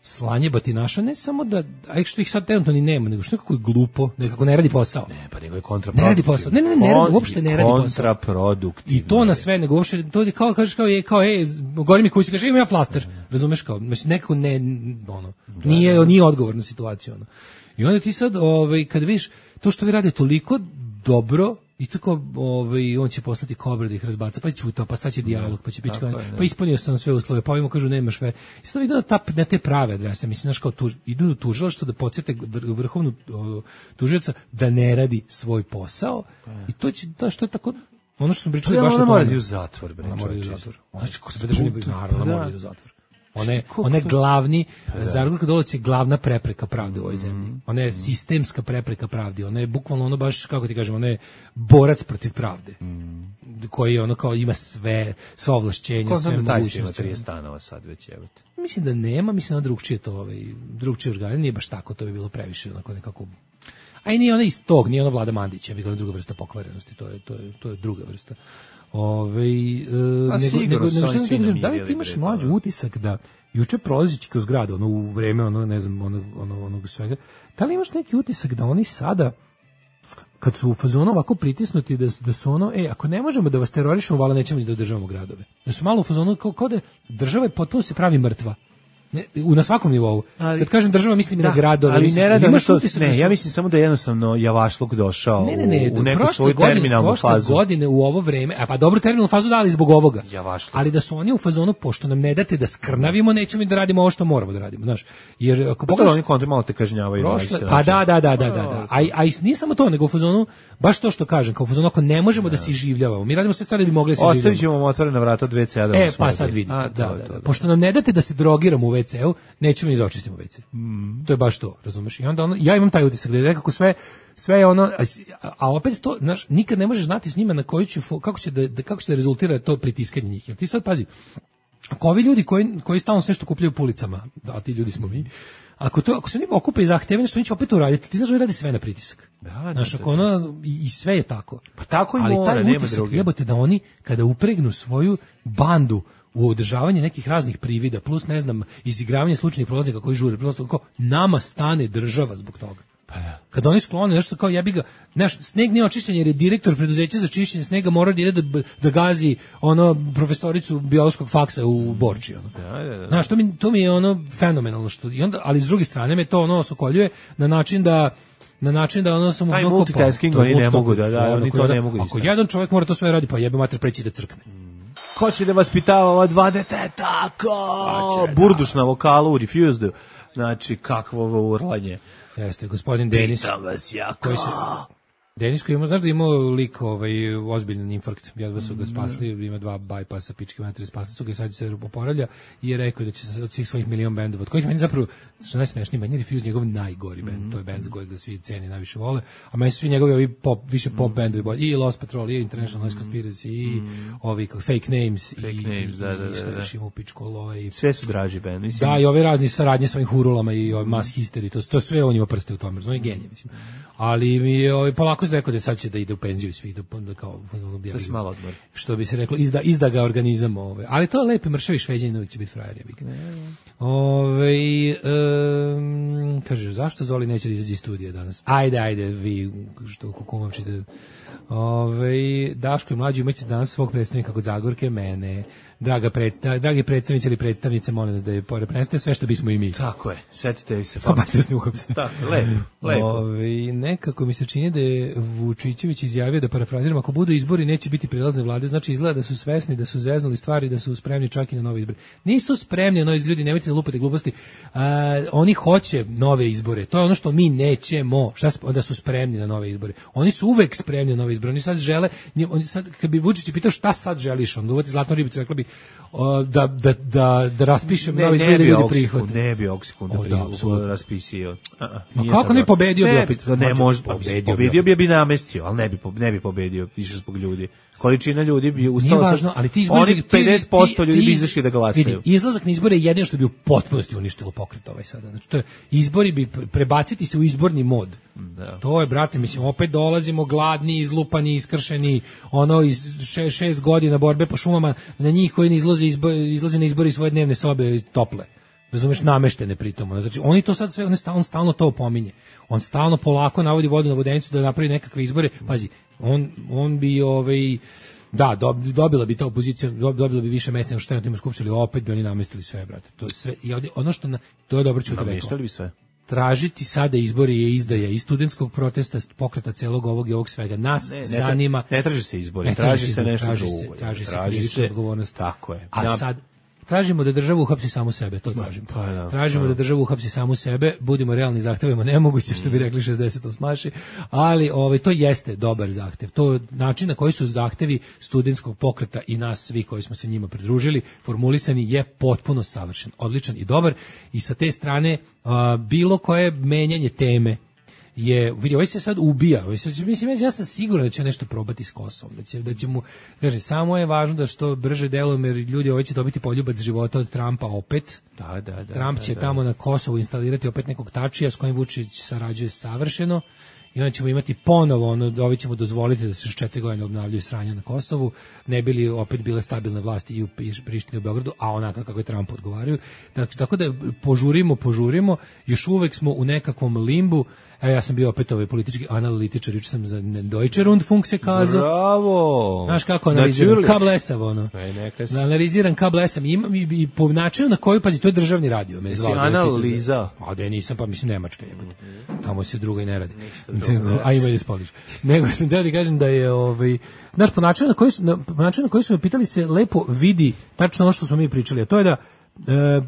slanje batinaša ne samo da a što ih sad trenutno ni nema, nego što nekako je glupo, nekako ne radi posao. Ne, pa nego je kontraproduktivno. Ne radi posao. Ne, ne, ne, ne radi, uopšte ne radi posao. Kontraproduktivno. I to na sve, nego uopšte, to je kao, kažeš kao, je, kao, ej, gori mi kući, kažeš, imam ja flaster, razumeš kao, znači nekako ne, ono, nije, nije odgovor na situaciju, ono. I onda ti sad, ovaj, kad vidiš, to što vi rade toliko dobro, i tako, ovaj, on će poslati kobre da ih razbaca, pa je čutao, pa sad će dijalog, pa će biti kao, pa ispunio sam sve uslove, pa ovima kažu nemaš sve. I sad idu na, ta, na te prave adrese, mislim, znaš, kao tuž, idu do tužilaštva da podsjete vrhovnu tužioca da ne radi svoj posao, i to će, da, što je tako, ono što smo pričali baš o tome. Ona mora da u zatvor, bre. Ona mora da u zatvor. Znači, ko se državni naravno mora da u zatvor. Ona je, ona je glavni, Zagorka Dolovac je glavna prepreka pravde u ovoj zemlji. Ona je sistemska prepreka pravde. Ona je bukvalno ono baš, kako ti kažem, ona je borac protiv pravde. Koji ono kao ima sve, sva ovlašćenja, ko sve znam da taj mogućnosti. ima trideset stanova sad već, evo te. Mislim da nema, mislim da drugčije to, ovaj, drugčije organe, nije baš tako, to bi bilo previše, onako nekako. A i nije ona iz tog, nije ona Vlada Mandića, bi bila druga vrsta pokvarenosti, to je, to je, to je druga vrsta. Ove, e, nego, nego, nego što sam da, da li ti imaš mlađi utisak da juče prolazići kroz grad, ono u vreme, ono, ne znam, ono, ono, onog svega, da li imaš neki utisak da oni sada, kad su u fazonu ovako pritisnuti, da, da su ono, e, ako ne možemo da vas terorišemo, vala nećemo ni da održavamo gradove. Da su malo u fazonu, kao, kao da država je potpuno se pravi mrtva. Ne, u na svakom nivou. Ali, kad kažem država, mislim da, na gradove. Ali ne rada imaš to, utisak ne, da su, ja mislim samo da je jednostavno javašluk došao ne, ne, ne, u, u neku svoju godine, terminalnu prošle fazu. godine u ovo vreme, a pa dobro terminalnu fazu dali zbog ovoga. Javašluk. Ali da su oni u fazonu, pošto nam ne date da skrnavimo, nećemo i da radimo ovo što moramo da radimo, znaš. Jer ako Pa pogledaš, oni kontra malo te kažnjavaju. prošle, pa da, da, da, da, da, da. A, a nije samo to, nego u fazonu, baš to što kažem, kao u fazonu, ako ne možemo da se iživljavamo, mi radimo sve stvari da bi mogli da se iživljavamo. Ostavit ćemo vam otvorena vrata od ve ce a da E, pa sad vidite, da, da, da. Pošto nam ne date da se drogiramo u ve ce u, nećemo ni da očistimo ve ce. Mm. To je baš to, razumeš? I onda ono, ja imam taj utisak da je nekako sve, sve je ono, a, a opet to, znaš, nikad ne možeš znati s njima na koju će, kako će da, da kako će da rezultira to pritiskanje njih. Jer ti sad, pazi, Ako ovi ljudi koji, koji stalno sve što kupljaju po ulicama, da, ti ljudi smo mi, ako, to, ako se oni okupe i zahteve, što oni će opet uraditi, ti znaš da radi sve na pritisak. Da, znaš, da, ako ono, i, i sve je tako. Pa tako i ali mora, taj nema utisak, druge. jebote, da oni, kada upregnu svoju bandu u održavanje nekih raznih privida, plus, ne znam, izigravanje slučajnih prolaznika koji žure, prosto kao, nama stane država zbog toga. Pa ja. Kad oni sklone nešto kao jebi ga, znaš, sneg nije očišćen jer je direktor preduzeća za čišćenje snega morao da ide da, da gazi ono profesoricu biološkog faksa u Borči. Ono. Da, da, da. Znaš, to mi, to mi je ono fenomenalno. Što, i onda, ali s druge strane me to ono osokoljuje na način da na način da ono samo taj multitasking oni ne mogu da, da, oni to ne mogu. Ako jedan čovjek mora to sve radi, pa jebe mater preći da crkne. Ko će da vaspitava ova dva deteta? Ko? Burduš na vokalu u Refused. Znači, kakvo ovo urlanje. Jeste, gospodin Denis. Pitam vas ja, koji se, Denis koji ima, znaš da imao lik ovaj, ozbiljan infarkt, jedva su ga spasli, ima dva bajpasa, pičke matere, spasli su ga i sad se oporavlja i je rekao da će se od svih svojih milion bendova, od kojih meni zapravo, što najsmešniji, meni je Refused njegov najgori bend, mm. to je bend za kojeg ga svi ceni najviše vole, a meni su svi njegovi ovi pop, više pop mm. bendovi bolji, i Lost Patrol, i International Noise Conspiracy, i mm. ovi kako, Fake Names, Fake i, names, da, da, i šta da, da. još ima u pičku lova. I, sve su draži bend, mislim. Da, i ove razni saradnje sa ovim hurulama i ovim Mass Hysteria, to, to sve on ima prste u tome, on je genije, mislim. Ali mi je ovaj, polako se rekao da sad će da ide u penziju i svi, da, da kao da se malo odmori. Što bi se reklo, izda, izda ga organizam. Ove. Ali to je lepi mršavi Šveđanin, uvijek će biti frajer. Ove, um, kaže, zašto Zoli neće da izađe iz studija danas? Ajde, ajde, vi što kukumavčite. Ove, Daško i mlađi imaće danas svog predstavnika kod Zagorke, mene. Draga pred, dragi predstavnici ili predstavnice, molim nas da je prenesete sve što bismo i mi. Tako je, setite vi se. Pa pa ste uhapse. Tako, lepo, lepo. Ove, nekako mi se čini da je Vučićević izjavio, da parafraziram, ako budu izbori neće biti prilazne vlade, znači izgleda da su svesni, da su zeznuli stvari, da su spremni čak i na nove izbore. Nisu spremni na nove izbore, ljudi, nemojte da lupate gluposti. A, oni hoće nove izbore, to je ono što mi nećemo, šta da su spremni na nove izbore. Oni su uvek spremni na nove izbore, oni sad žele, oni sad, kad bi Vučić pitao šta sad želiš, on uvati zlatnu ribicu, rekla bi da, da, da, da raspišem novi izbor da ljudi prihvate. Ne bi Oksikun da prihvati, raspisio. Ma kako ne pobedio bi opet? Ne može, pobedio bi bi namestio, ali ne bi, ne bi pobedio više zbog ljudi. Količina ljudi bi ustala. Nije važno, ali ti izbori, oni pedeset posto ljudi bi izašli da glasaju. Vidi, izlazak na izbore je jedino što bi u potpunosti uništilo pokret ovaj sada. Znači, to je, izbori bi prebaciti se u izborni mod. Da. To je, brate, mislim, opet dolazimo gladni, izlupani, iskršeni, ono iz še, šest godina borbe po šumama, na njih koji ne izlaze, izbor, izlaze na izbori svoje dnevne sobe tople. Razumeš, nameštene pritom. Znači, oni to sad sve, on stalno, stalno to opominje. On stalno polako navodi vodu na vodenicu da napravi nekakve izbore. Pazi, on, on bi ovaj, da, dobila bi ta opozicija, dobila bi više mesta nego što je na tim skupštili, opet bi oni namestili sve, brate. To je sve, i ono što na, to je dobro čuti rekao. Namestili bi sve. Tražiti sada izbori je izdaja i studentskog protesta, pokreta celog ovog i ovog svega. Nas ne, ne, zanima... Ne traži se izbori, ne traži, traži se nešto traži drugo. Se, traži, traži se krivična odgovornost. Tako je. A ja, sad tražimo da država uhapsi samu sebe, to tražimo. Pa, da, tražimo pa, da država uhapsi samu sebe, budimo realni, zahtevamo nemoguće, što bi rekli šezdeset osmaši, ali ovaj, to jeste dobar zahtev. To način na koji su zahtevi studentskog pokreta i nas svi koji smo se njima pridružili, formulisani je potpuno savršen, odličan i dobar i sa te strane a, bilo koje menjanje teme je, vidi, ovaj se sad ubija, ovaj se, mislim, ja sam siguran da će nešto probati s Kosovom, da će, da će mu, kaže, samo je važno da što brže delujemo, jer ljudi ovaj će dobiti poljubac života od Trumpa opet. Da, da, da. Trump će da, da. tamo na Kosovu instalirati opet nekog tačija s kojim Vučić sarađuje savršeno i onda ćemo imati ponovo, ono, ovi ćemo dozvoliti da se još četiri godine obnavljaju sranja na Kosovu, ne bili opet bile stabilne vlasti i u Prištini i u Beogradu, a onako kako je Trump odgovaraju. Dakle, tako da požurimo, požurimo, još uvek smo u nekakvom limbu. Evo, ja sam bio opet ovaj politički analitičar, juče sam za Deutsche Rundfunk se kazao. Bravo! Znaš kako analiziram? Kablesav, ono. Ne, analiziram kablesav. I, i, i po načinu na koju, pazi, to je državni radio. Me zvao, analiza? A da nisam, pa mislim Nemačka jebote. Tamo se druga i ne radi. A ima da spoliš. Nego sam da ti kažem da je, ovaj, znaš, po načinu na koji su, na, po načinu na koji su me pitali se lepo vidi tačno ono što smo mi pričali, a to je da e,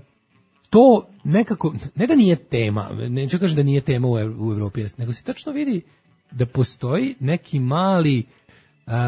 to nekako, ne da nije tema, neću kažem da nije tema u, u Evropi, nego se tačno vidi da postoji neki mali,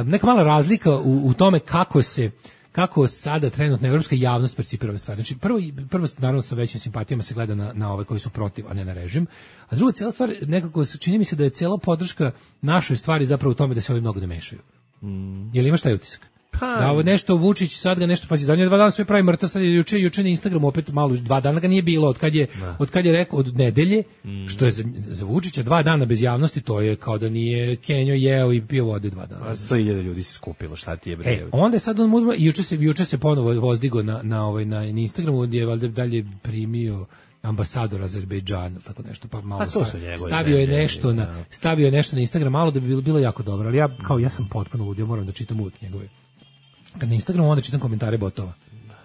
neka mala razlika u, u tome kako se, kako sada trenutna evropska javnost percipira ove stvari. Znači, prvo, prvo naravno sa većim simpatijama se gleda na, na ove koji su protiv, a ne na režim, a druga cijela stvar, nekako čini mi se da je cijela podrška našoj stvari zapravo u tome da se ovi mnogo ne mešaju. Mm. Jel imaš taj utisak? Pa. Da ovo nešto Vučić sad ga nešto pazi, da on je dva dana sve pravi mrtav, sad je juče juče na Instagramu opet malo dva dana ga nije bilo od kad je da. od kad je rekao od nedelje, mm. što je za, za Vučića dva dana bez javnosti, to je kao da nije Kenjo jeo i pio vode dva dana. sto hiljada ljudi se skupilo, šta ti je bre? E, onda je sad on mudro, juče se juče se ponovo vozdigo na na ovaj na, na Instagramu gdje je valjda dalje primio ambasador Azerbejdžana, tako nešto, pa malo pa stavio, stavio je nešto na stavio je nešto na Instagram, malo da bi bilo, bilo jako dobro, ali ja kao ja sam potpuno ludio, moram da čitam uvijek njegove. Kad na Instagramu onda čitam komentare botova.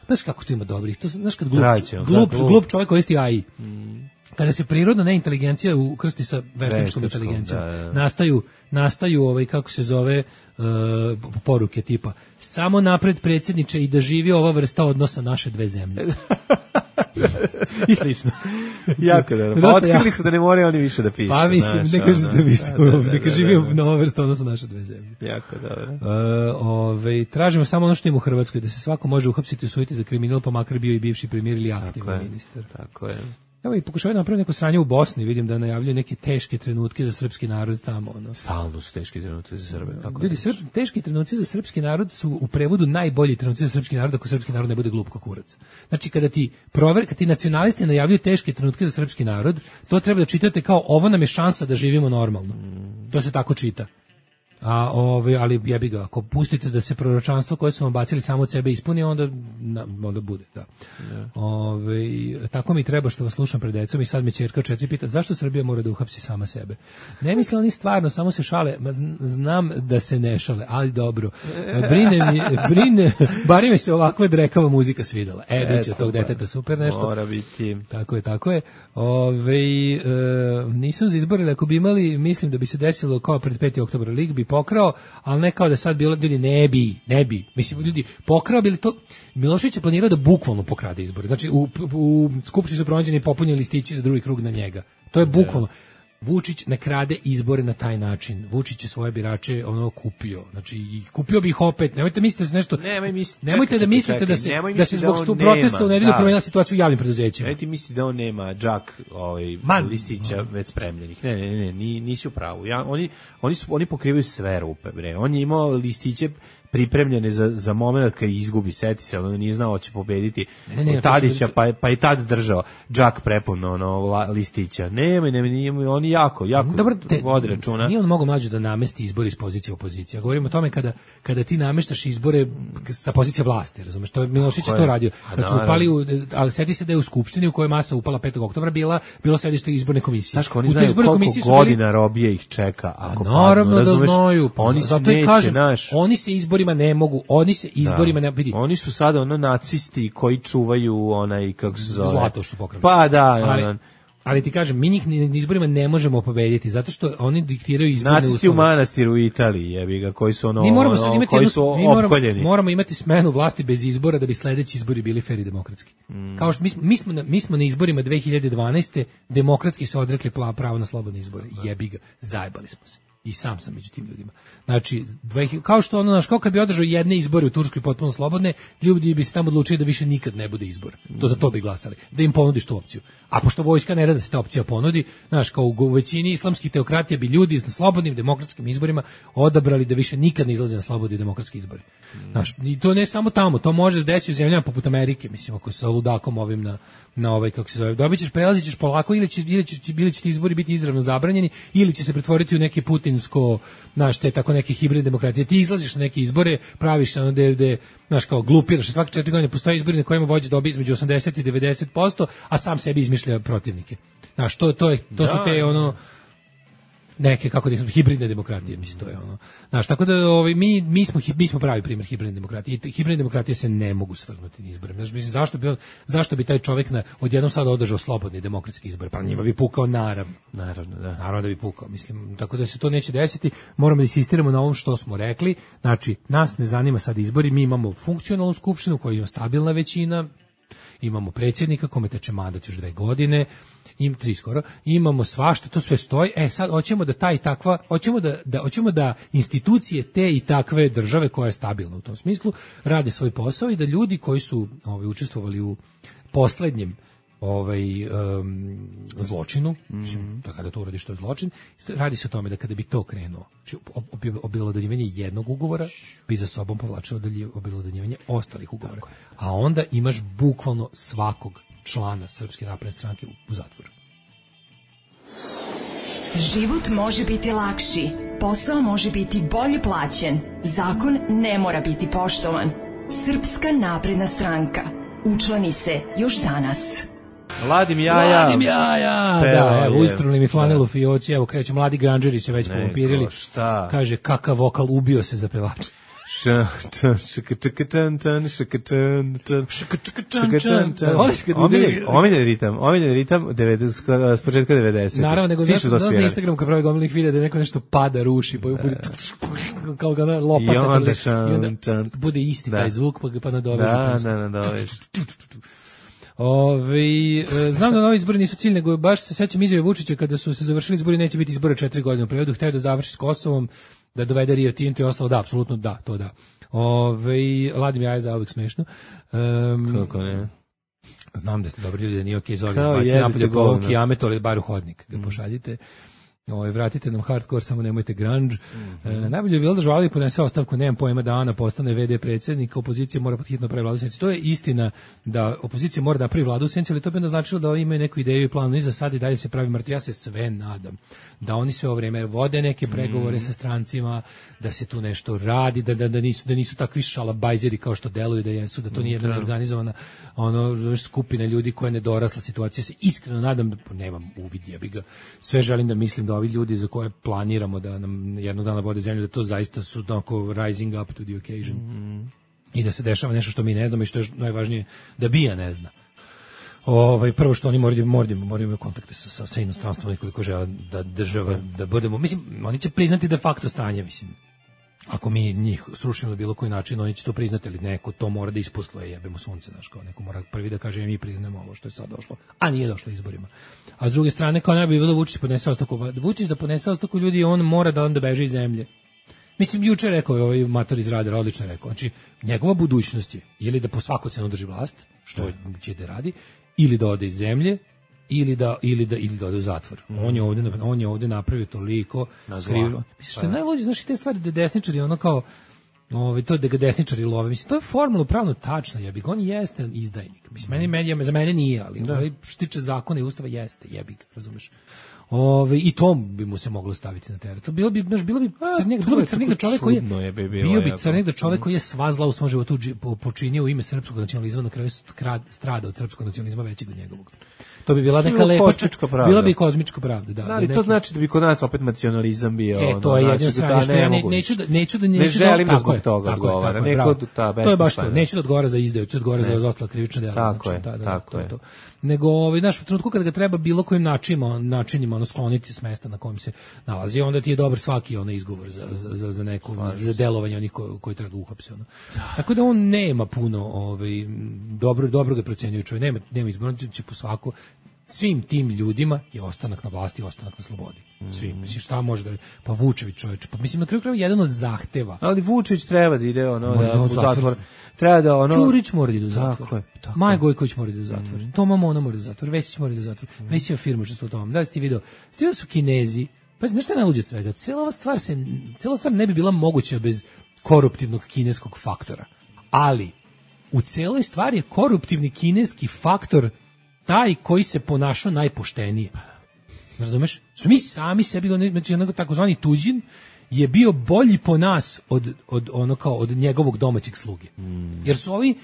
Znaš kako to ima dobrih, to znaš kad glup, Traće, glup, glup, glup čovjek koristi A I. Mm. Kada se prirodna neinteligencija ukrsti sa veštačkom inteligencijom, da, da. nastaju nastaju ovaj kako se zove uh, poruke tipa samo napred predsjedniče i da živi ova vrsta odnosa naše dve zemlje. I slično. Jako dobro. Pa otkrili su da ne moraju oni više da pišu. Pa mislim, ne kažu da pišu, neka živi nova vrsta odnosa naše dve zemlje. Jako dobro. Uh, ove, tražimo samo ono što ima u Hrvatskoj, da se svako može uhapsiti i osuditi za kriminal, pa makar bio i bivši premijer ili aktivni ministar. Tako je. Evo i pokušavaju napraviti neko sranje u Bosni, vidim da najavljaju neke teške trenutke za srpski narod tamo. Ono. Stalno su teški trenuci za Srbe. Kako ljudi, srp, teški trenuci za srpski narod su u prevodu najbolji trenuci za srpski narod ako srpski narod ne bude glup kao kurac. Znači kada ti prover, kad ti nacionalisti najavljuju teške trenutke za srpski narod, to treba da čitate kao ovo nam je šansa da živimo normalno. Mm. To se tako čita. A ove, ali jebi ga, ako pustite da se proročanstvo koje su vam bacili samo od sebe ispuni, onda, na, onda bude, da. Yeah. Ove, tako mi treba što vas slušam pred decom i sad me ćerka četiri pita, zašto Srbija mora da uhapsi sama sebe? Ne misle oni stvarno, samo se šale, znam da se ne šale, ali dobro. Brine mi, brine, bari mi se ovakva drekava muzika svidela. E, biće od tog deteta super nešto. Mora biti. Tako je, tako je. Ove, e, nisam za izbore, ako bi imali, mislim da bi se desilo kao pred peti oktobar lig bi pokrao, ali ne kao da sad bilo ljudi ne bi, ne bi. Mislim ljudi pokrao bili to Milošević je planirao da bukvalno pokrade izbore. Znači u u skupštini su pronađeni popunjeni listići za drugi krug na njega. To je bukvalno. Vučić ne krade izbore na taj način. Vučić je svoje birače ono kupio. Znači i kupio bi ih opet. Nemojte misliti da se nešto Nemoj misli, Nemojte da mislite čekaj, da se da se zbog stu protesta u nedelju promenila situacija u javnim preduzećima. Ne ti misli da on nema džak ovaj Man, listića no. već spremljenih. Ne, ne, ne, ne, nisi u pravu. Ja oni oni su oni pokrivaju sve rupe, bre. On je imao listiće pripremljene za za momenat kad izgubi, seti se, on nije znao hoće pobediti ne, ne, Tadića, pa je, pa je tad držao džak prepun ono listića. Nema, nema, nema, oni jako, jako Dobar, te, vodi računa. Nije on mogao mlađe da namesti izbori iz pozicije opozicije. Govorimo o tome kada kada ti nameštaš izbore sa pozicije vlasti, razumeš? To je Milošević to radio. Kad su upali u, ali seti se da je u skupštini u kojoj masa upala petog oktobra bila bilo sedište izborne komisije. Znaš, oni znaju koliko godina bili... robije ih čeka ako naravno padnu, da znaju. Oni zato i kažem, oni se izbori ne mogu, oni se izborima da. ne vidi. Oni su sada ono nacisti koji čuvaju onaj kako se zove zlato što pokrali. Pa da, ali, on, ali ti kažem, mi njih na izborima ne možemo pobediti zato što oni diktiraju izborne uslove. Nacisti u manastiru u Italiji, jebi ga, koji su ono, mi moramo ono imati koji jednu, su mi moramo, opkoljeni. Moramo imati smenu vlasti bez izbora da bi sledeći izbori bili fer i demokratski. Mm. Kao što mi, mi smo na, mi smo na izborima dve hiljade dvanaeste demokratski se odrekli pravo na slobodne izbore. Jebi ga, zajebali smo se. I sam sam među tim ljudima. Znači, dve, kao što ono, naš, kao kad bi održao jedne izbore u Turskoj potpuno slobodne, ljudi bi se tamo odlučili da više nikad ne bude izbor. To za to bi glasali. Da im ponudiš tu opciju. A pošto vojska ne da se ta opcija ponudi, znaš, kao u većini islamskih teokratija bi ljudi na slobodnim demokratskim izborima odabrali da više nikad ne izlaze na slobodni demokratski izbori. Znaš, i to ne samo tamo, to može se desiti u zemljama poput Amerike, mislim, ako sa ludakom ovim na na ovaj kako se zove. Dobićeš, prelazićeš polako ili će ili će ili će ti izbori biti izravno zabranjeni ili će se pretvoriti u neki putinsko, znaš, te tako neke hibridne demokratije. Ti izlaziš na neke izbore, praviš se ono da da znaš kao glupiraš, svake četiri godine postoje izbori na kojima vođa dobije između osamdeset i devedeset posto, a sam sebi izmišlja protivnike. Znaš, to to je to da, su te ono neke kako da hibridne demokratije, mislim to je ono. Znaš, tako da ovaj mi mi smo mi smo pravi primjer hibridne demokratije. I hibridne demokratije se ne mogu svrgnuti na izbore. Znaš, mislim zašto bi on, zašto bi taj čovjek na odjednom sad održao slobodni demokratski izbor? Pa njima bi pukao naravno. Naravno, da. Naravno da bi pukao, mislim. Tako da se to neće desiti. Moramo da insistiramo na ovom što smo rekli. Znači, nas ne zanima sad izbori, mi imamo funkcionalnu skupštinu koja ima stabilna većina. Imamo predsjednika kome teče mandat još dve godine. Im tri skoro, imamo svašta, to sve stoji. E sad hoćemo da taj takva, hoćemo da da hoćemo da institucije te i takve države koja je stabilna u tom smislu rade svoj posao i da ljudi koji su ovaj učestvovali u poslednjem ovaj um, zločinu, mislim, da kada to uradiš to je zločin, radi se o tome da kada bi to krenuo, znači obelodanjivanje jednog ugovora bi za sobom povlačilo obelodanjivanje ostalih ugovora, a onda imaš bukvalno svakog člana Srpske napredne stranke u zatvoru. Život može biti lakši, posao može biti bolje plaćen, zakon ne mora biti poštovan. Srpska napredna stranka. Učlani se još danas. Ladim jaja. Ladim jaja. Da, evo, ustrunili mi flanelu fioci, evo kreću, mladi granđeri se već povampirili. Kaže, kakav vokal, ubio se za pevača. Omiljen ritam, omiljen ritam s početka devedesetih. Naravno, nego znaš na Instagramu kad pravi gomilnih videa da neko nešto pada, ruši, pa bude kao ga lopata. I onda bude isti taj zvuk, pa ga pa nadoveže. Da, da, nadoveže. Ove, znam da novi izbori nisu cilj, nego baš se sećam izjave Vučića kada su se završili izbori, neće biti izbora četiri godine u periodu, hteo da završi s Kosovom, da dovede Rio Tinto i ostalo, da, apsolutno da, to da. Ove, ladim jaje za uvijek smešno. Um, Kako ne? Znam da ste dobri ljudi, da nije okej, zove izbaciti napolje go kijametu, ali bar u hodnik ga pošaljite. Ovaj vratite nam hardcore, samo nemojte grunge. Mm-hmm. E, najbolje je bilo da žali ponese ostavku, nemam pojma, da Ana postane ve de predsjednik, opozicija mora hitno pravi vladu u senci. To je istina da opozicija mora da pravi vladu u senci, ali to bi onda značilo da oni imaju neku ideju i plan, i za sad i dalje se pravi mrtvi. Ja se sve nadam da oni sve ovo vrijeme vode neke pregovore mm-hmm. sa strancima, da se tu nešto radi, da, da, da nisu da nisu takvi šalabajzeri kao što deluju da jesu, da to nije jedna organizovana ono skupina ljudi koja je nedorasla situacija. Se iskreno nadam, da nemam uvid, jebi ga. Sve želim da mislim da ovi ljudi za koje planiramo da nam jednog dana vode zemlju, da to zaista su onako rising up to the occasion. Mm-hmm. I da se dešava nešto što mi ne znamo i što je najvažnije da bija ne zna. Ovaj prvo što oni moraju moraju moraju imati kontakte sa sa, sa inostranstvom koliko žele da država da budemo, mislim, oni će priznati de facto stanje, mislim. Ako mi njih srušimo na bilo koji način, oni će to priznati, ali neko to mora da isposluje, jebemo sunce, znaš, kao neko mora prvi da kaže mi priznajemo ovo što je sad došlo, a nije došlo izborima. A s druge strane, kao ne bi bilo Vučić podnese ostavku, Vučić da podnese ostavku, ljudi, on mora da onda beže iz zemlje. Mislim, juče rekao je ovaj mator iz Radara, odlično rekao, znači njegova budućnost je ili da po svaku cenu drži vlast, što će da radi, ili da ode iz zemlje, ili da ili da ili da ode u zatvor. Mm. On je ovde on je ovde napravio toliko skrivno. Mislim što je najluđe, znači te stvari da desničari ono kao ovaj to da ga desničari love. Mislim to je formalno pravno tačno, jebi, on jeste izdajnik. Mislim meni meni za mene nije, ali ovaj što tiče zakona i ustava jeste, jebi ga, razumeš. Ove, i to bi mu se moglo staviti na teret. Bilo bi, znaš, bilo bi crnjeg, bilo bi crnjeg da čovjek koji je, je bi bio bi crnjeg da čovjek koji je sva zla u svom životu počinio u ime srpskog nacionalizma, na kraju strada od srpskog nacionalizma većeg od njegovog. To bi bila neka lepa, bila bi kozmička pravda, da. Da, ali to znači da bi kod nas opet nacionalizam bio. E, to je jedno strane što ja ne, neću da neću da ne želim da zbog toga odgovara. Neko ta to je baš to. Neću da odgovara za izdaju, ću da odgovara za ostala krivična dela. Tako je, tako je. Nego ovaj naš u trenutku kada ga treba bilo kojim načinima, načinima ono skloniti s mesta na kojem se nalazi, onda ti je dobar svaki onaj izgovor za za za neko za delovanje onih koji koji treba da uhapse ono. Tako da on nema puno ovaj dobro dobro ga procenjuje čovjek, nema nema izbora, će po svako svim tim ljudima je ostanak na vlasti, ostanak na slobodi. Svim, mislim šta može da pa Vučević čovjek, pa mislim na kraju krajeva jedan od zahteva. Ali Vučević treba da ide ono da u zatvor. Treba da ono Ćurić mora da ide u zatvor. Tako je. Tako. Maja Gojković mora da ide u zatvor. Mm. Toma Mona mora da ide u zatvor. Vesić mora da ide u zatvor. Mm. Vesićeva firma što s tom. Da li ste video? Ste su Kinezi. Pa znaš šta je najluđe od svega? Cela ova stvar se cela stvar ne bi bila moguća bez koruptivnog kineskog faktora. Ali u celoj stvari je koruptivni kineski faktor taj koji se ponašao najpoštenije. Razumeš? Su mi sami sebi, znači onako takozvani tuđin je bio bolji po nas od, od ono kao od njegovog domaćeg sluge. Mm. Jer su ovi,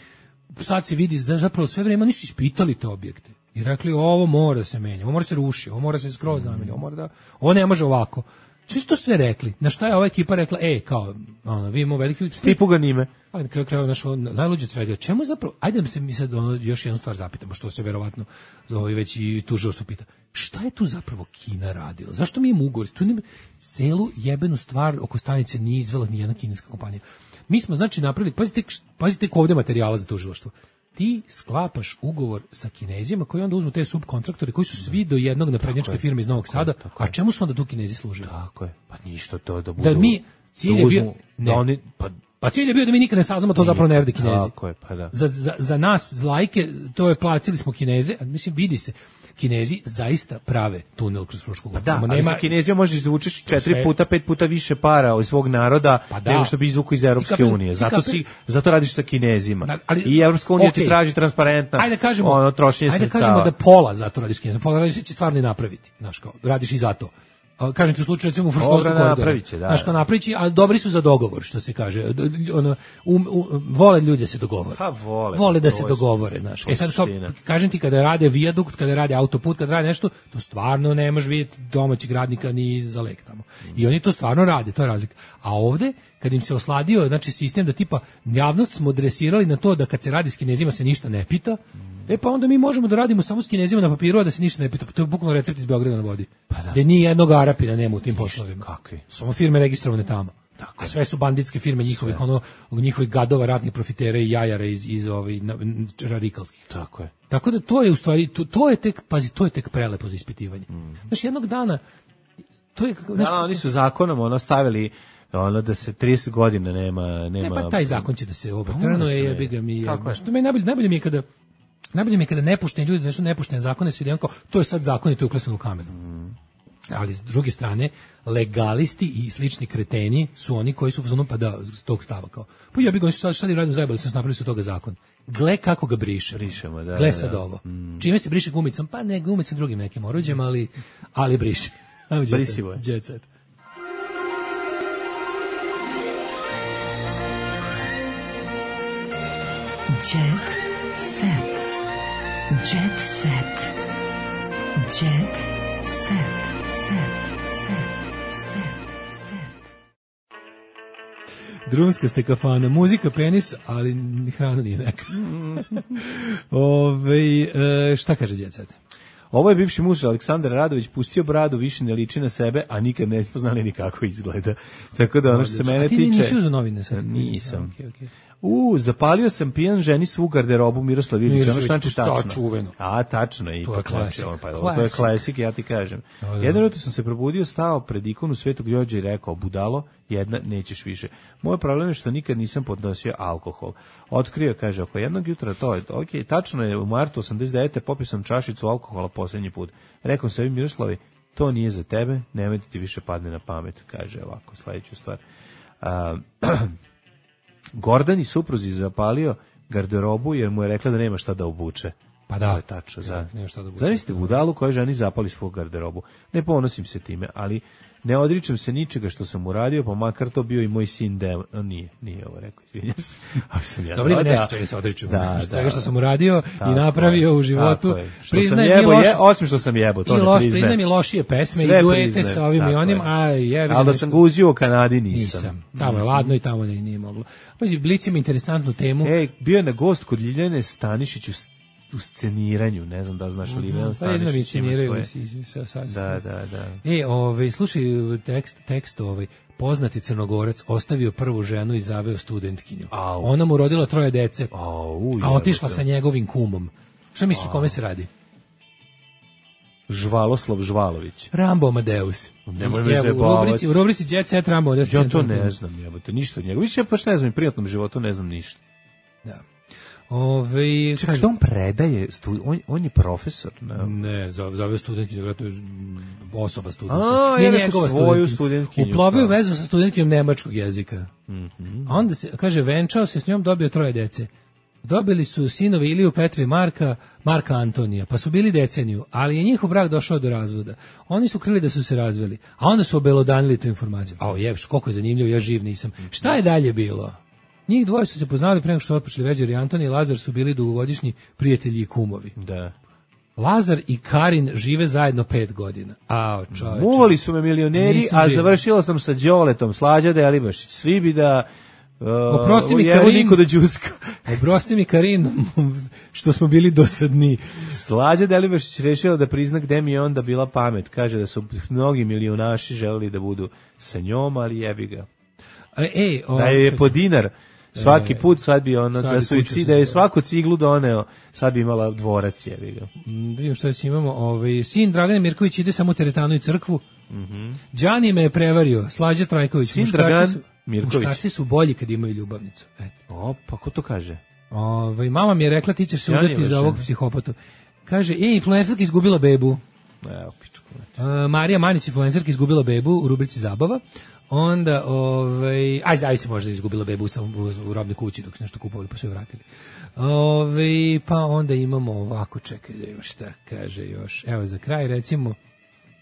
sad se vidi, zapravo sve vrijeme nisu ispitali te objekte. I rekli, ovo mora se menja, ovo mora se ruši, ovo mora se skroz zameniti, ovo mora da, ovo ne može ovako. Svi su to sve rekli. Na šta je ova ekipa rekla, e, kao, ono, vi imamo veliki... Stipu ga nime. Ali na kraju kraju našo najluđe od svega. Čemu zapravo, ajde da se mi sad ono, još jednu stvar zapitamo, što se verovatno ovaj, već i tužilaštvo pita. Šta je tu zapravo Kina radila? Zašto mi imamo ugovor? Tu nema celu jebenu stvar oko stanice nije izvela ni jedna kineska kompanija. Mi smo znači napravili, pazite, pazite ovde materijala za tužilaštvo. Ti sklapaš ugovor sa Kinezima koji onda uzmu te subkontraktore koji su svi do jednog naprednjačke firme iz Novog Sada, a čemu su onda tu Kinezi služili? Tako je, pa ništa to da budu... Da mi, cilj je bio... Da oni, pa Pa cilj je bio da mi nikad ne saznamo, to zapravo ne rade Kinezi. Tako je, pa da. Za, za, za nas, za lajke, to je platili smo Kineze, a mislim, vidi se, Kinezi zaista prave tunel kroz Frušku Goru. Pa da, ali nema, sa Kinezijom možeš izvučeš četiri sve, puta, pet puta više para od svog naroda pa da, nego što bi izvukao iz Evropske kapi, unije. Zato, si, zato radiš sa Kinezima. Da, ali, I Evropska unija okay. ti traži transparentna ajde kažemo, ono, trošenje ajde sredstava. Ajde kažemo da pola zato radiš Kinezima, pola radiš će stvarno i napraviti. Znaš, kao, radiš i zato. Kažem ti u slučaju recimo u Fruškovskom koridoru. Znaš, kao napravići, a dobri su za dogovor, što se kaže. Ono, um, um, vole ljudi da se dogovore. Pa vole. Vole da se dogovore, znaš. E sad, kao, kažem ti, kada rade vijadukt, kada rade autoput, kada rade nešto, to stvarno ne možeš vidjeti domaćeg radnika ni za lek tamo. I oni to stvarno rade, to je razlika. A ovde, kad im se osladio, znači, sistem da tipa, javnost smo dresirali na to da kad se radi s Kinezima se ništa ne pita, e pa onda mi možemo da radimo samo s Kinezima na papiru, a da se ništa ne pita. To je bukvalno recept iz Beograda na vodi. Pa da. Gde ni jednog Arapina nema u tim poslovima. Kakvi? Samo firme registrovane tamo. Dakle, a sve su banditske firme njihovih, sve. ono, njihovih gadova, ratnih profitera i jajara iz, iz ovih radikalskih. Tako je. Tako da to je u stvari, to, to je tek, pazi, to je tek prelepo za ispitivanje. Mm. Znači, jednog dana, to je... Znači, da, oni su zakonom ono stavili ono da se trideset godina nema... nema... Ne, pa taj zakon će da se overturnuje, jebi ga mi... Kako je? To mi najbolje, najbolje mi je kada... Najbolje mi je kada nepušteni ljudi, nešto nepuštene zakone svi kao, to je sad zakon i to je uklesano u kamenu. Mm. Ali s druge strane, legalisti i slični kreteni su oni koji su uzmano pa da tog stava kao. Pa ja bih ga sad sad radim zajebali su napravili su toga zakon. Gle kako ga briše. Brišemo, da. Gle sad da. ovo. Mm. Čime se briše gumicom? Pa ne gumicom drugim nekim oruđem, ali ali briše. Brisivo je. Jet set. Jet set. Jet set. Jet set. Set. Set. Set. Set. Drumska ste kafana, muzika penis, ali ni hrana nije neka. Ove, e, šta kaže Jet set? Ovo je bivši muž Aleksandar Radović, pustio bradu, više ne liči na sebe, a nikad ne spoznali ni kako izgleda. Tako da ono što se mene tiče... A ti nisi uzeo novine sad? Nisam. Okay, okay. U, zapalio sam pijan ženi svu garderobu Miroslav Ilić, ono znači tačno. Čuveno. A, tačno je. To je klasik. Pa, to je klasik, ja ti kažem. Da, da. Jedno jutro sam se probudio, stao pred ikonu Svetog Đorđa i rekao, budalo, jedna, nećeš više. Moj problem je što nikad nisam podnosio alkohol. Otkrio, kaže, oko jednog jutra to je, ok, tačno je, u martu osamdeset devete popio sam čašicu alkohola posljednji put. Rekao sebi, Miroslavi, to nije za tebe, nemoj ti više padne na pamet, kaže ovako, sledeću stvar. Uh, Gordani supruzi zapalio garderobu jer mu je rekla da nema šta da obuče. Pa da, je tačno. Ja, nema šta da obuče. Zamislite budalu koja ženi zapali svoju garderobu. Ne ponosim se time, ali ne odričem se ničega što sam uradio, pa makar to bio i moj sin Dev. Nije, nije ovo rekao, izvinjam se. Ja dobro, ima nešto čega se odričem. Da, svega što sam uradio i napravio u životu. Priznaj mi loš... je, osim što sam jebo, to ne loš, priznajem. Priznaj mi lošije pesme sve i duete sa ovim i onim, a jebi. Ali da sam ga uzio u Kanadi nisam. Nisam. Tamo je ladno i tamo nije, nije moglo. Pazi, Blic ima interesantnu temu. Ej, bio je na gost kod Ljiljane Stanišić u u sceniranju, ne znam da znaš li Ljiljana Stanišić ima svoje. Da, da, da. E, ovaj, slušaj, tekst, tekst ovaj, poznati Crnogorac ostavio prvu ženu i zaveo studentkinju. Au. Ona mu rodila troje dece, Au, a otišla sa njegovim kumom. Šta misliš o kome se radi? Žvaloslav Žvalović. Rambo Amadeus. Nemoj me zajebavati. U rubrici Jet Set Rambo Amadeus. Ja to ne znam, jebote, ništa od njega. Više pa ne znam, u privatnom životu ne znam ništa. Da. Ove, čekaj, što on predaje, studi, on, on je profesor? Ne, ne zove studentkinju, to je osoba studentkinja. A, nije ja njegova svoju studentkinju. Uplovio vezu sa studentkinjom nemačkog jezika. Mm-hmm. A onda se, kaže, venčao se s njom, dobio troje dece. Dobili su sinovi Iliju, Petra i Marka, Marka Antonija, pa su bili deceniju, ali je njihov brak došao do razvoda. Oni su krili da su se razveli, a onda su obelodanili tu informaciju. A jebš, koliko je zanimljivo, ja živ nisam. Šta je dalje bilo? Njih dvoje su se poznali pre nego što su otpočeli Veđer i Antonij i Lazar su bili dugogodišnji prijatelji i kumovi. Da. Lazar i Karin žive zajedno pet godina. Ao, čoveče. Muvali su me milioneri, nisam a živ. Završila sam sa Đoletom, Slađa Delibašić. Svi bi da... Uh, oprosti mi Karin, niko da džuska. Oprosti mi Karin, što smo bili dosadni. Slađa Delibašić rešila da prizna gde mi je onda bila pamet. Kaže da su mnogi milionaši želeli da budu sa njom, ali jebi ga. Ej, o, da je po dinar svaki put, sad bi ono, da su i da je svaku ciglu doneo, sad bi imala dvorac, jebi ga. Mm, vidim što još imamo, ovaj, sin Dragan Mirković ide samo u teretanu i crkvu. Mhm. Đani me je prevario, Slađa Trajković. Sin Dragan, Mirković. Muškarci su bolji kad imaju ljubavnicu. Eto. O, pa ko to kaže? Ove, mama mi je rekla ti ćeš se udati za ovog psihopatu. Kaže, e, influencerka izgubila bebu. Evo, pičku. Uh, Marija Manić, influencerka, izgubila bebu u rubrici Zabava. Onda, ovaj, aj, zavisi možda izgubila bebu u, u, u robnoj kući dok su nešto kupovali pa su je vratili. Ove, pa onda imamo ovako, čekaj da ima šta kaže još. Evo za kraj recimo,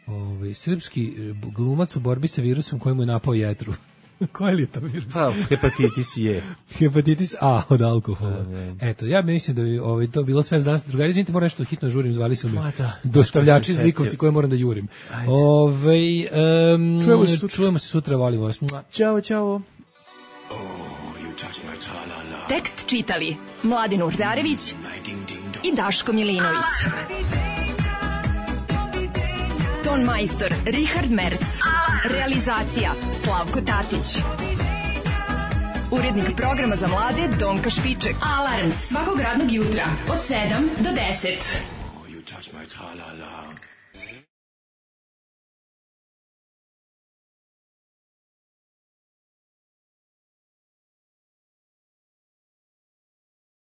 ovaj, srpski glumac u borbi sa virusom koji mu je napao jetru. Koji li je to virus? Pa, hepatitis je. Hepatitis A od alkohola. Eto, ja mislim da bi ovaj, to bilo sve za danas. Drugari, izvinite, moram nešto hitno žurim, zvali su me dostavljači iz Likovci koje moram da jurim. Ove, um, čujemo, se čujemo se sutra, volim vas. Ćao, ćao. Tekst čitali Mladin Urdarević i Daško Milinović. Ton majstor Richard Merc. Realizacija Slavko Tatić. Urednik programa za mlade Donka Špiček. Alarms svakog radnog jutra od sedam do deset. Oh, you touch my tra-la-la.